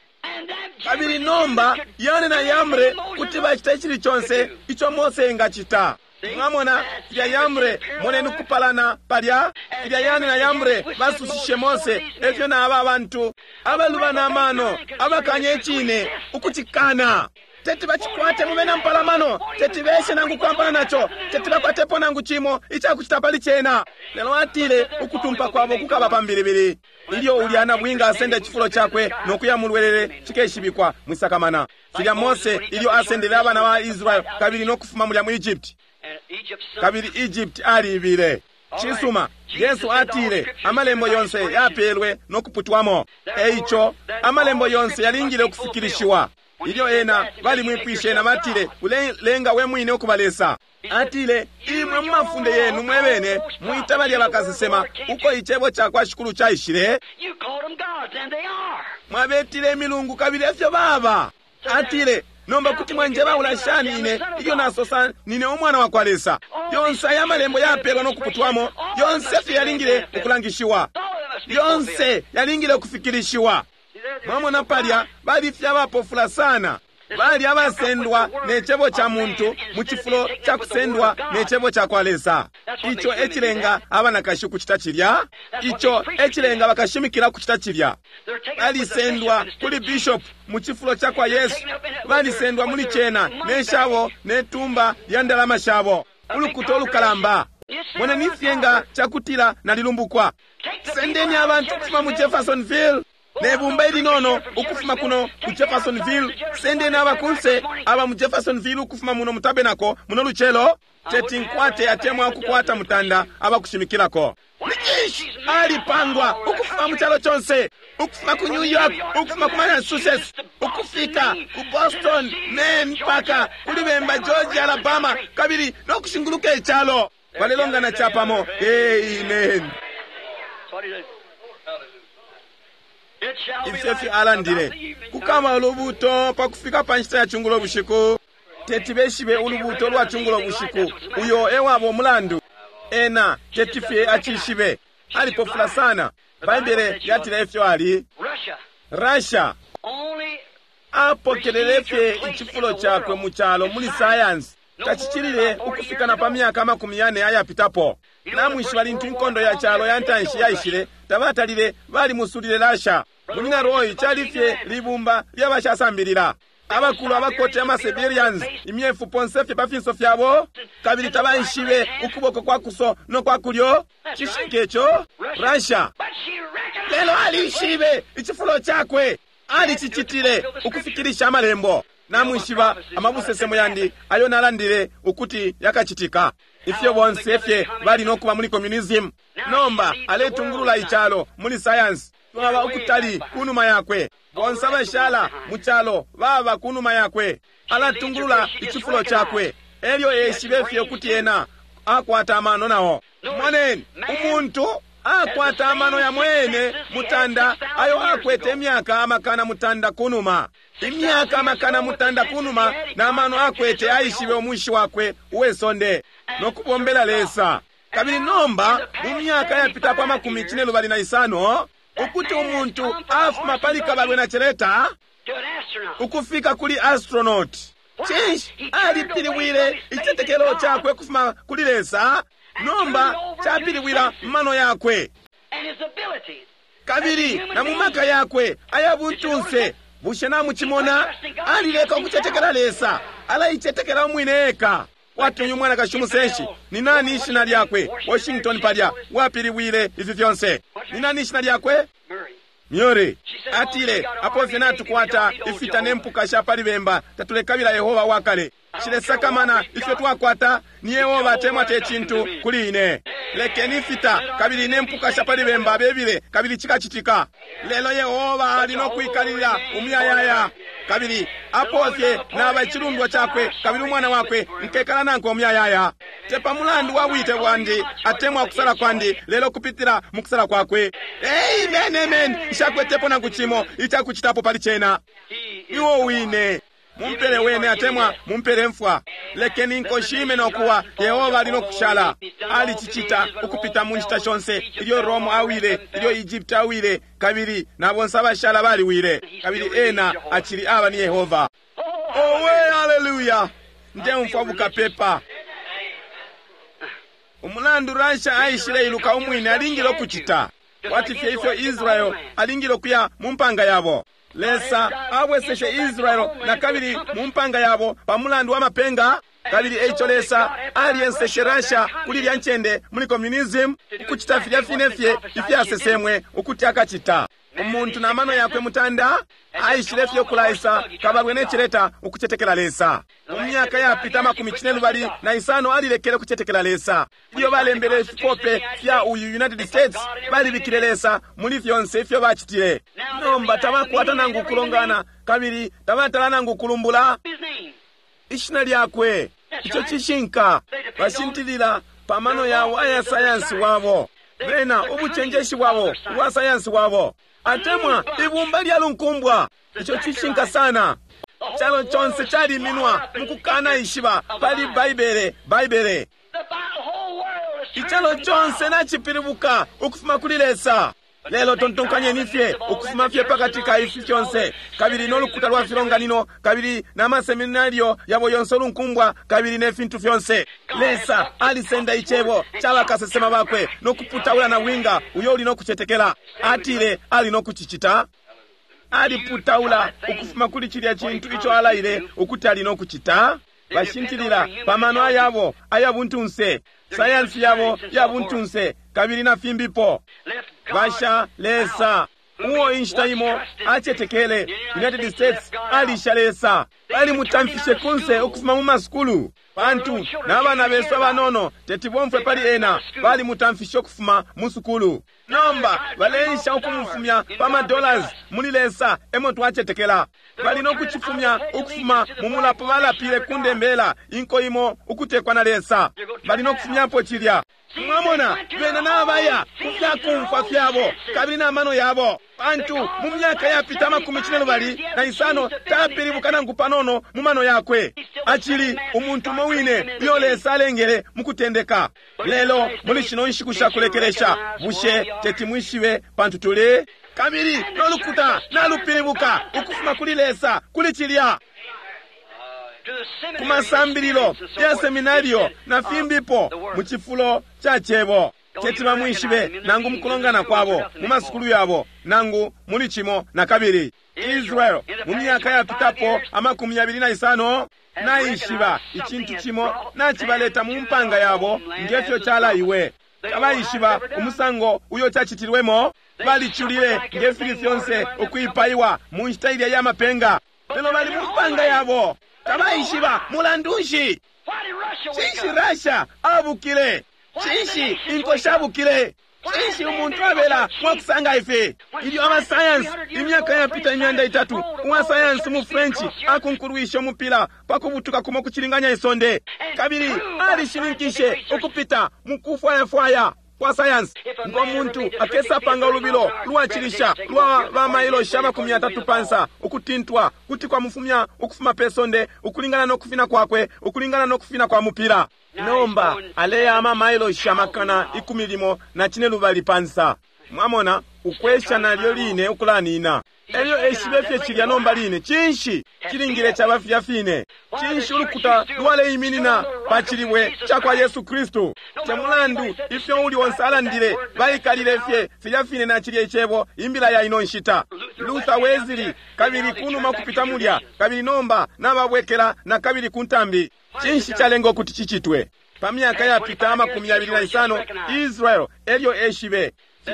Kabili nomba Yane na Yambre kuti bacita icili conse ico Mose engacita. Mwamona filya Yambre, moneni kupalana palya filya Yane na Yambre basushishe Mose, efyo na aba bantu abalubana amano abakanya icine ukucikana. Teti bacikwate mube na mpalamano, teti beshe nangu kwampana naco, teti bakwatepo nangu cimo icakucita pali cena. Lelo atile ukutumpa kwabo kukaba pambilibili. Ilyo ulya nabwinga asenda icifulo cakwe no kuya mulwelele cikeshibikwa mwisakamana. Filya Mose ilyo asendele abana ba Israel kabili no kufuma mulya mu Egypt. Kabili Egypt aliibile. Cisuma, Yesu atile amalembo yonse yapelwe no kuputwamo. Eico amalembo yonse yalingile ukufikilishiwa. Ilyo ena balimwipwishe na batile, ulelenga we mwine ukuba Lesa. Atile, imwe mu mafunde yenu mwebene mwita balya bakasesema uko icebo ca kwa Shikulu caishile. Mwabetile imilungu kabili efyo baba. Atile, nomba kuti mwanjebaula shani ine ilyo nasosa nine umwana wa kwa Lesa. Yonse aya malembo yapelwa no kuputwamo, yonse fye yalingile ukulangishiwa, yonse yalingile ukufikilishiwa. Mwamona palya bali fye abapofula sana, bali abasendwa ne cebo ca muntu mu cifulo ca kusendwa ne cebo ca kwa Lesa. Ico ecilenga abanakashi ukucita cilya, ico ecilenga bakashimikila ukucita cilya. Balisendwa kuli bishop mu cifulo ca kwa Yesu, balisendwa muli cena ne shabo ne tumba lya ndalama shabo, ulukuta ulukalamba. Moneni fye nga cakutila nalilumbukwa. Sendeni abantu ukufuma mu Jeffersonville nebumba ilinono ukufuma kuno ku Jeffersonville, sendeni abakunse aba mu Jeffersonville ukufuma muno mu tabernacle muno lucelo, teti nkwate atemwa ukukwata mutanda abakushimikilako. Nicinshi alipangwa ukufuma mu calo conse, ukufuma ku New York, ukufuma ku Massachusetts, ukufika ku Boston, Maine, mpaka kuli bemba Georgia, Alabama, kabili no kushinguluka icalo. Balelongana capamo. Amen. Ifyo fyo alandile, kukaba ulubuto pakufika pa nshita ya chungulo bushiku. Teti beshibe ulubuto lwa chungulo bushiku, uyo ewabo umulandu. Ena teti fye acishibe, alipofula sana. Baibele yatile ifyo ali. Russia apokelele fye icifulo cakwe mu calo muli science. Tacicilile ukufika na pa myaka amakumi yane ayapitapo. Namwishiba lintu inkondo ya calo ya ntanshi yaishile, tabatalile balimusulile Russia. Munyina Roy cali fye libumba lyabashasambilila, abakulu abakote ama Siberians, imyefu ponse fye pa finso fyabo, kabili tabaishibe ukuboko kwa kuso no kwa kulyo. Cishinka ico Russia. Lelo alishibe icifulo cakwe, alicicitile ukufikilisha amalembo. Namwishiba amabusesemo yandi ayo nalandile ukuti yakacitika. Ifyo bonse fye bali no kuba muli communism. Nomba aletungulula icalo muli science. Twaba ukutali kunuma yakwe. Bonse abashala mu calo baba kunuma yakwe. Alatungulula icifulo cakwe. Elyo eshibe fye ukuti ena akwata amano nao. Moneni, umuntu akwata amano ya mwene mutanda ayo akwete imyaka amakana mutanda kunuma. Imyaka amakana mutanda kunuma na amano akwete aishibe umwishi wakwe uwesonde no kubombela Lesa. Kabili nomba mu myaka yapitapo amakumi cine lubali na isano, ukuti umuntu afuma pali kabalwe na celeta ukufika kuli astronaut. Cinshi alipiliwile icitetekelo cakwe kufuma kuli Lesa, nomba capiliwila mano yakwe kabili na mu maka yakwe ayabuntunse. Bushe namucimona? Alileka ukucetekela Lesa, alaicetekela umwine eka. Kwati uyu mwanakashi umusenshi, ni nani ishina lyakwe? Washington palya wapiliwile ifi fyonse. Ni nani ishina lyakwe? Mary. Atile, apo fye natukwata ifita ne mpuka sha pali bemba, tatulekabila Yehova wakale. Shilesakamana ifyo twakwata, ni Yehova atemwa te cintu kuli ine. Lekeni ifita kabili ne mpuka sha pali bemba bebile, kabili cikacitika. Lelo Yehova ali no kwikalilila umuyayaya. Kabili apo fye naba icilundwa cakwe kabili umwana wakwe, nkekala nankwe umuyayaya. Te pa mulandu wa bwite bwandi atemwa kusala kwandi, lelo kupitila mu kusala kwakwe. Amen, amen. Nshakwetepo nangu cimo icakucitapo pali cena. Iwo wine mumpele wene atemwa mumpele mfwa. Lekeni inko shime nokuwa, Yehova ali nokushala. Alicicita ukupita mu nshita shonse, ilyo Rome awile, ilyo Egypt awile, kabili na bonse abashala baliwile, kabili ena acili aba ni Yehova. Owe, haleluya! Ndeumfwa bukapepa. Umulandu Russia aishile iluka umwine alingile ukucita kwati fye ifyo Israel alingile ukuya mu mpanga yabo. Lesa abweseshe Israel na kabili mu mpanga yabo pa mulandu wa mapenga. Kabili eico Lesa alienseshe Russia kuli lya ncende muli communism ukucita filya fine fye ifyasesemwe ukuti akacita. Umuntu na mano yakwe mutanda aishile fye ukulaisa kabalwe ne cileta ukucetekela Lesa. Mu myaka yapita makumi cine lubali na isano alilekele ukucetekela Lesa. Ilyo balembele ifikope fya uyu United States, balibikile Lesa muli fyonse ifyo bacitile. Nomba tabakwata nangu kulongana, kabili tabatala nangu kulumbula ishina lyakwe. Ico cishinka. Bashintilila pa mano yabo aya sayansi wabo, bena ubucenjeshi bwabo ubwa sayansi wabo, atemwa ibumba lya lunkumbwa. Ico cishinka sana. Calo conse caliminwa mukukana ishiba pali Baibele, Baibele. Icalo conse nacipilibuka ukufuma kuli Lesa. Lelo tontonkanyeni fye ukufuma fye pakati ka ifi fyonse, kabili n'olukuta lwa filonganino, kabili n'amaseminario yabo yonse olunkumbwa, kabili ne fintu fyonse. Lesa alisenda icebo ca bakasesema bakwe nokuputaula na winga uyo uli nokucetekela. Atile ali nokucicita. Aliputaula ukufuma kuli cilya cintu ico alaile ukuti ali nokucita. Bashintilila pamano ayabo ayabuntunse, sayansi yabo yabuntunse, kabili na fimbipo. Basha Lesa uo inshita imo acetekele. United States alisha Lesa. Balimutamfishe kunse ukufuma mu masukulu, pantu n'abana besu abanono teti bomfwe pali ena. Balimutamfishe ukufuma mu sukulu. Nomba baleisha ukumufumya pa madollars muli Lesa emo twacetekela. Bali nokucifumya ukufuma mu mulapo balapile ku ndembela inko imo ukutekwa na Lesa. Bali nokufumyapo cilya. Mwamona, bena nabaya ku fyakumfwa fyabo kabili n'amano yabo, pantu mu myaka yapita amakumi cine lubali na isano tapilibuka nangu panono mu mano yakwe. Acili umuntu umo wine uyo Lesa alengele mu kutendeka. Lelo muli shino nshiku sha kulekelesha, bushe teti mwishibe pantu tuli kabili n'olukuta nalupilibuka ukufuma kuli Lesa kuli cilya ku masambililo ya seminario na fimbipo mu cifulo ca cebo. Teti bamwishibe nangu mukulongana kwabo mu masukulu yabo nangu muli cimo na kabili. Israel mu myaka yapitapo amakumi yabili na isano naishiba icintu cimo nacibaleta mu mpanga yabo ngefyo calaiwe. Tabaishiba umusango uyo cacitilwemo. Baliculile ngefili fyonse ukwipaiwa mu nshita ilya ya mapenga, lelo bali mu mpanga yabo. Tabaishiba mulandu nshi. Cinshi Russia abukile? Cinshi inko shabukile? Cinshi umuntu abela mwakusanga ifi? Ilyo abasayansi imyaka yapita imyanda itatu, uwa sayansi mu French akunkulwishe umupila pa kubutuka kumo kucilinganya isonde, kabili alishininkishe ukupita mu kufwayafwaya kwa sayansi ngo muntu akesapanga ulubilo lwacilisha lwa bamailo amakumi yatatu pansa ukutintwa kuti kwamufumya ukufuma pe sonde ukulingana nokufina kwakwe, ukulingana nokufina kwa mupila. Nomba aleya amamailo amakana ikumi limo na cine lubali pansa. Mwamona, ukwesha nalyo line ukulanina. Elyo eshibe fye cilya nomba line. Cinshi cilingile caba filya fine? Cinshi ulukuta lwaleiminina pa cilibwe ca kwa Yesu Kristu? Te mulandu ifyo uli onse alandile, baikalile fye filya fine na cilya icebo, imbila ya ino nshita. Luther, Wesley, kabili kunuma kupita mulya, kabili nomba nababwekela na kabili ku ntambi. Cinshi calenga ukuti cicitwe? Pa myaka yapita amakumi yabili na isano, Israel elyo eshibe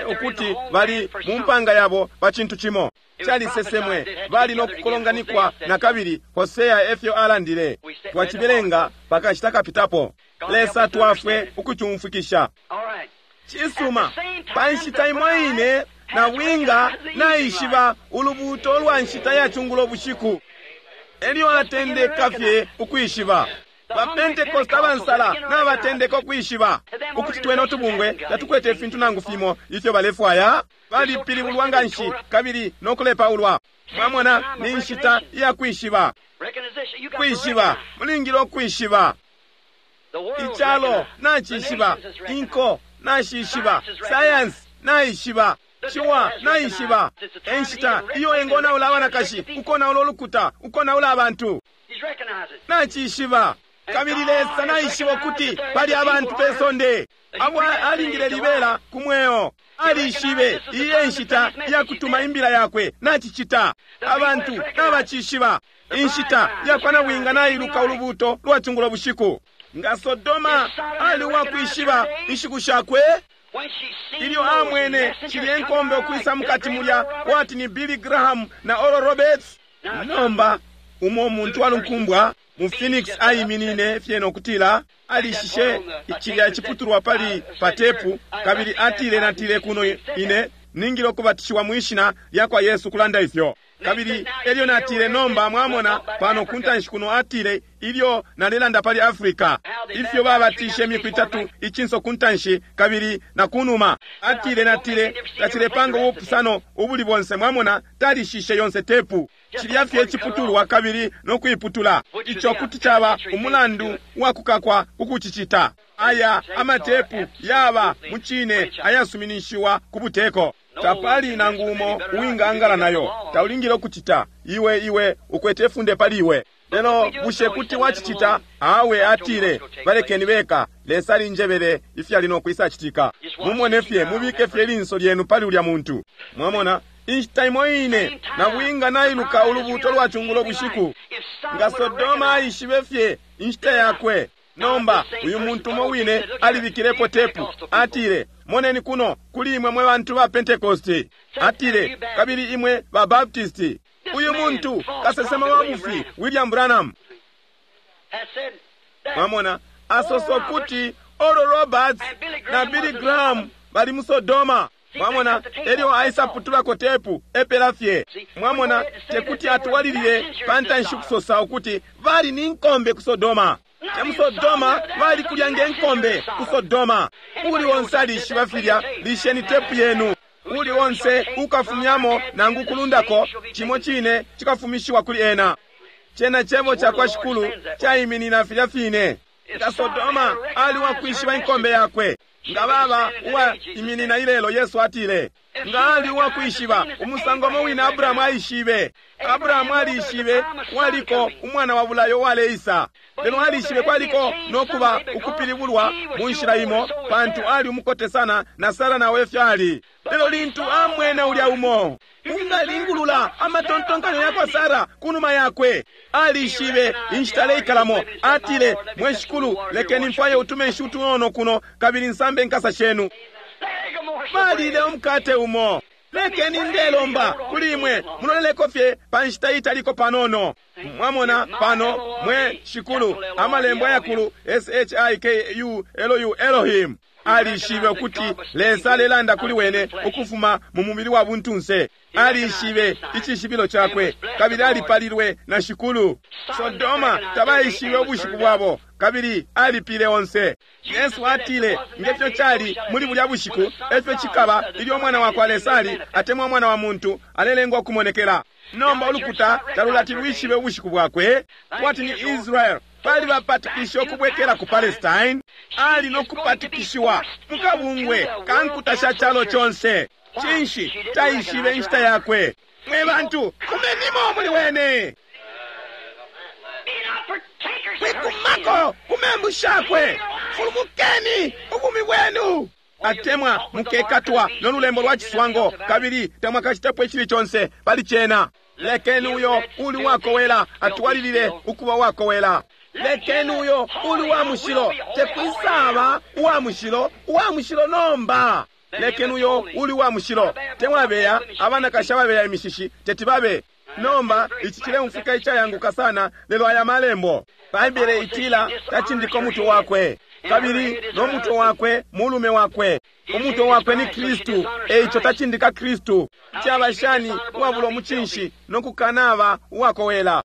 ukuti bali mu mpanga yabo pa cintu cimo calisesemwe, bali nokukolonganikwa na kabili. Hosea efyo alandile. Twacibelenga pakashita kapitapo. Lesa twafwe ukucumfwikisha. Cisuma, pa nshita imo ine na winga naishiba ulubuuto lwa nshita ya cungulo bushiku. Elyo atendeka fye ukwishiba. Ba Pentecost abansala nabatendeka ukwishiba ukuti twene utubungwe tatukwete ifintu nangu fimo ifyo balefwaya. Balipilibulwa nganshi kabili nokulepaulwa. Mwamona, ni nshita iya kwishiba. Kwishiba, mulingile ukwishiba. Icalo nacishiba, inko nashishiba, science naishiba, ciwa naishiba. Enshita iyo engonaula abanakashi, ukonaula ulukuta, ukonaula abantu. Nacishiba. Kabili Lesa naishiba ukuti pali abantu pe sonde abo alingile libela ku mweo. Alishibe iyi enshita ya kutuma imbila yakwe, nacicita. Abantu nabacishiba. Inshita yakwa nabwinga nailuka ulubuto lwa cungulo bushiku. Nga Sodoma ali uwakwishiba inshiku shakwe, ilyo amwene cilye nkombe ukwisa mukati mulya kwati ni Billy Graham na Oral Roberts. Nomba umo umuntu walunkumbwa mu Phoenix aiminine fye nokutila alishishe cilya ciputulwa pali patepu, kabili atile natile kuno ine ningile ukubatishiwa mwishina lya kwa Yesu kulanda ifyo. Kabili elyo natile nomba mwamona pano kuntanshi kuno atile ilyo nalelanda pali Africa ifyo babatishe imiku itatu icinso kuntanshi kabili na kunuma. Atile natile tacilepanga ubupusano ubuli bonse, mwamona talishishe yonse tepu. Cilya fye ciputulwa kabili nokuiputula. Ico kuti caba umulandu wa kukakwa kukucicita. Aya amatepu yaba mucine ayasuminishiwa ku buteko. Tapali nangu umo uwingaangala nayo. Taulingile ukucita. Iwe iwe ukwete funde pali iwe. Lelo bushe kuti wacicita? Awe atile balekeni beka. Lesa alinjebele ifyali nokwisa citika. Mumone fye, mubike fye linso lyenu pali ulya muntu. Mwamona, inshita imo ine nabwinga nailuka ulubuto lwa cungulo bushiku. Nga Sodoma aishibe fye inshita yakwe. Nomba uyu muntu umo wine alibikilepo tepu. Atile, moneni kuno kuli imwe mwe bantu ba Pentecosti. Atile, kabili imwe ba Baptisti. Uyu muntu kasesema wa bufi William Branham. Mwamona, asoso kuti Oral Roberts na Billy Graham bali mu Sodoma. Mwamona, elyo aisaputulako tepu epela fye. Mwamona, tekuti atwalilile pantanshi kusosa ukuti bali ni nkombe ku Sodoma. Te mu Sodoma bali kulya nge nkombe ku Sodoma. Uli onse alishiba filya, lisheni tepu yenu. Uli onse ukafumyamo nangu kulundako chimo chine chikafumishiwa kuli ena. Chena chebo cha kwa Shikulu chaiminina filya fine. Nga Sodoma ali wakwishiba inkombe yakwe. Nga baba uwa iminina ilelo, Yesu atile. Nga ali uwakwishiba umusango mo wina Abrahamu aishibe. Abrahamu alishibe waliko umwana wa bulayo waleisa. Lelo alishibe kwaliko nokuba ukupilibulwa mu nshila imo, pantu ali umukote sana na Sara nawe fyali. Lelo lintu amwene ulya umo ungalingulula amatontonkanyo yakwa Sara kunuma yakwe, alishibe inshita aleikalamo. Atile, mwe Shikulu, lekeni mfwaye utume nshi utunono kuno kabili nsambe nkasa shenu. Balile umukate umo. Lekeni ndelomba kuli imwe muloleleko fye pa nshita italiko panono. Mwamona pano mwe Shikulu amalembo ayakulu S H I K U L U Elohim. Alishibe ukuti Lesa alelanda kuli wene ukufuma mu mubili wa buntunse. Alishibe icishibilo chakwe kabili alipalilwe na Shikulu. Sodoma tabaishibe ubushiku bwabo kabili alipile onse. Yesu atile ngefyo chali muli bulya bushiku efyo chikaba ilyo mwana wa kwa Lesa ali atemwa mwana wa muntu alelengwa kumonekela. Nomba ulukuta talulati lwishibe ubushiku bwakwe. Kwati ni Israel bali bapatikisha ukubwekela ku Palestine, ali nokupatikishiwa mukabungwe kankuta sha chalo chonse. Chinshi taishibe inshita yakwe. Mwe bantu kumenimo muli wene. Mwikumako kumembu shakwe. Fulumukeni ubumi bwenu. Atemwa mukekatwa nolulembo lwa chiswango kabili tamwakachitapo ichili chonse pali chena. Lekeni uyo uli wakowela atwalilile ukuba wakowela. Lekeni uyo uli wa mushilo tekwisaba wa mushilo wa mushilo nomba. Lekeni uyo uli wa mushilo temwabeya abanakasha babeya imishishi tetibabe. Nomba ichi chileumfika ichayanguka sana lelo aya malembo. Baibele itila tachindika umutwe wakwe kabili no mutwe wakwe mulume wakwe. Umutwe wakwe ni Kristu, eicho tachindika Kristu. Chaba shani uwabula omuchinshi nokukanaba uwakowela.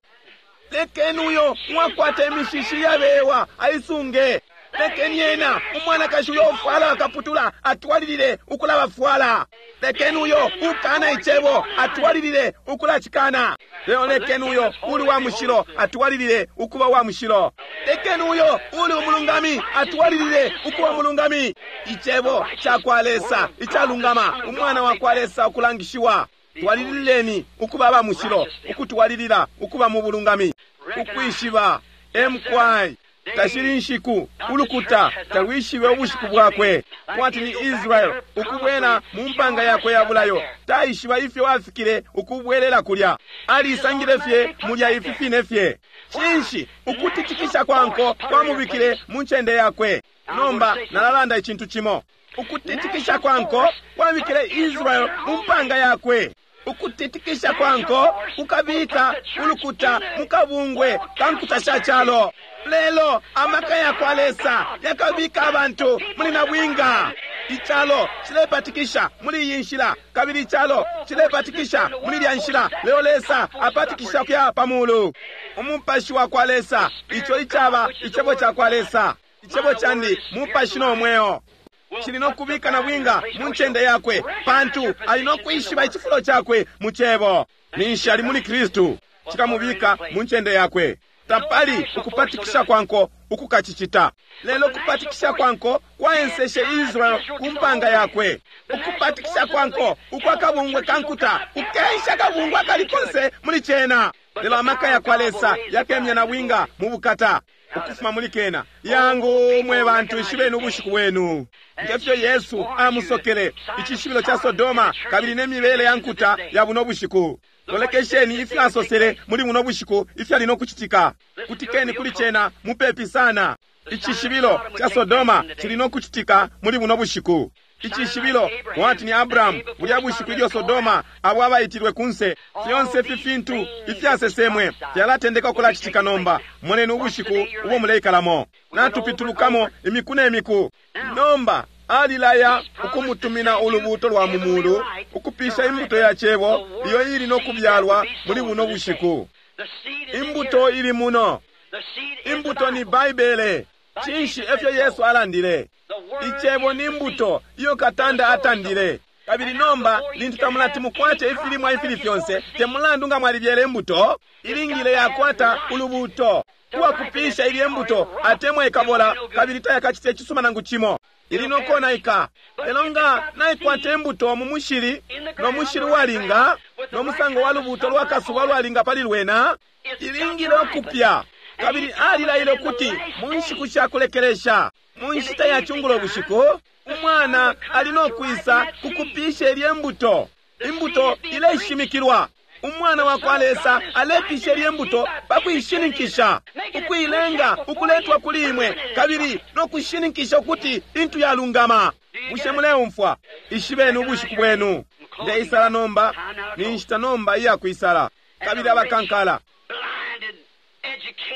Lekeni uyo uwakwata imishishi yabewa aisunge. Lekeni ena umwanakashi uyo ufwala akaputula atwalilile ukulabafwala. Lekeni uyo ukana icebo atwalilile ukulacikana. Lelo lekeni uyo uli wa mushilo atwalilile ukuba wa mushilo. Lekeni uyo uli umulungami atwalilile ukuba umulungami. Icebo cakwa Lesa icalungama, umwana wa kwa Lesa ukulangishiwa. Twalilileni ukuba aba mushilo, ukutwalilila ukuba mu bulungami. Ukwishiba M Y tashili nshiku, ulukuta talwishibe ubushiku bwakwe. Kwati ni Israel ukubwela mu mpanga yakwe ya bulayo, taishiba ifyo afikile ukubwelela kulya, alisangile fye mulya ifi fine fye. Cinshi? Ukutitikisha kwa nko kwamubikile mu ncende yakwe. Nomba nalalanda icintu cimo. Ukutitikisha kwa nko kwabikile Israel mu mpanga yakwe. Ukutitikisha kwa nko kukabika ulukuta mu kabungwe ka nkuta sha calo, lelo amaka ya kwa Lesa yakabika abantu muli nabwinga. Icalo cilepatikisha muli iyi nshila, kabili icalo cilepatikisha muli lya nshila, lelo Lesa apatikisha kuya pa mulu. Umupashi wa kwa Lesa, ico icaba icebo ca kwa Lesa. Icebo candi mupashi no mweo. Cili no kubika nabwinga mu ncende yakwe, pantu ali no kwishiba icifulo cakwe mu cebo. Ninshi ali muli Kristu, cikamubika mu ncende yakwe. Tapali ukupatikisha kwa nko ukukacicita, lelo kupatikisha kwa nko kwaenseshe Israel ku mpanga yakwe. Ukupatikisha kwa nko ukwa kabungwe ka nkuta kukensha kabungwe akali konse muli cena, lelo amaka ya kwa Lesa yakemya nabwinga mu bukata ukufuma muli kena. Yangu mwe bantu, ishibeni ubushiku bwenu. Ngefyo Yesu amusokele icishibilo ca Sodoma kabili ne mibele ya nkuta ya buno bushiku, lolekesheni ifyo asosele muli buno bushiku ifyali no kucitika. Kutikeni kuli cena mupepi sana. Icishibilo ca Sodoma cili no kucitika muli buno bushiku. Icishibilo mwati ni Abrahamu bulya bushiku ilyo Sodoma abo abaitilwe kunse. Fyonse ifi fintu ifyasesemwe fyalatendeka ukulacitika nomba. Moneni ubushiku ubo muleikalamo. Natupitulukamo imiku ne miku. Nomba alilaya ukumutumina ulubuuto lwa mu mulu ukupisha imbuto ya cebo iyo ili no kubyalwa muli buno bushiku. Imbuto ili muno. Imbuto ni Baibele. Cinshi efyo Yesu alandile? Icebo ni mbuto iyo katanda atandile. Kabili nomba lintu tamulati mukwate ifilimwa ifili fyonse, te mulandu nga mwalibyele imbuto, ilingile yakwata ulubuuto uwakupisha ilye mbuto, atemwa ikabola kabili tayakacite icisuma nangu cimo, ili nokonaika. Lelo nga naikwata imbuto mu mushili, no mushili walinga, no musango wa lubuuto lwa kasuba lwalinga pali lwena, ilingile ukupya. Kabili alilaile ukuti mu nshiku sha kulekelesha, mu nshita ya cungulo bushiku, umwana ali no kwisa kukupisha ilye mbuto. Imbuto ileshimikilwa. Umwana wa kwa Lesa alepisha ilye mbuto pa kuishininkisha, ukuilenga ukuletwa kuli imwe, kabili no kushininkisha ukuti intu yalungama. Bushe muleumfwa? Ishibeni ubushiku bwenu. Ndeisala nomba, ni nshita nomba iya kwisala. Kabili abakankala,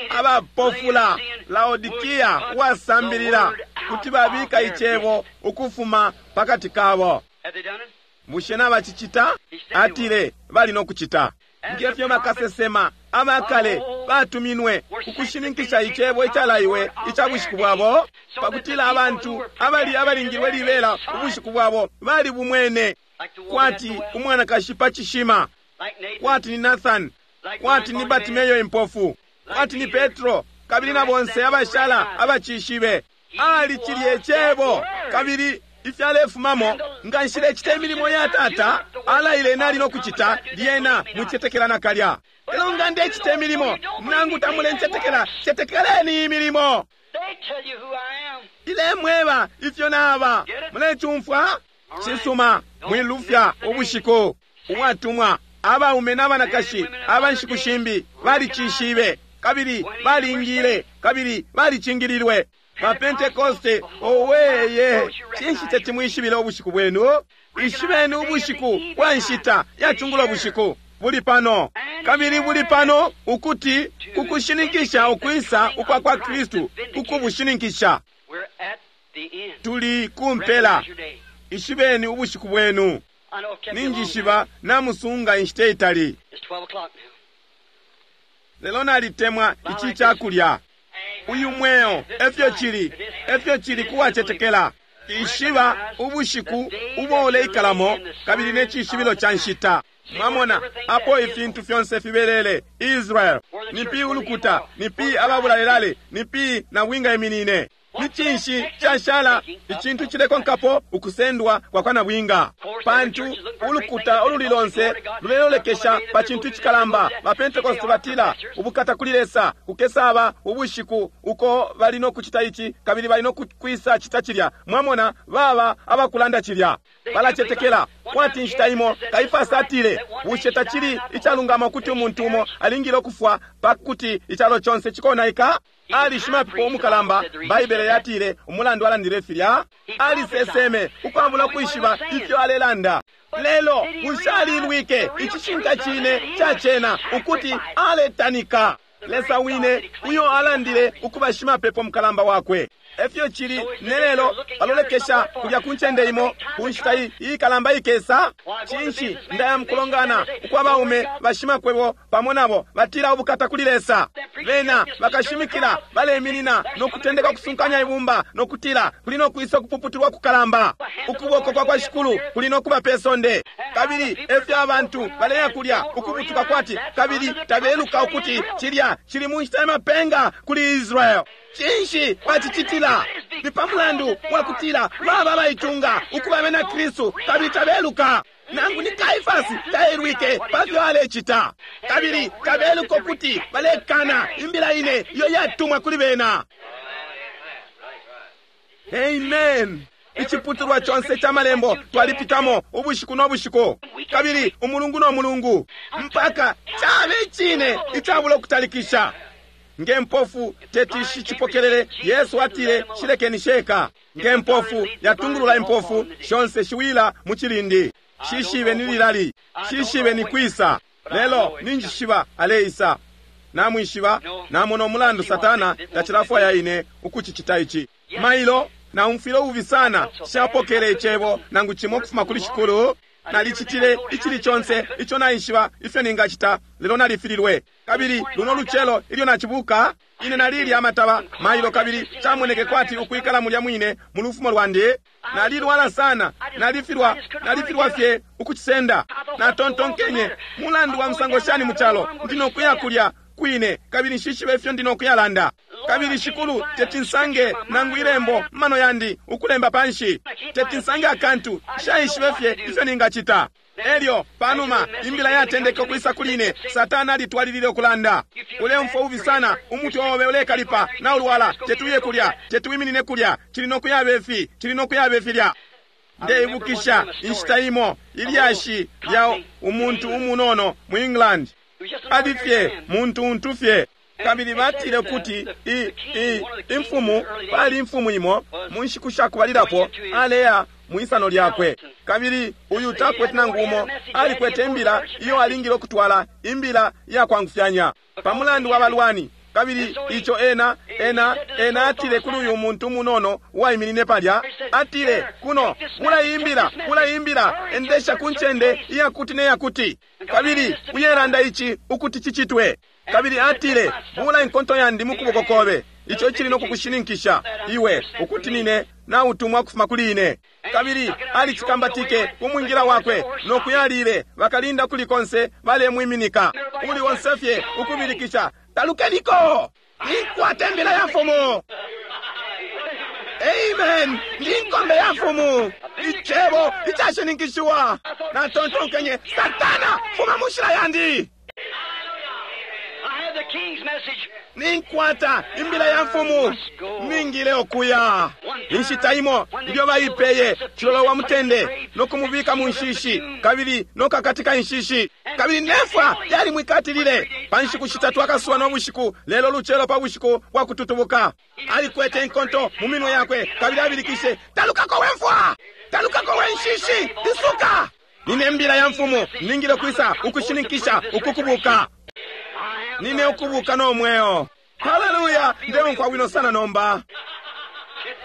abapofula, Laodikia uwasambilila, kuti babika icebo ukufuma pakati kabo. Bushe nabacicita? Atile bali no kucita. Ngefyo bakasesema abakale batuminwe kukushininkisha icebo icalaiwe ica bushiku bwabo, pakutila abantu abali abalingilwe libela ubushiku bwabo bali bumwene, kwati umwanakashi pa cishima, kwati ni Nathan, kwati ni Batimeyo impofu, kwati ni Petro, kabili na bonse abashala abacishibe. Ali cilye cebo, kabili ifyalefumamo, nga nshilecita imilimo ya Tata alaile nali no kucita, lyena mwicetekela nakalya. Lelo nga ndecita imilimo, nangu tamulencetekela, cetekeleni imilimo. Ilemweba ifyo naba. Mulecumfwa? Cisuma, mwilufya ubushiku. Uwatumwa, abaume n'abanakashi aba nshiku shimbi balicishibe, kabili balingile, kabili balicingililwe. Ba Pentekoste, oweye, cinshi teti mwishibile ubushiku bwenu? Ishibeni ubushiku bwa nshita ya cungulo bushiku buli pano, kabili buli pano ukuti kukushininkisha ukwisa ukwa kwa Kristu, kukubushininkisha. Tuli kumpela. Ishibeni ubushiku bwenu. Ninjishiba namusunga inshita itali. Lelo nalitemwa ici cakulya. Uyu mweo efyo cili, efyo cili kuwacetekela. Ishiba ubushiku ubo uleikalamo kabili ne cishibilo ca nshita. Mwamona apo ifintu fyonse fibelele. Israel nipi ulukuta, nipi ababulalelale, nipi na winga iminine. Ni cinshi cashala icintu cilekonkapo ukusendwa kwa kwa nabwinga? Pantu ulukuta ululi lonse lulelolekesha pa cintu icikalamba. Ba Pentecost batila ubukata kuli Lesa, kukesaba ubushiku uko bali no kucita ici kabili bali no kwisa cita cilya. Mwamona baba abakulanda cilya, balacetekela kwati nshita imo Kaifasi atile, bushe tacili icalungama ukuti umuntu umo alingile ukufwa pakuti icalo conse cikonaika? Ali shimapepo umukalamba. Baibele yatile umulandu alandile filya, aliseseme ukwabula kwishiba ifyo alelanda. Lelo bushe alilwike icishinka cine cacena ukuti aletanika Lesa wine uyo alandile ukuba shimapepo mukalamba wakwe? Efyo cili nelelo, balolekesha kulya ku ncende imo ku nshita iyikalamba ikesa. Cinshi ndaya mukulongana ukwa baume bashimakwebo pamo nabo batila ubukata kuli Lesa. Bena bakashimikila baleminina no kutendeka kusunkanya ibumba no kutila kuli no kwisa kupuputulwa kukalamba, ukuboko kwa kwa Shikulu kuli no kuba pe sonde. Kabili efyo abantu baleya kulya ukubutuka kwati, kabili tabeluka ukuti cilya cili mu nshita ya mapenga kuli Israel. Cinshi bacicitila? Ni pa mulandu wakutila baba baitunga ukuba bena Kristu kabili tabeluka. Nangu ni Kaifasi taelwike pafyo alecita, kabili tabeluka ukuti balekana imbila ine iyo yatumwa kuli bena. Amen. Iciputulwa conse ca malembo twalipitamo ubushiku no bushiku, kabili umulungu no mulungu, mpaka cabe icine icabula ukutalikisha. Nge mpofu teti shicipokelele, Yesu atile shilekeni sheka. Nge mpofu yatungulula impofu shonse shiwila mu cilindi. Shishibe ni lilali, shishibe ni kwisa, lelo ninjishiba aleisa. Namwishiba, namona umulandu Satana tacilafwaya ine ukucicita ici. Mailo naumfwile ububi sana, shapokele icebo nangu cimo ukufuma kuli Shikulu. Nalicitile icili conse ico naishiba ifyo ningacita, lelo nalifililwe. Kabili luno lucelo ilyo nacibuka, ine nalilya amataba mailo, kabili camoneke kwati ukwikala mulya mwine mu lufumo lwandi. Nalilwala sana, nalifilwa, nalifilwa fye ukucisenda. Natontonkenye, mulandu wa musango shani mu calo, ndi nokuya kulya kwine, kabili nshishibe ifyo ndi nokuyalanda. Kabili Shikulu teti nsange nangu ilembo mano yandi ukulemba panshi, teti nsange akantu, nshaishibe fye ifyo ningacita. Elyo panuma imbila yatendeke ukwisa kuli ine, Satana alitwalilile ukulanda, uleumfwa ubi sana, umutwe obe ulekalipa, na ulwala, tetuye kulya, tetuwiminine kulya, cili nokuyaba ifi, cili nokuyaba ifilya. Ndeibukisha inshita imo ilyashi lya umuntu umunono mu England, ali fye muntu untu fye. Kabili batile ukuti i, i, imfumu, pali imfumu imo mu nshiku shakubalilapo aleya mwisano lyakwe, kabili uyu takwete nangu umo, alikwete imbila iyo alingile ukutwala, imbila iyakwangufyanya pamulandu wa balwani. Kabili ico ena ena ena atile kuli uyu muntu munono uwaiminine palya, atile kuno mulayimbila, mulayimbila, endesha ku ncende iyakuti neyakuti, kabili uyelanda ici ukuti cicitwe. Kabili atile, bula inkonto yandi mukuboko kobe, ico icili nokukushininkisha iwe ukuti nine nautumwa kufuma kuli ine. Kabili alicikambatike kumwingila wakwe nokuyalile, bakalinda kuli konse balemwiminika, uli onse fye ukubilikisha, talukeniko, ninkwata imbila ya mfumu. Amen, ndi nkombe ya mfumu, icebo icashininkishiwa. Natontonkenye, Satana, fuma mushila yandi. Ninkwata imbila ya mfumu, ningile okuya. Inshita imo ilyo baipeye cilolo wa mutende nokumubika mu nshishi, kabili nokakatika inshishi, kabili nefwa yalimwikatilile pa nshiku shitatu akasuba no bushiku. Lelo lucelo pa bushiku bwa kututubuka alikwete inkonto mu minwe yakwe, kabili abilikishe, talukako we mfwa, talukako we nshishi, isuka. Nine mbila ya mfumu, ningile kwisa ukushininkisha ukukubuka. Nine ukubuka no mweo. Haleluya! Ndeumfwa bwino sana nomba.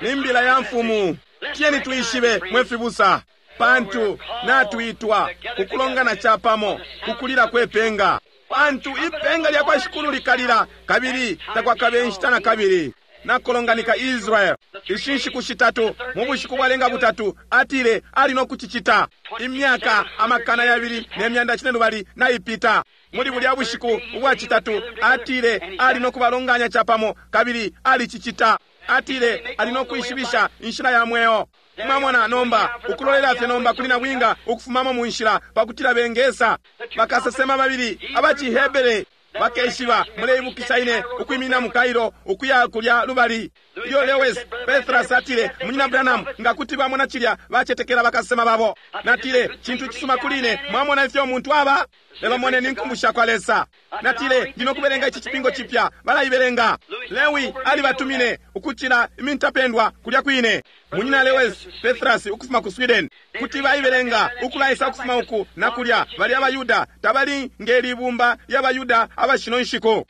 Nimbila ya mfumu. Tiyeni tuishibe mwe fibusa, pantu natuitwa kukulongana chapamo kukulila kwepenga. Pantu ipenga lya kwa Shikulu likalila, kabili takwakabe inshita na kabili. Nakolonganika Israel ishi nshiku shitatu, mu bushiku bwalenga butatu atile ali no kucicita. Imyaka amakana yabili ne myanda cine lubali naipita. Muli bulya bushiku ubwa citatu atile ali no kubalonganya capamo, kabili alicicita. Atile ali no kwishibisha inshila ya mweo. Mwamona nomba ukulolela fye nomba kuli nabwinga ukufumamo mu nshila pakutila bengesa. Bakasesema babili abaciHebere bakeshiba, muleibukisha ine ukwimina mu Cairo ukuya kulya lubali. Ilyo Lewis Petras atile, Munyina Branham, nga kuti bamona cilya bacetekela bakasesema babo. Natile, cintu cisuma kuli ine, mwamona ifyo umuntu aba. Lelo moneni inkumbu sha kwa Lesa. Natile, ndino kubelenga ici cipingo cipya, balaibelenga. Lewi alibatumine ukucila imintapendwa kulya kwine. Munyina Lewis Petras ukufuma ku Sweden, kuti baibelenga ukulaisa ukufuma uku na kulya. Bali abayuda, tabali ngelibumba ly'abayuda abashino nshiku.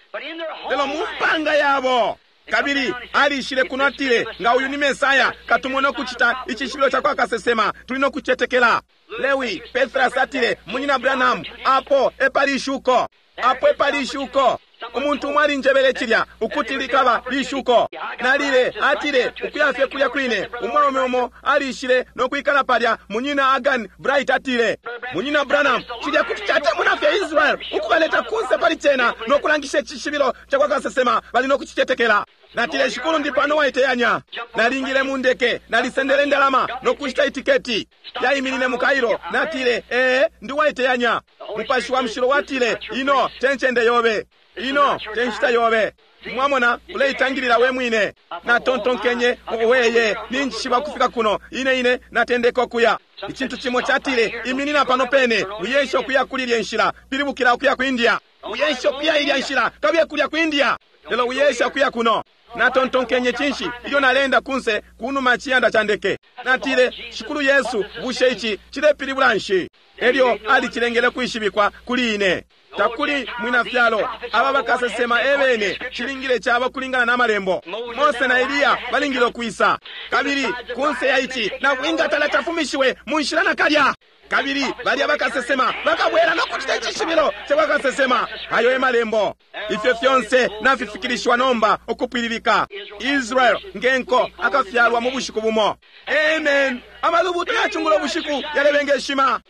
Lelo mu mpanga yabo. Kabili alishile kuno atile, nga uyu ni Mesaya, katumone ukucita icishibilo ca kwa kasesema, tuli no kucetekela. Lewi Petras atile, Munyina Branham, apo epali ishuko, apo epali ishuko. Umuntu umwe alinjebele cilya ukuti likaba lishuko. Nalile, atile ukuya fye kulya kwine. Umwaume umo alishile no kwikala palya. Munyina Agan Bright atile, Munyina Branham, cilya kuti catemuna fye Israel ukubaleta kunse pali cena no kulangisha icishibilo ca kwa kasesema, bali no kucicetekela. Natile, Shikulu, ndi pano waiteyanya. Nalingile mu ndeke, nalisendele indalama no kushita itiketi. Yaiminine mu Cairo. Natile, ee, ndi waiteyanya. Mupashi wa Mushilo watile, ino te ncende yobe, ino te nshita yobe. Mwamona, uleitangilila we mwine. Natontonkenye, weye, ninjishiba kufika kuno. Ine ine natendeka okuya. Icintu cimo catile, iminina pano pene, uyeshe okuya kuli ilya nshila, pilibukila okuya ku India. Uyeshe okuya ilya nshila, kabiye kulya ku India. Lelo uyeshe okuya kuno. Natontonkenye cinshi ilyo nalenda kunse kunuma chiyanda cha ndeke. Natile, Shikulu Yesu, bushe ici cilepilibula nshi? Elyo alicilengele kwishibikwa kuli ine. Takuli mwina fyalo aba bakasesema ebene, cilingile caba kulingana na malembo. Mose na Eliya balingile okwisa. Kabili kunse ya ici nabwinga tala tafumishiwe mu nshila nakalya. Kabili balya bakasesema bakabwela no kucita icishibilo ca bakasesema. Ayo e malembo. Ifyo fyonse nafifikilishiwa nomba ukupwililika. Israel ngenko akafyalwa mu bushiku bumo. Amen. Amalubuto yacungulo bushiku yalebengeshima.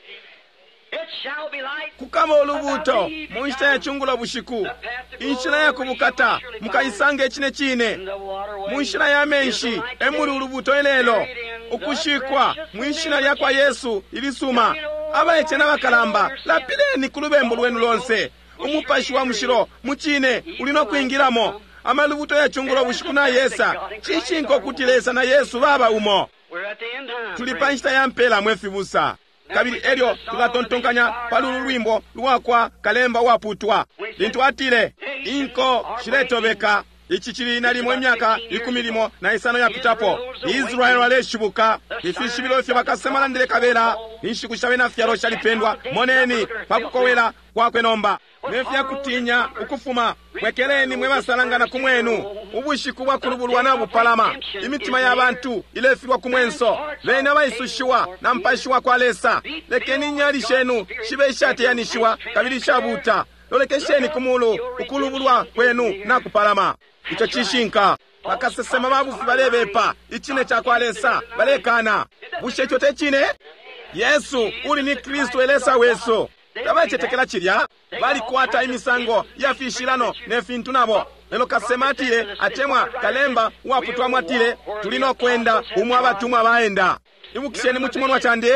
Kukama ulubuto mu nshita ya cungulo bushiku. Inshila ya kubukata mukaisanga icine cine. Mu nshila ya menshi emuli ulubuto ilelo. Ukushikwa mu nshila ya kwa Yesu ilisuma. Abaice n'abakalamba, lapileni ku lubembu lwenu lonse. Umupashi wa Mushilo mu cine uli no kwingilamo. Amalubuto ya cungulo bushiku na Yesa. Cishinka ukuti Lesa na Yesu baba umo. Tuli pa nshita ya mpela mwe fibusa. Kabili elyo tukatontonkanya pali ulu lwimbo lwakwa kalemba waputwa lintu atile, inko shiletobeka. Ici cili nalimo imyaka ikumi limo na isano yapitapo. Israel aleshibuka. Ifishibilo ifyo bakasema landile kabela. Inshiku sha bena fyalo shalipendwa. Moneni pakukowela kwakwe nomba. Ne fyakutinya ukufuma. Bwekeleni mwe basalangana ku mwenu. Ubushiku bwa kulubulwa na bupalama. Imitima ya bantu ilefilwa ku mwenso. Bena abaisushiwa na mpashi wa kwa Lesa. Lekeni inyali shenu shibe ishateyanishiwa kabili ishabuta. Lolekesheni ku mulu, ukulubulwa kwenu na kupalama. Ico cishinka. Bakasesema babufi balebepa icine ca kwa Lesa, balekana. Bushe ico te cine? Yesu uli ni Kristu elesa wesu. Tabacetekela cilya, balikwata imisango ya fishilano ne fintu nabo. Lelo kasema atile, atemwa kalemba uwaputwamo atile, tuli no kwenda umwe abatumwa baenda. Ibukisheni mu cimonwa candi,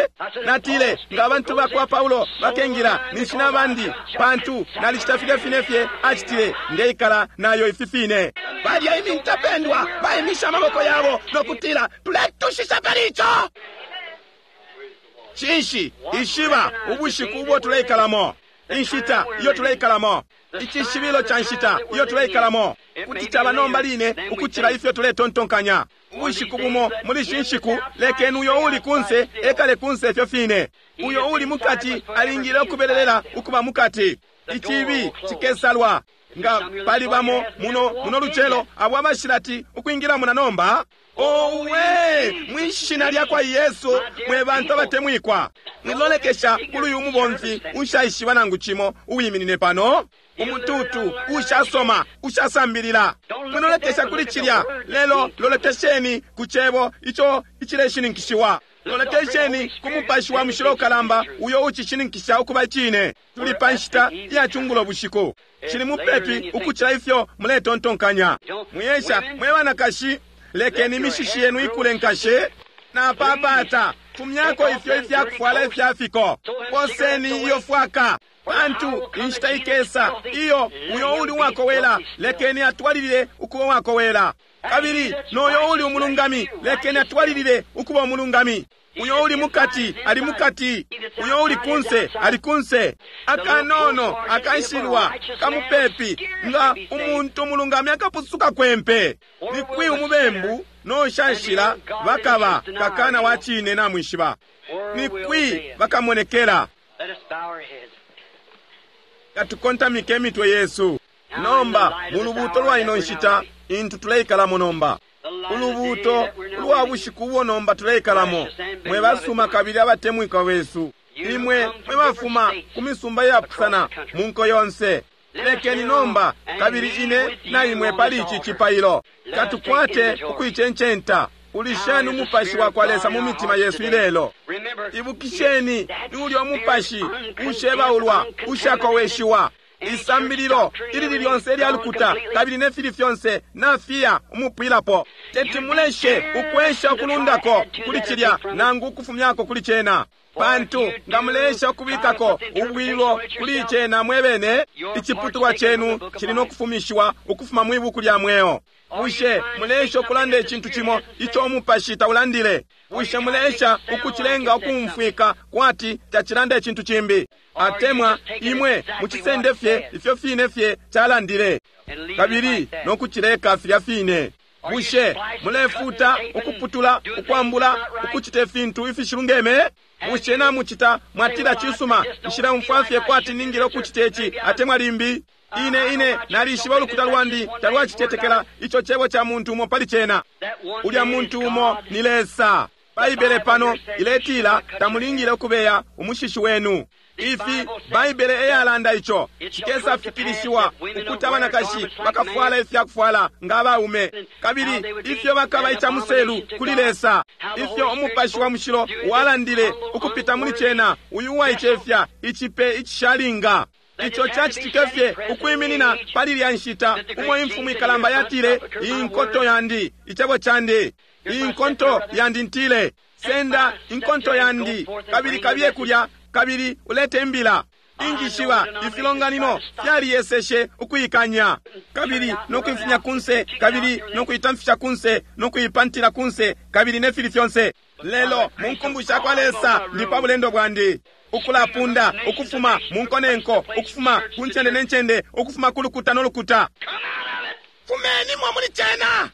natile, nga abantu bakwa Paulo bakengila ninshi nabandi, pantu nalicita filya fine fye acitile, ndeikala nayo ifi fine. Balya imintapendwa baimisha amaboko yabo no kutila, tuletushisha pali ico. Cinshi ishiba ubushiku ubwo tuleikalamo, inshita iyo tuleikalamo, icishibilo ca nshita iyo tuleikalamo, kuti caba nomba line ukucila ifyo tuletontonkanya. Ubushiku bumo muli shi nshiku, lekeni uyo uli kunse ekale kunse ifyo fine. Uyo uli mukati alingile ukubelelela ukuba mukati. Icibi cikesalwa. Nga pali bamo muno muno lucelo abo abashilati ukwingilamo na nomba, Owe, mwishina lyakwa Yesu, mwe bantu abatemwikwa, mwilolekesha kuli uyu mubomfi ushaishiba nangu cimo uwiminine pano, umututu ushasoma ushasambilila. Mwilolekesha kuli cilya, lelo lolekesheni ku cebo ico icileshininkishiwa. Lolekesheni ku Mupashi wa Mushilo ukalamba uyo ucishininkisha ukuba icine. Tuli pa nshita iya cungulo bushiku, cili mupepi ukucila ifyo muletontonkanya. Mwiyesha mwe banakashi, lekeni imishishi yenu ikule nkashe napapata, fumyako ifyo ifyakufwala ifyafiko, poseni iyo fwaka, pantu inshita ikesa iyo uyo uli uwakowela lekeni atwalilile ukuba uwakowela, kabili noyo uli umulungami lekeni atwalilile ukuba umulungami. Uyo uli mukati ali mukati, uyo uli kunse ali kunse. Akanono akanshilwa kamupepi nga umuntu umulungami akapusuka kwempe. Nikwi umubembu noshanshila bakaba kakana wa cine namwishiba, nikwi bakamonekela. Katukontamike imitwe yesu nomba mu lubuuto lwa ino nshita intu tuleikalamo nomba, ulubuuto lwa bushiku ubo nomba tuleikalamo. Mwe basuma kabili abatemwikwa besu, imwe mwe bafuma ku misumba iyapusana mu nko yonse, lekeni nomba kabili ine na imwe pali ici cipailo katukwate ukuicencenta. Ulisheni umupashi wa kwa Lesa mu mitima yesu ilelo. Ibukisheni ni ulya umupashi ushebaulwa ushakoweshiwa. Isambililo ilili lyonse ilya lukuta kabili ne fili fyonse nafiya umupwilapo. Teti muleshe ukwesha ukulundako kuli cilya nangu ukufumyako kuli cena, pantu nga mulesha ukubikako ubwilo kuli cena mwebene, iciputulwa chenu cili no kufumishiwa ukufuma mwi buku lya mweo. Bushe mulesha ukulanda icintu cimo ico umupashi taulandile? Bushe mulesha ukucilenga ukumfwika kwati tacilanda icintu cimbi? Atemwa imwe mucisende fye ifyo fine fye calandile, kabili no kucileka filya fine. Bushe mulefuta, ukuputula, ukwambula, ukucita ifintu ifishilungeme? Bushe namucita mwatila cisuma, nshileumfwa fye kwati ningile ukucita ici atemwa limbi? Ine ine nalishiba ulukuta lwandi talwacitetekela ico cebo ca muntu umo pali cena. Ulya muntu umo ni Lesa. Baibele pano iletila tamulingile ukubeya umushishi wenu. Ifi Baibele eyalanda ico cikesa fikilishiwa ukuti abanakashi bakafwala ifyakufwala nga abaume, kabili ifyo bakaba icamuselu kuli Lesa. Ifyo umupashi wa mushilo walandile ukupita muli cena, uyu uwaicefya icipe icishalinga. Ico cacitike fye ukwiminina pali lya nshita umo imfumu ikalamba yatile, inkonto yandi, icebo candi, inkonto yandi ntile, senda inkonto yandi kabili kabiye kulya kabili ulete imbila. Injishiba ifilonganino fyaliyeseshe ukuikanya kabili nokuifunya kunse kabili nokuitamfisha kunse nokuipantila kunse kabili nefili fyonse. Lelo mu nkumbu sha kwa Lesa ndi pa bulendo bwandi, ukulapunda ukufuma mu nko ne nko, ukufuma ku ncende ne ncende, ukufuma ku lukuta no lukuta. Fumenimo muli cena.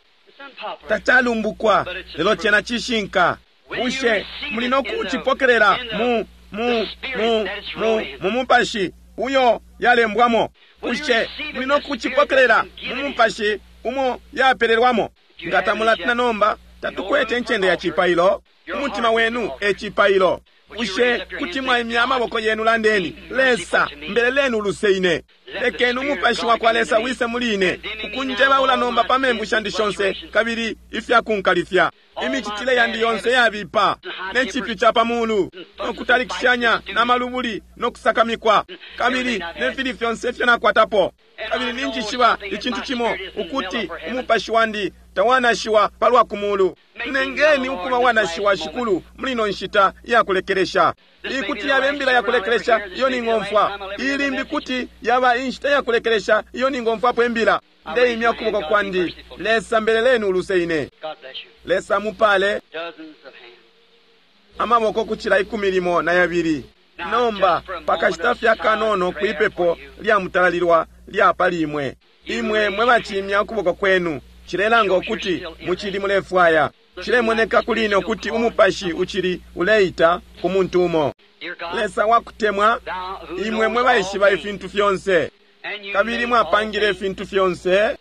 Tacalumbukwa, lelo cena cishinka. Bushe muli no kucipokelela mu mu mu mu mu mupashi uyo yalembwamo? Bushe muli no kucipokelela mu mupashi umo yapelelwamo? Nga tamulatina nomba, tatukwete incende ya cipailo. Umutima wenu e cipailo. Bushe kuti mwaimya amaboko yenu, landeni, Lesa, mbeleleni uluse ine. Lekeni umupashi wa kwa Lesa wise muli ine, ukunjebaula nomba pa membu shandi shonse kabili ifyakunkalifya. Imicitile yandi yonse yabipa, ne cipyu ca pa mulu, no kutalikishanya na malubuli, no kusakamikwa, kabili ne fili fyonse ifyo nakwatapo. Kabili ninjishiba icintu cimo, ukuti umupashi wandi tawanashiwa palwa kumulu. Nengeni ukuba wanashiwa, Shikulu, muli ino nshita iyakulekelesha. Iyi kuti yaba imbila yakulekelesha iyo ningomfwa. Iyi limbi kuti yaba inshita yakulekelesha iyo ningomfwapo imbila. Ndeimya ukuboko kwandi. Lesa, mbeleleni uluse ine. Lesa mupale. Amaboko kucila ikumi limo na yabili. Nomba pakashita fye akanono kwipepo lya mutalalilwa lya pali imwe. Imwe mwe bacimya ukuboko kwenu, cilelanga ukuti mucili mulefwaya. Cilemoneka kuli ine ukuti umupashi uchili uleita ku muntu umo. Lesa wakutemwa, imwe mwe baishiba ifintu fyonse, kabili mwapangile ifintu fyonse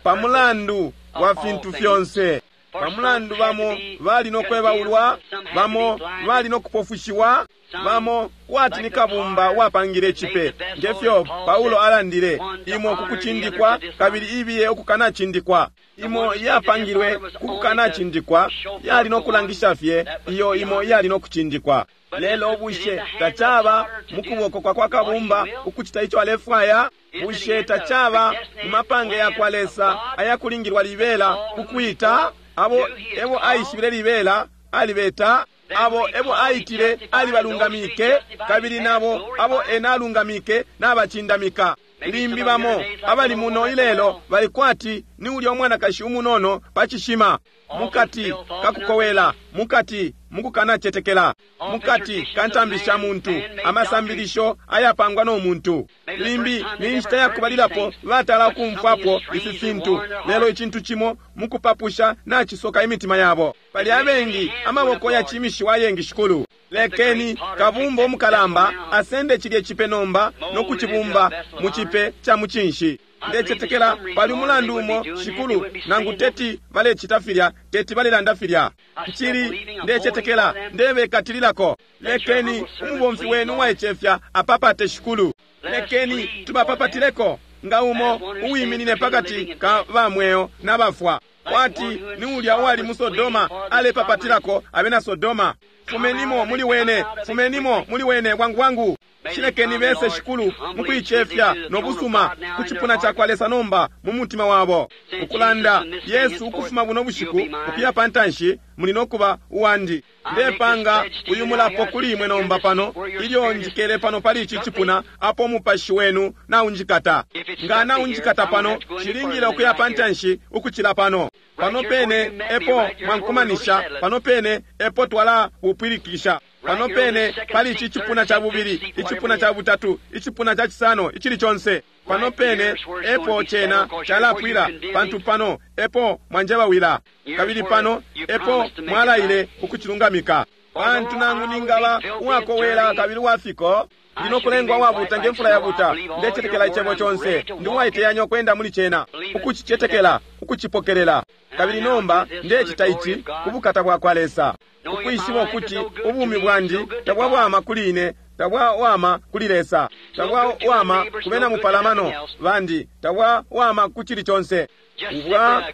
pa mulandu wa fintu fyonse. Pamulandu bamo bali no kwebaulwa, bamo bali no kupofushiwa, bamo kwati ni kabumba wapangile cipe, ngefyo Paulo alandile, imo kukucindikwa kabili ibiye ukukanacindikwa. Imo yapangilwe kukukanacindikwa yali no kulangisha fye iyo imo yali no kucindikwa. Lelo bushe tacaba mukuboko kwa kwa kabumba ukucita ico alefwaya? Bushe tacaba mu mapange ya kwa Lesa ayakulingilwa libela kukwita abo ebo aishibile libela alibeta, abo ebo aitile alibalungamike, kabili nabo abo ena alungamike nabacindamika. Limbi bamo abali muno ilelo bali kwati ni ulya umwanakashi umunono pa cishima, mukati kakukowela, mukati mukukanacetekela, mukati kantambi sha muntu, amasambilisho ayapangwa no muntu. Limbi ni nshita yakubalilapo batala ukumfwapo ifi fintu, lelo icintu cimo mukupapusha nacisoka imitima yabo. Pali abengi amaboko yacimishiwa ayengi shikulu. Lekeni kabumba umukalamba asende cilye cipe nomba no kucibumba mu cipe ca mucinshi. Ndecetekela pali umulandu umo shikulu, nangu teti balecita filya, teti balelanda filya. Ncili ndecetekela ndebekatililako. Lekeni umubomfi wenu uwaicefya apapate shikulu. Lekeni tubapapatileko nga umo uwiminine pakati ka bamweo na bafwa, kwati ni ulya uwali mu Sodoma alepapatilako abena Sodoma. Fumenimo muli wene, fumenimo muli wene bwangu bwangu. Shilekeni bese shikulu mukuicefya no busuma ku cipuna ca kwa Lesa nomba mu mutima wabo, ukulanda Yesu ukufuma buno bushiku ukuya pantanshi muli no kuba uwandi. Ndepanga uyu mulapo kuli imwe nomba pano, ilyo njikele pano pali ici cipuna apo umupashi wenu naunjikata. Nga naunjikata pano, shilingile ukuya pantanshi ukucila pano. Pano pene epo mwankumanisha, pano pene epo twala upwilikisha, pano pene pali ici cipuna ca bubili, icipuna ca butatu, icipuna ca cisano, icili conse. Pano pene epo cena calapwila, pantu pano epo mwanjebawila, kabili pano epo mwalaile ukucilungamika. Pantu nangu ningaba uwakowela kabili uwafiko, ndino kulengwa wabuta ngemfula yabuta. Ndecetekela icebo conse, ndi uwaiteyanya ukwenda muli cena, ukucicetekela, ukucipokelela. Kabili nomba ndecita ici ku bukata bwa kwa Lesa, ukwishiba ukuti ubumi bwandi tabwawama kuli ine, tabwawama kuli Lesa, tabwawama ku bena mupalamano bandi, tabwawama ku cili conse.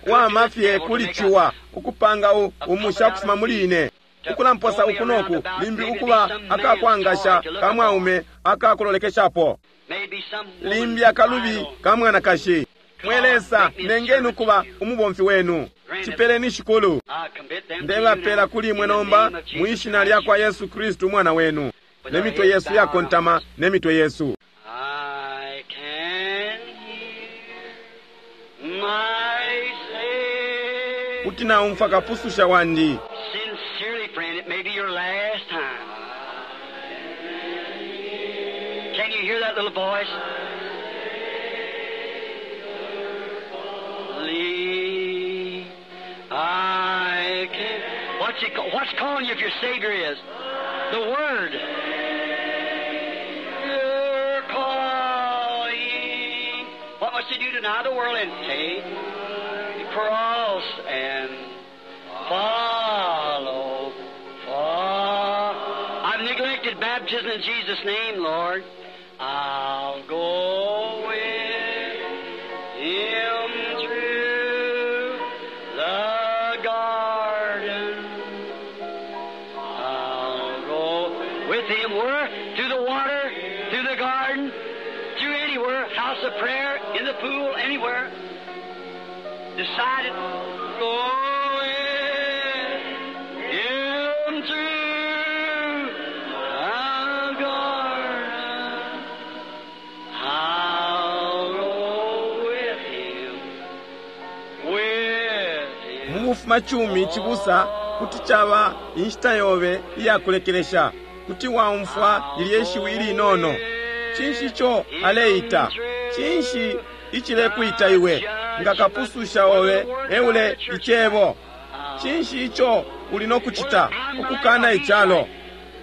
Bwawama fye kuli ciwa ukupanga umusha kufuma muli ine, ukulamposa uku noku, limbi ukuba akakwangasha ka mwaume akakulolekeshapo, limbi akalubi ka mwanakashi. Mwe Lesa, nengeni ukuba umubomfi wenu. Cipeleni shikulu. Ndebapela kuli imwe nomba mwishina lya kwa Yesu Kristu umwana wenu. Ne mitwe yesu yakontama, ne mitwe yesu. I can hear my Savior. Kuti naumfwa kapususha wandi. Sincerely, friend, it may be your last time. Can you hear that little voice? Lee, I can. What's it? What's calling you if your Savior is? The Word. You're calling. What must you do? Deny the world and take the cross and follow. Follow. I've neglected baptism in Jesus' name, Lord. I'll go with him through the garden. I'll go with him where? Through the water, through the garden, through anywhere, house of prayer, in the pool, anywhere. Decided, go with him through the garden. I'll go with him, with him. Mu bufumacumi cibusa kuti caba inshita yobe iyakulekelesha, kuti waumfwa lilye shiwi ilinono. Cinshi ico aleita? Cinshi icilekuita iwe nga kapususha obe eule icebo? Cinshi ico uli no kucita ukukana icalo?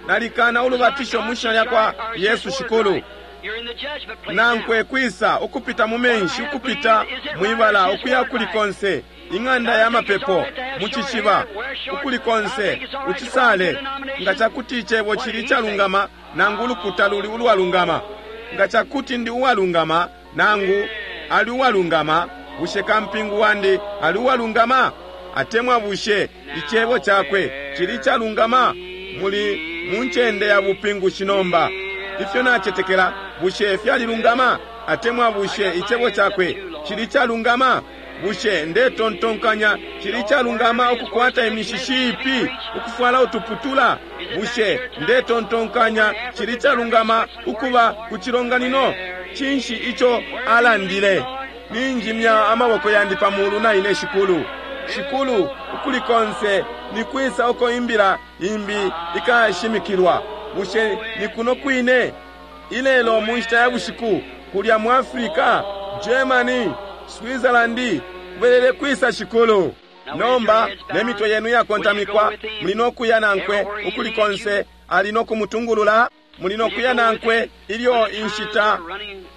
Nalikana ulubatisho mu shina lya kwa Yesu Shikulu. You're in the judgment place now. Nankwe kwisa ukupita mu menshi, ukupita mwibala, ukuya kuli konse, ing'anda ya mapepo, Mucishiba ukuli konse ucisale nga cakuti icebo cili calungama nangu ulukuta luli ulwalungama. Nga cakuti ndi uwalungama nangu ali uwalungama, bushe kampingu wandi ali uwalungama? Atemwa bushe icebo cakwe cili calungama? Muli mu ncende ya bupingushi nomba. Ifyo nacetekela bushe fyalilungama? Atemwa bushe icebo cakwe cili calungama? Bushe ndetontonkanya cili calungama ukukwata imishishi ipi, ukufwala utuputula? Bushe ndetontonkanya cili calungama ukuba ku cilonganino? Cinshi ico alandile? Ninjimya amaboko yandi pa mulu na ine Shikulu. Shikulu, ukuli konse nikwisa uko imbila imbi ikashimikilwa? Bushe ni kuno kwine ilelo mu nshita ya bushiku, kulya mu Afrika, Germany, Switzerland, kubelele kwisa Shikulu? Nomba ne mitwe yenu yakontamikwa, muli no kuya nankwe ukuli konse ali no kumutungulula. Muli no kuya nankwe ilyo inshita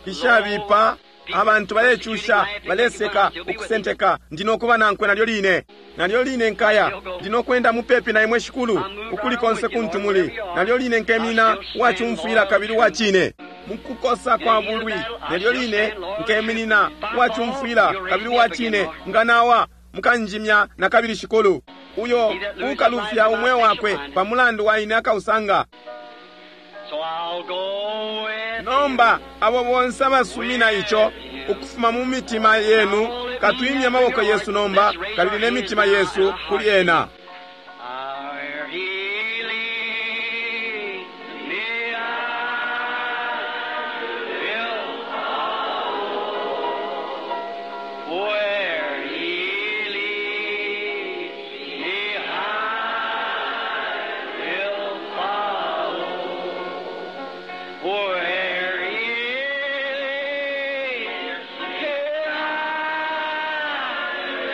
ishabipa, abantu balecusha, baleseka, ukusenteka. Ndi no kuba nankwe nalyo line, nalyo line nkaya. Ndi no kwenda mupepi na imwe Shikulu, ukuli konse kuntu muli. Nalyo line nkemina uwacumfwila kabili uwacine mukukosa kwa bulwi. Nalyo line nkeminina uwacumfwila kabili uwacine. Nga nawa mukanjimya na kabili Shikulu. Uyo ukalufya umweo wakwe pa mulandu wa ine akausanga. So I'll go with Nomba abo bonse abasumina ico ukufuma mu mitima yenu, katwimye amaboko yesu nomba kabili ne mitima yesu kuli ena. Where he leads me, I will follow. Where he leads me, I will follow. Where he leads me, I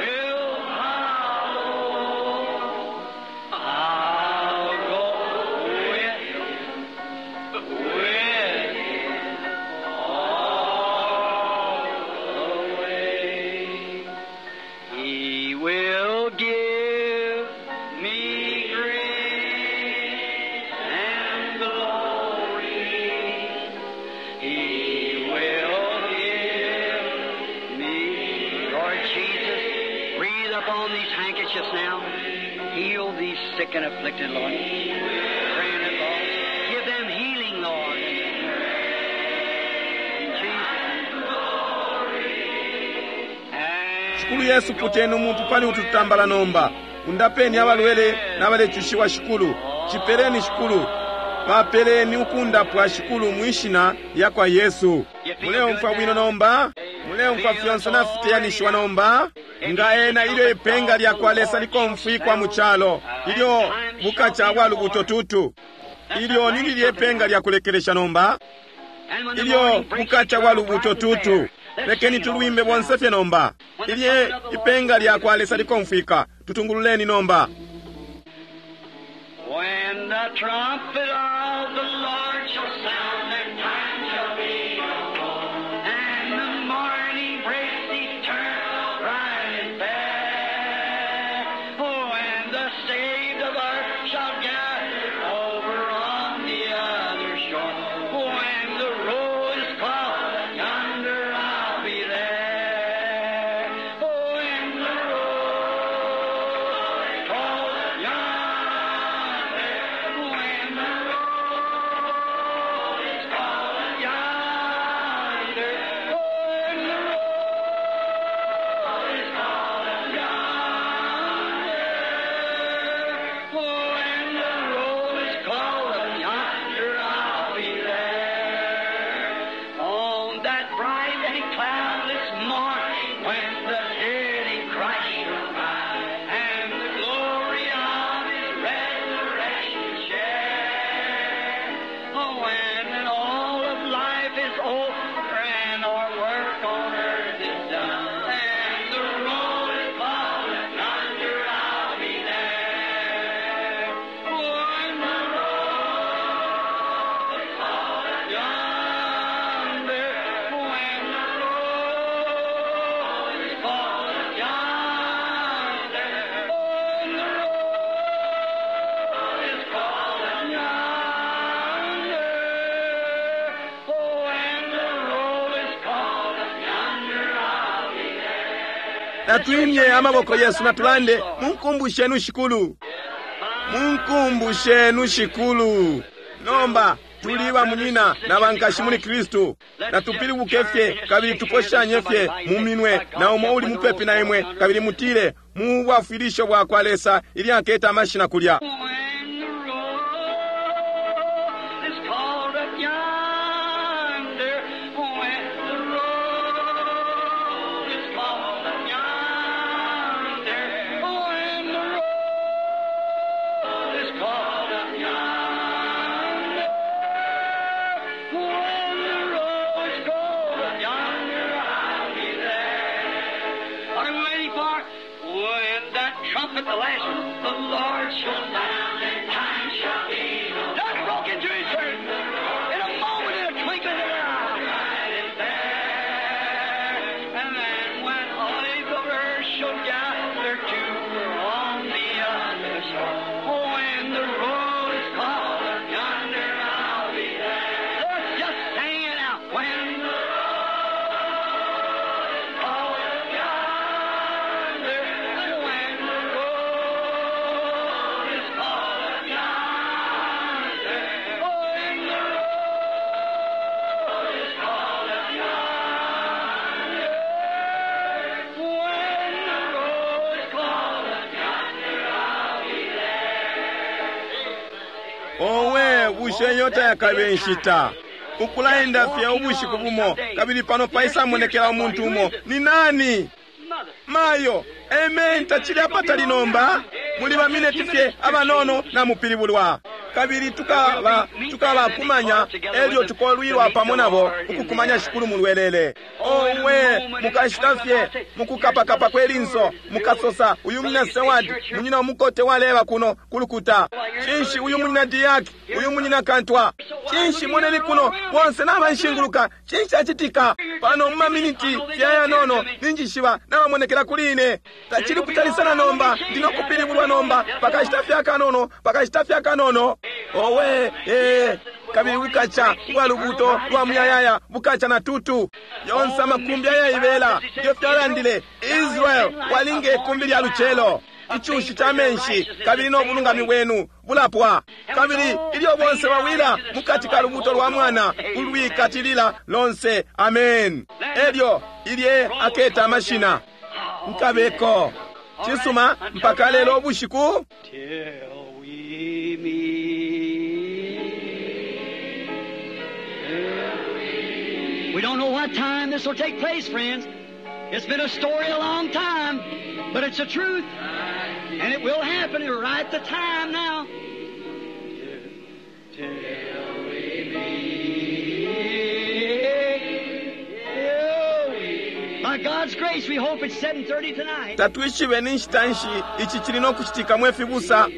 will follow. I'll go with him, with him all the way. He will give me grace and glory. He will give me, Lord Jesus, breathe upon these handkerchiefs now. Heal these sick and afflicted, Lord. Grant it, Lord. Give them healing, Lord. In Jesus' name. Shikulu Yesu, puteni umuntu pali ututambala nomba. Undapeni abalwele n'abalecushiwa Shikulu. Cipeleni Shikulu. Bapeleni ukundapwa Shikulu mwishina lya kwa Yesu. Muleumfwa bwino nomba? Muleumfwa fyonse nafiteyanishiwa nomba? Nga ena ilyo ipenga lya kwa Lesa likomfwikwa mu calo, ilyo bukaca bwa lubuto tutu. Ilyo ni lilye ipenga lya kulekelesha nomba, And when the ilyo morning breaks, bukaca bwa lubuto tutu. Lekeni tulwimbe bonse fye nomba. Ilye ipenga lya kwa Lesa likomfwika, tutungululeni nomba. When the trumpet of the Lord shall sound, that time shall be no more. And the morning breaks eternal, bright and fair. Oh, and the saved of earth shall gather over on the other shore. When the road is called, yonder I'll be there. Oh, when the road is called, yonder, when the road is Natwimye amaboko yesu natulande, munkumbu shenu Shikulu, munkumbu shenu Shikulu. Nomba tuli bamunyina na bankashi muli Kristu. Natupilibuke fye kabili tuposhanye fye mu minwe na umo uli mupepi na imwe, kabili mutile mu bwafwilisho bwa kwa Lesa ili aketa amashina kulya. When the roll is called up yonder, when the roll is called up yonder, when the roll is called up yonder, when the roll is called up yonder, I'll be there. What are we waiting for? When that trumpet, the last one, the Lord shall sound, and time shall be no more. That broke into his church in a moment, in a twinkling of an eye. Right in there. And then when all the earth shall gather to her on the other shore, when the roll is called up yonder, I'll be there. Let's just sing it out. When the roll is called up yonder, when the roll is called up yonder, when the roll is called up yonder, when the roll is called up yonder, I'll be there. Owe, bushe iyo tayakabe nshita ukulaenda fye ubushiku bumo, kabili pano paisamonekela umuntu umo. Ni nani? Mother. Mayo, amen, tacili apatali nomba. Muli bamineti fye abanono na mupilibulwa. Kabili tukaba tukabakumanya elyo tukolwilwa pamo nabo ukukumanya Shikulu mulwelele. Owe, mukashita fye mukukapakapa kwelinso, mukasosa uyu munyina Seward, munyina umukote waleba kuno kulukuta. Cinshi uyu munyina Diak, uyu munyina Kantwa. Cinshi moneni kuno bonse nabanshinguluka. Cinshi acitika pano mu maminiti fye ayanono ninjishiba nabamonekela kuli ine. Tacili kutali sana nomba, ndino kupilibulwa nomba pakashita fye akanono, pakashita fye akanono. Owe, eh, kabili bukaca bwa lubuto lwa muyayaya bukaca na tutu yonse amakumbi ayaibela ifyo fyalandile Israel walinga ikumbi lya lucelo icushi ca menshi, kabili n'obulungami bwenu bulapwa. Kabili ilyo bonse bawila mukati ka lubuto lwa mwana ulwikatilila lonse. Amen. Elyo ilye aketa amashina nkabeko cisuma mpaka lelo ubushiku. Till we meet. We don't know what time this will take place, friends. It's been a story a long time, but it's a truth. And it will happen right the time now. Till we meet. By God's grace, we hope it's seven thirty tonight. Tatwishibe ni nshita nshi ici cili no kucitika mwe fibusa.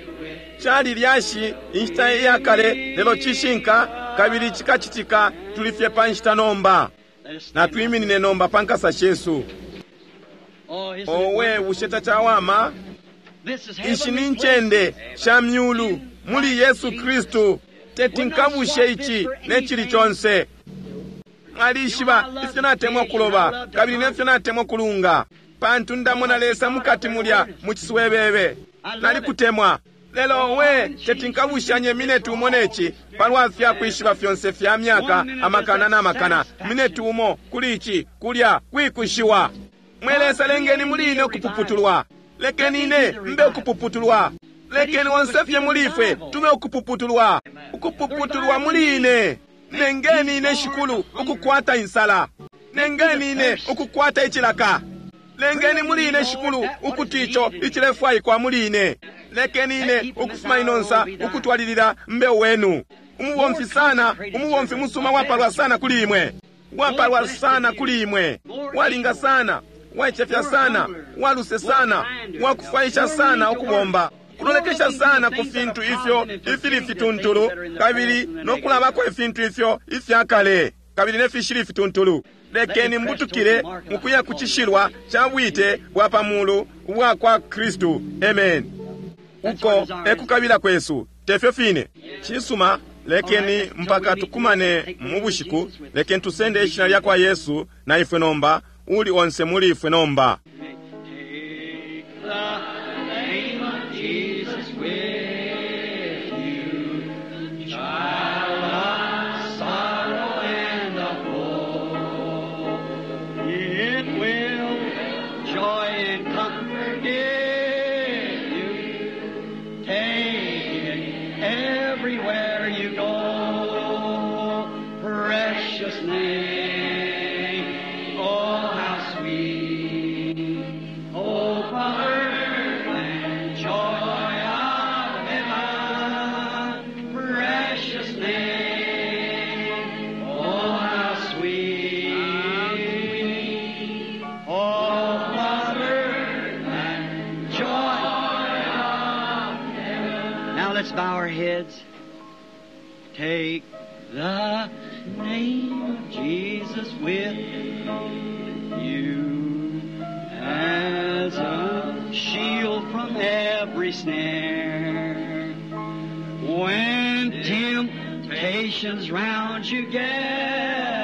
Cali lyashi inshita iyakale, lelo cishinka kabili cikacitika. Tuli fye pa nshita nomba. Let us stand. Natwiminine nomba pa nkasa shesu. Oh, isn't it Owe, wonderful? bushe tacawama? This is Ishi ni heavenly ncende sha myulu muli Yesu Kristu. Teti nkabushe ici ne cili conse. Mwalishiba ifyo natemwa kuloba kabili nefyo natemwa kulunga, pantu ndamona Lesa mukati mulya mu ciswebebe. Nalikutemwa. Lelo owe, teti nkabushanye mineti umo neci palwa fya kwishiba fyonse fya myaka amakana na makana. Mineti umo kuli ici kulya kwikushiwa. Mwe Lesa, lengeni muli ine ukupuputulwa. Lekeni ine mbe ukupuputulwa. Lekeni onse fye muli ifwe tube ukupuputulwa. Ukupuputulwa muli ine. Nengeni ine Shikulu ukukwata insala. Nengeni ine ukukwata icilaka. Lengeni muli ine Shikulu ukuti ico icilefwaikwa muli ine. Lekeni ine ukufuma inonsa ukutwalilila mbe wenu. Umubomfi sana, umubomfi musuma wapalwa sana kuli imwe. Wapalwa sana kuli imwe. Walinga sana, waicefya sana, waluse sana, wakufwaisha sana ukubomba. Kulolekesha sana ku fintu ifyo ifili fituntulu, kabili nokulabako ifintu ifyo ifyakale kabili nefishili ifituntulu. Lekeni mbutukile mukuya ku cishilwa ca bwite bwa pamulu ubwa kwa Kristu. Amen. Uko ekukabila kwesu, tefyo fine. Cisuma, lekeni mpaka tukumane mu bushiku. Lekeni tusende ishina lya kwa Yesu na ifwe nomba, uli onse muli ifwe nomba. Take Jesus with you, child of sorrow and of woe. It will joy and comfort give you. Take it everywhere you go. Precious name, oh how sweet. Hope of earth and joy of heaven. Precious name, oh how sweet. Hope of earth and joy of heaven. Now let's bow our heads. Take the name of Jesus with you as a shield from every snare. When temptations round you gather,